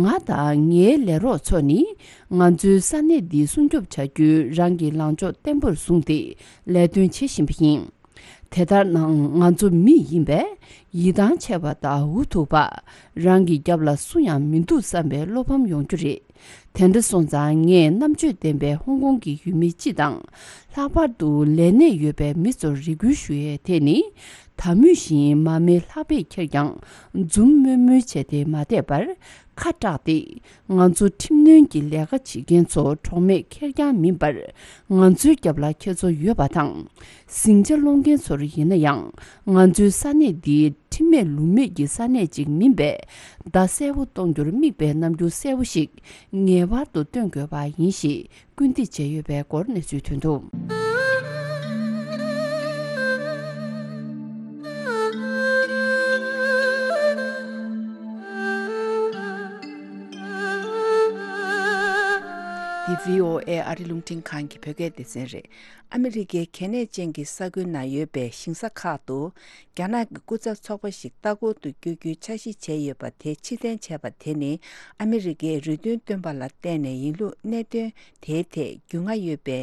ང་དང་ངའི་ལས་རོགས་ཚོ་ནི་ང་ཚོའི་ས་གནས་འདི་སྲུང་སྐྱོབ་བྱ་རྒྱུའི་རང་གི་ལངས་ཕྱོགས་བརྟན་པོར་བཟུང་སྟེ་ལས་དོན་བྱེད་བཞིན་པ་ཡིན། དེ་ལྟར་ནའང་ང་ཚོ་མི་ཡིན་པས་ཡིད་ཐང་ཆད་པ་དང་འུ་ཐུག་པ། རང་གི་རྒྱབ་ལ་སུ་ཡང་མི་འདུག་བསམ་པའི་བློ་ཕམ་ཡོང་རྒྱུ་རེད། དེ་འདྲ་སོང་ཙང་ངས་རྣམ་དཔྱོད་ལྡན་པའི་ཧོང་ཀོང་གི་ཡུལ་མི་སྤྱི་དང་། ལྷག་པར་དུ་ལས་གནས་ཡོད་པའི་མི་ཚོར་རེ་སྐུལ་ཞུ་ཡས་དེ་ནི། ད་མུས་བཞིན་མ་མི་ལྷག་པས་ཁེར་རྐྱང་འཛུམ་དམུལ་དམུལ་བྱས་ཏེ་མ་བསྡད་པར། ཁ་གྲགས་ཏེ། ང་ཚོ་ཁྲིམས་གནོན་གྱི་ལས་ཀ་བྱེད་མཁན་ཚོ་གྲོགས་མེད་ཁེར་རྐྱང་མིན་པར། ང་ཚོའི་རྒྱབ་ལ་ཁྱེད་ཚོ་ཡོད་པ་དང་། ཟིང་ཆ་སློང་མཁན་ཚོར་ཡིན་ན་ཡང་། ང་ཚོའི་ས་གནས་འདི་ཁྲིམས་མེད་ལུགས་མེད་ཀྱི་ས་གནས་ཅིག་མིན་པས། བརྡ་གསལ་པོ་གཏོང་རྒྱུར་དམིགས་པའི་རྣམ་འགྱུར་གསལ་པོ་ཞིག་ངེས་པར་དུ་སྟོན་དགོས་པ་ཡིན་ཞེས་སྐུལ་འདེད་བྱས་ཡོད་པའི་སྐོར་གནས་ཚུལ་ཐོན་འདུག། འདི་བྷི་ཨོ་ཨེ་ཨ་རི་རླུང་འཕྲིན་ཁང་གི་བོད་སྐད་སྡེ་ཚན་རེད། ཨ་མི་རི་ཀའི་གལ་གནད་ཅན་གྱི་ས་ཁུལ་ནང་ཡོད་པའི་ཞིང་ས་ཁག་ཏུ། རྒྱ་ནག་གི་སྐུ་ཚབ་ཚོགས་པ་ཞིག་ལྟ་སྐོར་དུ་བསྐྱོད་རྒྱུའི་འཆར་གཞི་བྱས་ཡོད་པ་དེ་ཕྱིར་འཐེན་བྱས་པ་དེ་ནི། ཨ་མི་རི་ཀས་རེ་འདུན་བཏོན་པ་ལ་བརྟེན་ནས་ཡིན་ལུགས་གནད་དོན་དེའི་ཐད་རྒྱུས་མངའ་ཡོད་པའི་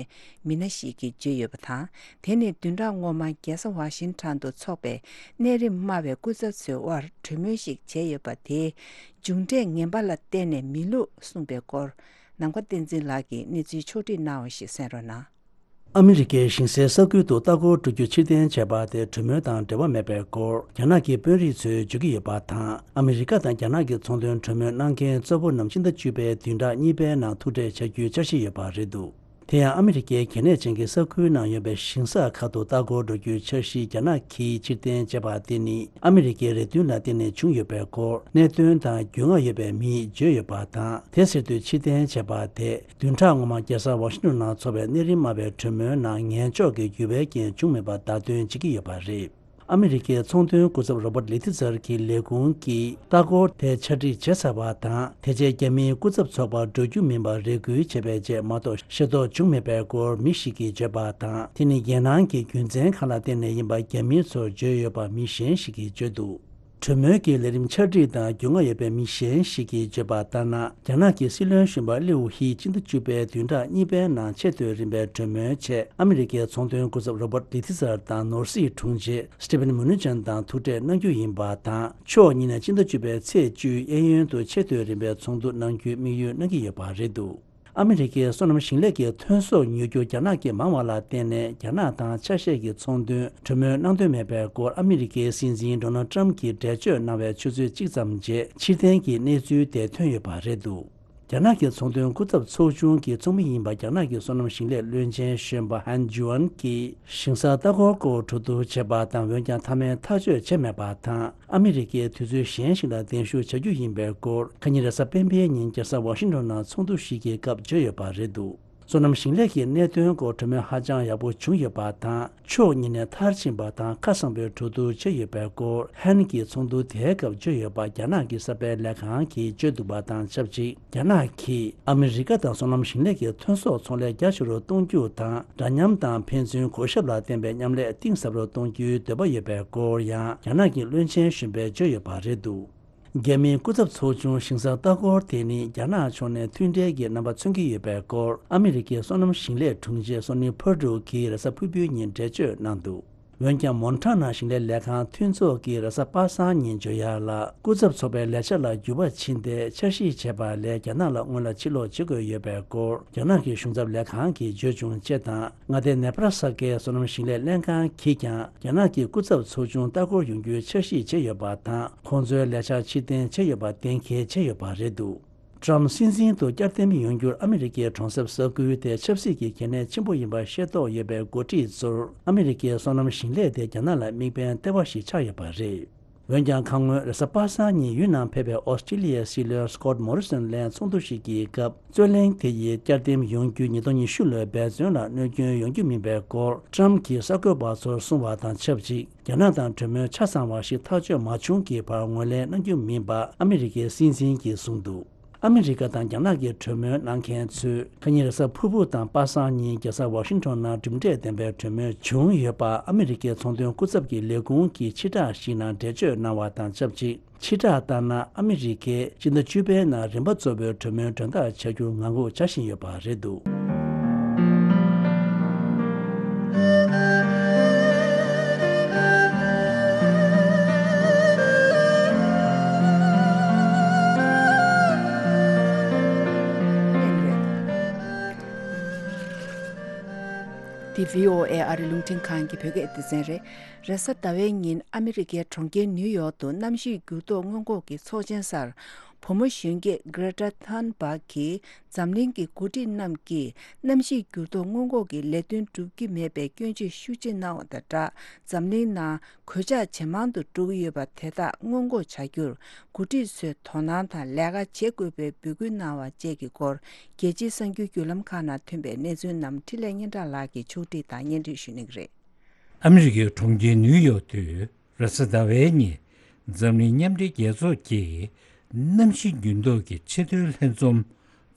མི་སྣ་ཞིག་གིས་བརྗོད་ཡོད་པ་དང་། དེ་ནི་བདུན་ཕྲག་སྔོན་མ་རྒྱལ་ས་ཝ་ཤིང་ཊོན་དུ་འཚོགས་པའི་གནས་རིམ་དམའ་བའི་སྐུ་ཚབ་ཚོའི་དབར་གྲོས་མོལ་ཞིག་བྱས་ཡོད་པ་དེའི་མཇུག་འབྲས་ངན་པ་ལ་བརྟེན་ནས་མིན་ལུགས་གསུངས་པའི་སྐོར། ནམ་མཁའ་བསྟན་འཛིན་ལགས་ཀྱིས་གནས་ཚུལ་ཕྱོགས་སྒྲིག་གནང་བ་ཞིག་གསན་རོགས་གནང་། ཨ་མི་རི་ཀའི་ཞིང་སའི་ས་ཁུལ་དུ་ལྟ་སྐོར་འགྲོ་རྒྱུ་ཕྱིར་འཐེན་བྱས་པ་དེ་གྲོས་མོལ་དང་འབྲེལ་བ་མེད་པའི་སྐོར་རྒྱ་ནག་གི་དཔོན་རིགས་ཚོས་བརྗོད་ཀྱི་ཡོད་པ་དང་། ཨ་མི་རི་ཀ་དང་རྒྱ་ནག་གི་ཚོང་དོན་གྲོས་མོལ་གནང་མཁན་གཙོ་བོ་རྣམས་སྤྱི་ཟླ་བཅུ་པའི་བདུན་ཕྲག་གཉིས་པའི་ནང་ཐུག་འཕྲད་བྱ་རྒྱུའི་འཆར་གཞི་ཡོད་པ་རེད་འདུག། དེ་ཡང་ཨ་མི་རི་ཀའི་གལ་གནད་ཅན་གྱི་ས་ཁུལ་ནང་ཡོད་པའི་ཞིང་ས་ཁག་ཏུ་ལྟ་སྐོར་འགྲོ་རྒྱུའི་འཆར་གཞི་རྒྱ་ནག་གིས་ཕྱིར་འཐེན་བྱས་པ་དེ་ནི་ཨ་མི་རི་ཀའི་རེ་འདུན་ལ་བརྟེན་ནས་བྱུང་ཡོད་པའི་སྐོར་གནད་དོན་དང་རྒྱུས་མངའ་ཡོད་པའི་མིས་བརྗོད་ཡོད་པ་དང་། དེ་ཟེར་དུས་ཕྱིར་འཐེན་བྱས་པ་དེ། བདུན་ཕྲག་སྔོན་མ་རྒྱལ་ས་ཝ་ཤིང་ཊོན་ནང་འཚོགས་པའི་གནས་རིམ་དམའ་བའི་གྲོས་མོལ་ནང་ངན་ཕྱོགས་ཀྱི་འགྱུར་བའི་རྐྱེན་བྱུང་མེད་པ་བརྡ་སྟོན་བྱེད་ཀྱི་ཡོད་པ་རེད། ཨ་མི་རི་ཀའི་ཚོང་དོན་སྐུ་ཚབ་རོ་བར་ལི་ཐི་ཚར་གྱི་ལས་ཁུངས་ཀྱིས་ལྟ་སྐོར་དེ་ཆ་སྒྲིག་བྱས་ཚར་བ་དང་། དེ་རྗེས་རྒྱ་མིའི་སྐུ་ཚབ་ཚོགས་པ་འགྲོ་རྒྱུ་མིན་པར་རེ་སྐུལ་བྱས་པའི་རྗེས་མ་གཏོགས་ཤེས་རྟོགས་བྱུང་མེད་པའི་སྐོར་མི་ཞིག་གིས་བརྗོད་པ་དང་། དེ་ནི་རྒྱལ་ནང་གི་རྒྱུ་མཚན་ཁག་ལ་བརྟེན་ནས་ཡིན་པ་རྒྱ་མི་ཚོར་བརྗོད་ཡོད་པ་མི་གཞན་ཞིག་གིས་བརྗོད་འདུག། གྲོས་མོལ་གྱི་ལས་རིམ་ཆ་སྒྲིག་དང་རྒྱུས་མངའ་ཡོད་པའི་མི་གཞན་ཞིག་གིས་བརྗོད་པ་ལྟར་ན། རྒྱ་ནག་གི་སྲིད་བློན་གཞོན་པ་ལིའུ་ཧི་སྤྱི་ཟླ་བཅུ་པའི་བདུན་ཕྲག་གཉིས་པའི་ནང་ཆེས་མཐོའི་རིམ་པའི་གྲོས་མོལ་ཆེད་ཨ་མི་རི་ཀའི་ཚོང་དོན་སྐུ་ཚབ་རོ་བར་ལི་ཐི་ཚར་དང་ནོར་སྲིད་དྲུང་ཆེ་སི་ཏི་ཕན་མུ་ནུ་ཅན་དང་ཐུག་འཕྲད་གནང་རྒྱུ་ཡིན་པ་དང་། ཕྱོགས་གཉིས་ནས་སྤྱི་ཟླ་བཅུ་པའི་ཚེས་བཅུའི་གཡས་གཡོན་དུ་ཆེས་མཐོའི་རིམ་པའི་ཚོགས་འདུ་གནང་རྒྱུའི་དམིགས་ཡུལ་གནང་གི་ཡོད་པ་རེད་འདུག། ཨ་མི་རི་ཀའི་སོ་ནམ་ཞིང་ལས་ཀྱི་ཐོན་ཟོག་ཉོ་རྒྱུ་རྒྱ་ནག་གིས་མང་བ་ལ་བརྟེན་ནས། རྒྱ་ནག་དང་ཆ་ཤས་ཀྱི་ཚོང་དོན་གྲོས་མོལ་གནང་འདོད་མེད་པའི་སྐོར་ཨ་མི་རི་ཀའི་སྲིད་འཛིན་ཌོ་ནལ་ཊམ་གྱིས་འགྲེལ་བརྗོད་གནང་བའི་ཆུ་ཚོད་གཅིག་ཙམ་རྗེས་ཕྱིར་འཐེན་གྱི་གནས་ཚུལ་དེ་ཐོན་ཡོད་པ་རེད་འདུག། རྒྱ་ནག་གི་ཚོང་དོན་སྐུ་ཚབ་ཚོགས་ཆུང་གི་ཚོགས་མི་ཡིན་པ་རྒྱ་ནག་གི་སོ་ནམ་ཞིང་ལས་བློན་ཆེན་གཞོན་པ་ཧན་ཇུའན་གྱིས་ཞིང་ས་ལྟ་སྐོར་སྐོར་གྲོས་བསྡུར་བྱས་པ་དང་། འོན་ཀྱང་མཐའ་མའི་ཐག་གཅོད་བྱས་མེད་པ་དང་། ཨ་མི་རི་ཀས་དུས་ཚོད་གཞན་ཞིག་ལ་གདན་ཞུ་བྱ་རྒྱུ་ཡིན་པའི་སྐོར་ཁ་ཉིན་རེས་གཟའ་སྤེན་པའི་ཉིན་རྒྱལ་ས་ཝ་ཤིང་ཊོན་ནང་ཚོགས་འདུ་ཞིག་གི་སྐབས་བརྗོད་ཡོད་པ་རེད་འདུག་སོ་ནམ་ཞིང་ལས་ཀྱི་གནད་དོན་སྐོར་གྲོས་མོལ་ཧ་ཅང་ཡག་པོ་བྱུང་ཡོད་པ་དང་། ཕྱོགས་གཉིས་ནས་མཐར་ཕྱིན་པ་དང་ཁ་གསང་པོའི་གྲོས་བསྡུར་བྱས་ཡོད་པའི་སྐོར་ཧན་གྱིས་ཚོགས་འདུ་དེའི་སྐབས་བརྗོད་ཡོད་པ་རྒྱ་ནག་གི་གསར་སྤེལ་ལས་ཁང་གིས་བརྗོད་འདུག་པ་དང་ཆབས་ཅིག་རྒྱ་ནག་གིས་ཨ་མི་རི་ཀ་དང་སོ་ནམ་ཞིང་ལས་ཀྱི་ཐོན་ཟོག་ཚོང་ལས་རྒྱ་ཆེ་རུ་གཏོང་རྒྱུ་དང་། འདྲ་མཉམ་དང་ཕན་ཚུན་གོ་ཞབས་ལ་བརྟེན་པའི་མཉམ་ལས་གཏིང་ཟབ་རུ་གཏོང་རྒྱུའི་འདོད་པ་ཡོད་པའི་སྐོར་ཡང་རྒྱ་ནག་གི་བློན་ཆེན་གཞོན་པས་བརྗོད་ཡོད་པ་རེད་འདུག་རྒྱ་མིའི་སྐུ་ཚབ་ཚོགས་ཆུང་ཞིང་ས་ལྟ་སྐོར་དེ་ནི་རྒྱ་ནག་ཕྱོགས་ནས་མཐུན་འབྲེལ་གྱི་རྣམ་པ་མཚོན་གྱི་ཡོད་པའི་སྐོར་ཨ་མི་རི་ཀའི་སོ་ནམ་ཞིང་ལས་དྲུང་ཆེ་སོ་ནི་ཕར་ཌུ་གིས་རེས་གཟའ་ཕུར་བུའི་ཉིན་འགྲེལ་བརྗོད་གནང་འདུག་འོན་ཀྱང་མོན་ཊ་ན་ཞིང་ལས་ལས་ཁང་མཐུན་ཚོགས་ཀྱིས་རེས་གཟའ་པ་སངས་ཉིན་བརྗོད་ཡག་ལ་སྐུ་ཚབ་ཚོགས་པའི་ལས་འཆར་ལ་འགྱུར་བ་ཕྱིན་ཏེ་འཆར་གཞི་བྱས་པ་ལས་རྒྱ་ནག་ལ་སྔོན་ལ་ཕྱིར་ལོག་བྱེད་དགོས་ཡོད་པའི་སྐོར་རྒྱ་ནག་གི་གཞུང་ཚབ་ལས་ཁང་གིས་བརྗོད་བྱུང་ཅེས་དང་། མངའ་སྡེ་ནེ་བྷ་ར་ས་ཀའི་སོ་ནམ་ཞིང་ལས་ལྷན་ཁང་གིས་ཀྱང་རྒྱ་ནག་གི་སྐུ་ཚབ་ཚོགས་ཆུང་ལྟ་སྐོར་ཡོང་རྒྱུའི་འཆར་གཞི་བྱས་ཡོད་པ་དང་། ཁོང་ཚོའི་ལས་འཆར་ཕྱིར་འཐེན་བྱས་ཡོད་པ་གཏན་འཁེལ་བྱས་ཡོད་པ་རེད་འདུག་ཊྲམ་སྲིད་འཛིན་དུ་བསྐྱར་འདེམས་ཡོང་རྒྱུར་ཨ་མི་རི་ཀའི་གྲོང་གསེབ་ས་ཁུལ་དེ་ཆབ་སྲིད་ཀྱི་གལ་གནད་ཆེན་པོ་ཡིན་པ་ཤེས་རྟོགས་ཡོད་པའི་འགོ་ཁྲིད་ཚོར་ཨ་མི་རི་ཀའི་སོ་ནམ་ཞིང་ལས་དེ་རྒྱ་ནག་ལ་དམིགས་འབེན་ལྟེ་བ་ཞིག་ཆགས་ཡོད་པ་རེད། འོན་ཀྱང་ཁ་སྔོན་རེས་གཟའ་པ་སངས་ཉིན་ཡུན་ནན་ཕེབས་པའི་ཨོ་སི་ཀྲི་ལི་ཡའི་སྲིད་བློན་སྐོད་མོ་རི་སོན་ལན་ཚོགས་འདུ་ཞིག་གི་སྐབས། རྩོད་གླེང་དེ་ཡིས་བསྐྱར་འདེམས་ཡོང་རྒྱུ་ཉིས་སྟོང་ཉི་ཤུ་ལོའི་འབད་བརྩོན་ལ་གནོད་སྐྱོན་ཡོང་རྒྱུ་མིན་པའི་སྐོར་ཊྲམ་གྱིས་གསར་འགོད་པ་ཚོར་གསུངས་པ་དང་ཆབས་ཅིག་རྒྱ་ནག་དང་གྲོས་མོལ་ཆ་ཚང་བ་ཞིག་ཐག་གཅོད་མ་བྱུང་གི་བར་ངོས་ལེན་གནང་རྒྱུ་མིན་པ་ཨ་མི་རི་ཀའི་སྲིད་འཛིན་གྱིས་གསུངས་འདུག་ཨ་མི་རི་ཀ་དང་རྒྱ་ནག་གི་གྲོས་མོལ་གནང་མཁན་ཚོས་ཁ་ཉིན་རེས་གཟའ་ཕུར་བུ་དང་པ་སངས་ཉིན་རྒྱལ་ས་ཝ་ཤིང་ཊོན་ནང་གྲུབ་འབྲས་ལྡན་པའི་གྲོས་མོལ་བྱུང་ཡོད་པ་ཨ་མི་རི་ཀའི་ཚོང་དོན་སྐུ་ཚབ་ཀྱི་ལས་ཁུངས་ཀྱིས་ཕྱིར་བསྒྲགས་ཤིག་ནང་འགྲེལ་བརྗོད་གནང་བ་དང་ཆབས་ཅིག་ཕྱིར་བསྒྲགས་ལྟར་ན། ཨ་མི་རི་ཀས་སྤྱི་ཟླ་བཅུ་པའི་ནང་རིམ་པ་གཙོ་བོའི་གྲོས་མོལ་མགྲོན་བདག་བྱ་རྒྱུར་ངང་སྒུག་བྱ་བཞིན་ཡོད་པ་རེད་འདུག་འདི་བྷི་ཨོ་ཨེ་ཨ་རི་རླུང་འཕྲིན་ཁང་གི་བོད་སྐད་སྡེ་ཚན་རེད། རེས་གཟའ་ཟླ་བའི་ཉིན་ཨ་མི་རི་ཀའི་གྲོང་ཁྱེར་ནིའུ་ཡོག་ཏུ་གནམ་གཤིས་འགྱུར་ལྡོག་སྔོན་འགོག་གི་ཚོགས་ཆེན་སར། བུ་མོ་གཞོན་སྐྱེས་Greta Thunberg གིས་འཛམ་གླིང་གི་འགོ་ཁྲིད་རྣམས་ཀྱིས་གནམ་གཤིས་འགྱུར་ལྡོག་སྔོན་འགོག་གི་ལས་དོན་སྒྲུབ་ཀྱི་མེད་པའི་སྐྱོན་བརྗོད་ཤུགས་ཆེ་གནང་བ་དང་སྦྲགས། འཛམ་གླིང་ནང་གོད་ཆག་ཇེ་མང་དུ་འགྲོ་གི་ཡོད་པ་དེ་དག་སྔོན་འགོག་བྱ་རྒྱུར་འགོ་ཁྲིད་ཚོས་དོ་སྣང་དང་ལས་ཀ་བྱེད་དགོས་པའི་འབོད་སྐུལ་གནང་བ་བཅས་ཀྱི་སྐོར། རྒྱལ་སྤྱིའི་གསར་འགྱུར་བརྒྱུད་ལམ་ཁག་ནང་ཐོན་པའི་གནས་ཚུལ་རྣམས་འཕྲིན་ལས་སྙན་གྲགས་ལགས་ཀྱིས་ཕྱོགས་སྒྲིག་དང་སྙན་སྒྲོན་ཞུ་གནང་གི་རེད། ཨ་མི་རི་ཀའི་གྲོང་ཁྱེར་ནིའུ་ཡོག་ཏུ་རེས་གཟའ་ཟླ་བའི་ཉིན་འཛམ་གླིང་མཉམ་འབྲེལ་རྒྱལ་ཚོགས་ཀྱི་གནམ་གཤིས་འགྱུར་ལྡོག་གི་ཆེས་མཐོའི་ལྷན་འཛོམས་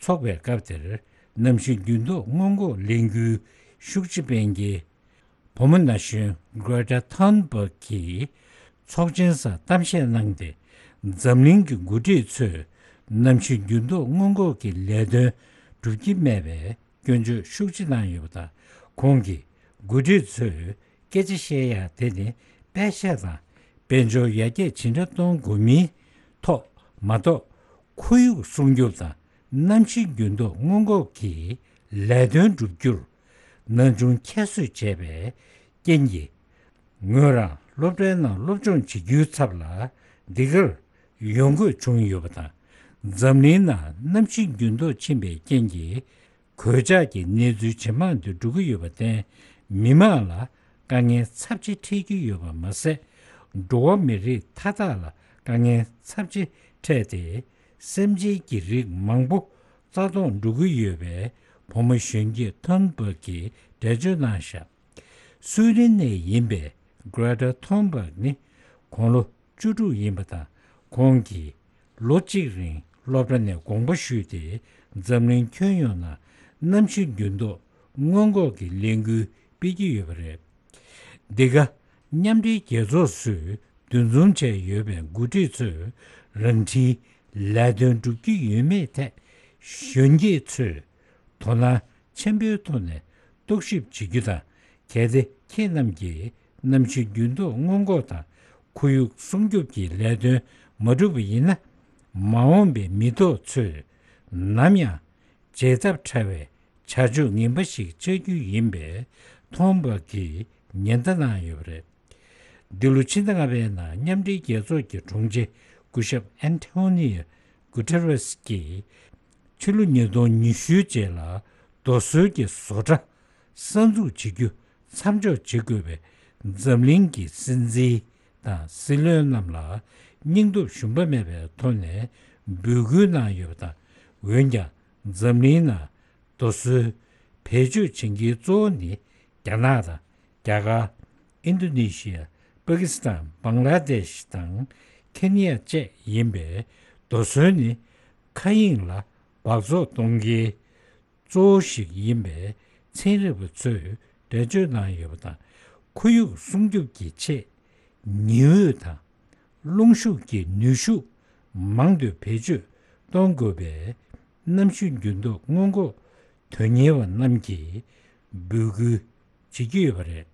འཚོགས་པའི་སྐབས་དེར། གནམ་གཤིས་འགྱུར་ལྡོག་སྔོན་འགོག་ལས་འགུལ་ཤུགས་ཆེ་སྤེལ་མཁན་བུ་མོ་ན་གཞོན་Greta Thunberg གིས་ཚོགས་ཆེན་སར་གཏམ་བཤད་གནང་སྟེ། འཛམ་གླིང་གི་འགོ་ཁྲིད་ཚོས་གནམ་གཤིས་འགྱུར་ལྡོག་སྔོན་འགོག་གི་ལས་དོན་སྒྲུབ་ཀྱི་མེད་པའི་སྐྱོན་བརྗོད་ཤུགས་ཆེ་གནང་ཡོད་པ་དང་། ཁོང་གིས་འགོ་ཁྲིད་ཚོས་སྐད་ཆ་བཤད་ཡག་དེ་ནི་དཔེ་ཆ་དང་དཔལ་འབྱོར་ཡར་རྒྱས་ཇི་འདྲ་གཏོང་དགོས་མིན་ཐོག་མ་གཏོགས། ཁོར་ཡུག་སྲུང་སྐྱོབ་དང་གནམ་གཤིས་འགྱུར་ལྡོག་སྔོན་འགོག་གི་ལས་དོན་བསྒྲུབ་རྒྱུར་ན་ཆུང་ཁྱད་གསོད་བྱས་པའི་རྐྱེན་གྱིས། ངོས་རང་སློབ་གྲྭའི་ནང་སློབ་སྦྱོང་བྱེད་རྒྱུའི་ཚབ་ལ་འདི་གར་ཡོང་དགོས་བྱུང་ཡོད་པ་དང་། འཛམ་གླིང་ནང་གནམ་གཤིས་འགྱུར་ལྡོག་ཕྱིན་པའི་རྐྱེན་གྱིས། གོད་ཆག་གི་གནས་ཚུལ་ཇེ་མང་དུ་འགྲོ་གི་ཡོད་པར་བརྟེན། མི་མང་ལ་དཀའ་ངལ་ཚབས་ཆེ་འཕྲད་ཀྱི་ཡོད་པ་མ་ཟད། འགྲོ་བ་མི་རིགས་མཐའ་དག་ལ་དཀའ་ངལ་ཚབས་ཆེ་འཕྲད་དེ། སེམས་ཅན་གྱི་རིགས་མང་པོ་རྩ་སྟོངས་འགྲོ་གི་ཡོད་པའི་བུ་མོ་གཞོན་སྐྱེས་ཐོན་པར་གྱིས་འགྲེལ་བརྗོད་གནང་བཞག་སུའེ་ཏེན་ནས་ཡིན་པའི་Greta Thunberg ནི་དགུང་ལོ་བཅུ་དྲུག་ཡིན་པ་དང་། ཁོང་གིས་ལོ་གཅིག་རིང་སློབ་གྲྭ་ནས་དགོངས་པ་ཞུས་ཏེ། འཛམ་གླིང་ཁྱོན་ཡོངས་ནང་གནམ་གཤིས་འགྱུར་ལྡོག་སྔོན་འགོག་གི་ལས་འགུལ་སྤེལ་གྱི་ཡོད་པ་རེད། འདི་ག་མཉམ་འབྲེལ་རྒྱལ་ཚོགས་སུ་འདུ་འཛོམས་བྱས་ཡོད་པའི་འགོ་ཁྲིད་ཚོས་རང་འཁྲིའི་ལས་དོན་སྒྲུབ་ཀྱི་ཡོད་མེད་ཐད་གཞོན་སྐྱེས་ཚོས་དོ་སྣང་ཆེན་པོའི་ཐོག་ནས་རྟོག་ཞིབ་བྱེད་རྒྱུ་དང་། གལ་ཏེ་ཁྱེད་རྣམས་ཀྱིས་གནམ་གཤིས་འགྱུར་ལྡོག་སྔོན་འགོག་དང་ཁོར་ཡུག་སྲུང་སྐྱོབ་ཀྱི་ལས་དོན་མ་བསྒྲུབས་པ་ཡིན་ན། མ་འོངས་པའི་མི་ཐོག་ཚོས་ནམ་ཡང་བརྗེད་ཐབས་བྲལ་བའི་བྱ་སྤྱོད་ངན་པ་ཞིག་བྱ་རྒྱུ་ཡིན་པས། ཐོན་པར་གྱིས་ཉེན་བརྡ་གནང་ཡོད་པ་རེད། འདི་ལོ་ཕྱི་ཟླ་ལྔ་པའི་ནང་མཉམ་འབྲེལ་རྒྱལ་ཚོགས་ཀྱི་དྲུང་ཆེ་སྐུ་ཞབས་ཨན་ཐོ་ནིའོ་གུ་ཏེ་རེས་ཀྱིས། ཕྱི་ལོ་ཉིས་སྟོང་ཉི་ཤུ་རྗེས་ལ་རྡོ་སོལ་གྱི་བཟོ་གྲྭ་གསར་འཛུགས་བྱེད་རྒྱུ་མཚམས་འཇོག་བྱེད་དགོས་པའི་འཛམ་གླིང་གི་སྲིད་འཛིན་དང་སྲིད་བློན་རྣམས་ལ་སྙིང་སྟོབས་ཞུམ་པ་མེད་པའི་ཐོག་ནས་འབོད་སྐུལ་གནང་ཡོད་པ་དང་། འོན་ཀྱང་འཛམ་གླིང་ནང་རྡོ་སོལ་བེད་སྤྱོད་བྱེད་མཁན་གཙོ་བོ་ནི་རྒྱ་ནག་དང་། རྒྱ་གར། ཨིན་ཌོ་ནེ་ཤི་ཡ། པ་ཀི་སི་ཐན། བང་ལ་དེཤ་དང་ཁེ་ནི་ཡ་བཅས་ཡིན་པས། རྡོ་སོལ་ནི་མཁའ་དབྱིངས་ལ་འབག་བཙོག་གཏོང་མཁན་གཙོ་བོ་ཞིག་ཡིན་པས། ཚན་རིག་པ་ཚོས་འགྲེལ་བརྗོད་གནང་ཡོད་པ་དང་། ཁོར་ཡུག་སྲུང་སྐྱོབ་ཀྱི་ཆེད་ཉི་འོད་དང་རླུང་ཤུགས་ཀྱི་ནུས་ཤུགས་མང་དུ་བེད་སྤྱོད་གཏོང་དགོས་པའི་གནམ་གཤིས་འགྱུར་ལྡོག་སྔོན་འགོག་དོན་གཉེར་བ་རྣམས་ཀྱིས་འབོད་སྐུལ་བྱེད་ཀྱི་ཡོད་པ་རེད།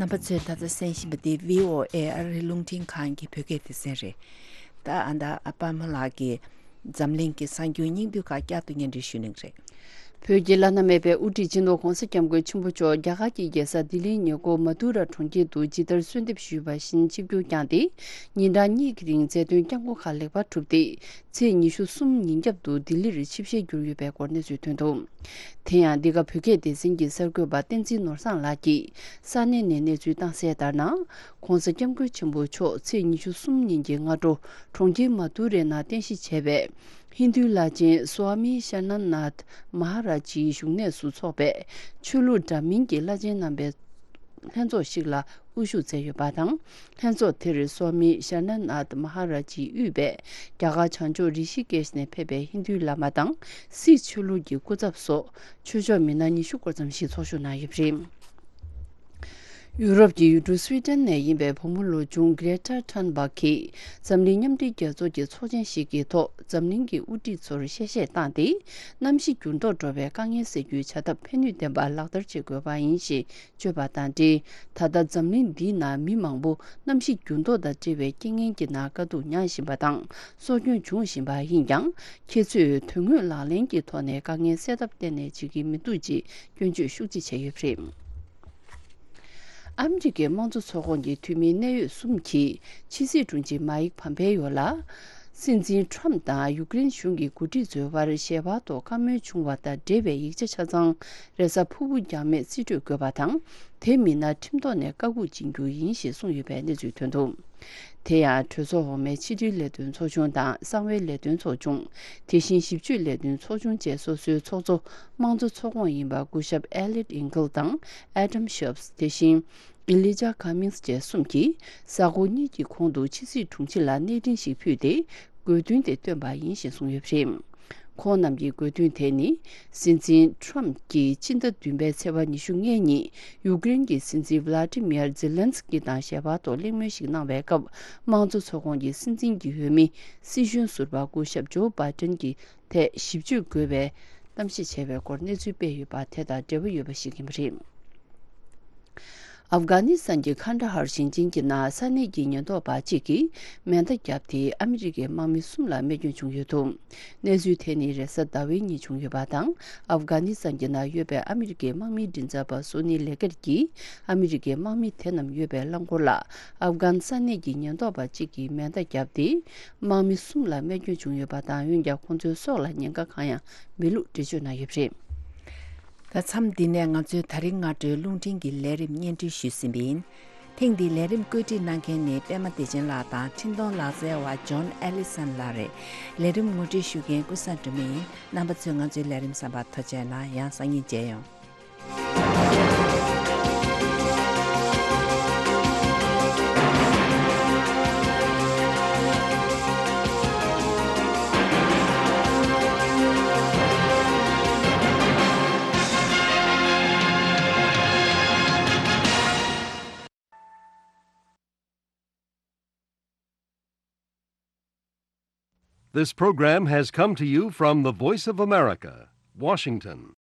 རྣམ་པ་ཚོས་ད་ལྟ་གསན་བཞིན་པ་འདི་བྷི་ཨོ་ཨེ་ཨ་རིའི་རླུང་འཕྲིན་ཁང་གི་བོད་སྐད་སྡེ་ཚན་རེད། ད་ཨ་ད་ཨ་པ་མ་ལགས་ཀྱིས་འཛམ་གླིང་གི་གསར་འགྱུར་སྙིང་བསྡུས་ཁག་བསྐྱར་དུ་སྙན་སྒྲོན་ཞུ་གནང་གི་རེད། བོད་ཀྱི་བླ་ན་མེད་པའི་དབུ་ཁྲིད་སྤྱི་ནོར་༧གོང་ས་༧སྐྱབས་མགོན་ཆེན་པོ་མཆོག་རྒྱ་གར་གྱི་རྒྱལ་ས་ལྡི་ལིའི་ཉེ་འཁོར་མ་དུ་ར་གྲོང་ཁྱེར་དུ་ཇི་ལྟར་གསོལ་འདེབས་ཞུས་པ་བཞིན་ཆིབས་བསྒྱུར་བསྐྱངས་ཏེ། ཉིན་གྲངས་གཉིས་ཀྱི་རིང་མཛད་དོན་བསྐྱངས་སྒོ་ཁག་ལེགས་པར་གྲུབ་སྟེ། ཚེས་ཉི་ཤུ་གསུམ་ཉིན་རྒྱབ་ཏུ་ལྡི་ལིར་ཆིབས་ཞལ་བསྒྱུར་ཡོད་པའི་སྐོར་གནས་ཚུལ་ཐོན་འདུག་དེ་ཡང་འདི་ག་བོད་སྐད་སྡེ་ཚན་གྱི་གསར་འགོད་པ་བསྟན་འཛིན་ནོར་བཟང་ལགས་ཀྱིས་ས་གནས་ནས་གནས་ཚུལ་བཏང་གསལ་ལྟར་ན། ༸གོང་ས་༸སྐྱབས་མགོན་ཆེན་པོ་མཆོག་ཚེས་ཉི་ཤུ་གསུམ་ཉིན་གྱི་སྔ་དྲོ་གྲོང་ཁྱེར་མ་དུ་རའི་ནང་རྟེན་གཞི་བྱས་པའི་ཧིན་རྡུའི་བླ་ཆེན་སྭ་མི་ཤར་ན་ནཱཐ་མ་ཧ་ར་ཇིའི་བཞུགས་གནས་སུ་འཚོགས་པའི་ཆོས་ལུགས་འདྲ་མིན་གྱི་བླ་ཆེན་རྣམ་པའི་ལྷན་ཚོགས་ཤིག་ལ་དབུ་བཞུགས་མཛད་ཡོད་པ་དང་། ལྷན་ཚོགས་དེར་སྭ་མི་ཤར་ན་ནཱཐ་མ་ཧ་ར་ཇིས་དབུས་པའི་རྒྱ་གར་བྱང་ཕྱོགས་རི་ཤི་ཀེཤ་ནས་ཕེབས་པའི་ཧིན་རྡུའི་བླ་མ་དང་། སིག་ཆོས་ལུགས་ཀྱི་སྐུ་ཚབ་སོགས་ཆོས་ཕྱོགས་མི་སྣ་ཉི་ཤུ་སྐོར་ཙམ་ཞིག་ཚོགས་ཞུགས་གནང་ཡོད་པ་རེད། ཡུ་རོབ་ཀྱི་ཡུལ་གྲུ་སུའི་ཏན་ནས་ཡིན་པའི་བུ་མོ་ལོ་ཆུང་གྷྲེ་ཊར་ཐུན་བྷག་གིས་འཛམ་གླིང་མཉམ་འབྲེལ་རྒྱལ་ཚོགས་ཀྱི་ཚོགས་ཆེན་ཞིག་གི་ཐོག་འཛམ་གླིང་གི་དབུ་ཁྲིད་ཚོར་གཤེ་གཤེ་བཏང་སྟེ། གནམ་གཤིས་འགྱུར་ལྡོག་འགྲོ་བའི་དཀའ་ངལ་སེལ་རྒྱུའི་བྱ་ཐབས་ཕན་ནུས་ལྡན་པ་ལག་བསྟར་བྱེད་དགོས་པ་ཡིན་ཞེས་བརྗོད་པ་དང་འབྲེལ། ད་ལྟ་འཛམ་གླིང་འདིའི་ནང་མི་མང་པོ་གནམ་གཤིས་འགྱུར་ལྡོག་དང་འབྲེལ་བའི་རྐྱེན་ངན་གྱི་ནང་དཀའ་སྡུག་མྱངས་བཞིན་པ་དང་། སྲོག་སྐྱོན་བྱུང་བཞིན་པ་ཡིན་ཀྱང་། ཁྱེད་ཚོས་དོན་དངོས་ལག་ལེན་གྱི་ཐོག་ནས་དཀའ་ངལ་སེལ་ཐབས་གཏན་ནས་བྱེད་ཀྱི་མི་འདུག་ཅེས་སྐྱོན་བརྗོད་ཤུགས་ཆེ་བྱས་ཡོད་པ་རེད། ཨ་མི་རི་ཀའི་དམངས་གཙོ་ཚོགས་ཁོངས་ཀྱི་འཐུས་མི་གནད་ཡོད་གསུམ་གྱིས་ཕྱི་སྲིད་དྲུང་ཆེ་མཱིག་ཕམ་པེ་ཡོ་ལ། སྲིད་འཛིན་ཁྲོམ་དང་ཡུཀ་རེན་གཞུང་གི་འགོ་ཁྲིད་ཚོའི་བར་ཞལ་པར་ཐོག་བཀའ་མོལ་བྱུང་བ་དང་འབྲེལ་བའི་ཡིག་ཆ་ཆ་ཚང་རེས་གཟའ་ཕུར་བུ་རྒྱང་མེད་རྩིས་སྤྲོད་དགོས་པ་དང་། དེ་མིན་ན་ཁྲིམས་ཐོག་ནས་བཀའ་འགུག་བྱེད་རྒྱུ་ཡིན་ཞེས་གསུངས་ཡོད་པའི་གནས་ཚུལ་ཐོན་འདུག་དེ་ཡང་གྲོས་ཚོགས་འོག་མའི་ཕྱི་དྲིལ་ལས་དོན་ཚོགས་ཆུང་དང་གསང་བའི་ལས་དོན་ཚོགས་ཆུང་། དེ་བཞིན་ཞིབ་དཔྱོད་ལས་དོན་ཚོགས་ཆུང་བཅས་སོ་སོའི་ཚོགས་གཙོ་དམངས་གཙོ་ཚོགས་ཁོངས་ཡིན་པ་སྐུ་ཞབས་ཨེ་ལིཊ་ཨིན་གྷལ་དང་ཨེ་ཌམ་ཤོབས། དེ་བཞིན་ཨི་ལི་ཇཱ་ཁ་མིངས་བཅས་གསུམ་གྱིས་གཟའ་འཁོར་གཉིས་ཀྱི་གོང་དུ་ཕྱི་སྲིད་དྲུང་ཆེ་ལ་གནས་འཕྲིན་ཞིག་ཕུལ་ཏེ། དགོས་འདུན་དེ་བཏོན་པ་ཡིན་ཞེས་གསུངས་ཡོད་པ་རེད། ཁོང་རྣམས་ཀྱི་དགོས་འདུན་དེ་ནི། སྲིད་འཛིན་ཁྲོམ་གྱིས་སྤྱི་ཟླ་བདུན་པའི་ཚེས་པ་ཉི་ཤུ་ལྔ་ཉིན་ཡུཀ་རེན་གྱི་སྲིད་འཛིན་ཝ་ལ་ཏི་མིར་ཛེ་ལན་སི་ཀི་དང་ཞལ་པར་ཐོག་གླེང་མོལ་ཞིག་གནང་བའི་སྐབས། དམངས་གཙོ་ཚོགས་ཁོངས་ཀྱི་སྲིད་འཛིན་གྱི་འོས་མི་སྲིད་གཞུང་ཟུར་པ་སྐུ་ཞབས་ཇོ་བྷའི་ཏན་གྱི་ཐད་ཞིབ་དཔྱོད་དགོས་པའི་གཏམ་བཤད་བྱས་པའི་སྐོར་གནས་ཚུལ་སྤེལ་ཡོད་པ་དེ་དང་འབྲེལ་བ་ཡོད་པ་ཞིག་ཡིན་པ་རེད། ཨབ་གྷ་ནི་སི་ཐན་གྱི་ཁན་ད་ཧར་ཞིང་ཆེན་གྱི་ནང་ས་གནས་ཀྱི་ཉེན་རྟོག་པ་གཅིག་གིས་མེ་མདའ་བརྒྱབ་སྟེ་ཨ་མི་རི་ཀའི་དམག་མི་གསུམ་ལ་རྨས་སྐྱོན་བྱུང་ཡོད་འདུག་གནས་ཚུལ་དེ་ནི་རེས་གཟའ་ཟླ་བའི་ཉིན་བྱུང་ཡོད་པ་དང་། ཨབ་གྷ་ནི་སི་ཐན་གྱི་ནང་ཡོད་པའི་ཨ་མི་རི་ཀའི་དམག་མིའི་མགྲིན་ཚབ་པ་སོ་ནི་ལེ་ཀེར་གྱིས་ཨ་མི་རི་ཀའི་དམག་མི་དེ་རྣམས་ཡོད་པའི་རླངས་འཁོར་ལ་ཨབ་གྷན་ས་གནས་ཀྱི་ཉེན་རྟོག་པ་གཅིག་གིས་མེ་མདའ་བརྒྱབ་སྟེ། དམག་མི་གསུམ་ལ་རྨས་སྐྱོན་བྱུང་ཡོད་པ་དང་། འོན་ཀྱང་ཁོང་ཚོའི་སྲོག་ལ་ཉེན་ཁ་གང་ཡང་མེད་ལུགས་འགྲེལ་བརྗོད་གནང་ཡོད་པ་རེད། ད་མཚམས་འདི་ནས་ང་ཚོས་ད་རིང་སྔ་དྲོའི་རླུང་འཕྲིན་གྱི་ལས་རིམ་སྙན་སྒྲོན་ཞུས་ཟིན་པ་ཡིན། ཐེངས་འདིའི་ལས་རིམ་བཀོད་སྒྲིག་གནང་མཁན་ནི་པད་མ་བདེ་ཆེན་ལགས་དང་འཕྲིན་གཏོང་ལག་རྩལ་བ་ཇོན་ཨེ་ལི་སན་ལགས་རེད། ལས་རིམ་ངོ་སྤྲོད་ཞུ་མཁན་ཀུན་བཟང་སྒྲོལ་མ་ཡིན། རྣམ་པ་ཚོས་ང་ཚོའི་ལས་རིམ་གསན་པར་ཐུགས་རྗེ་གནང་། ཡང་སང་ཉིན་མཇལ་ཡོང་། This program has come to you from the Voice of America, Washington.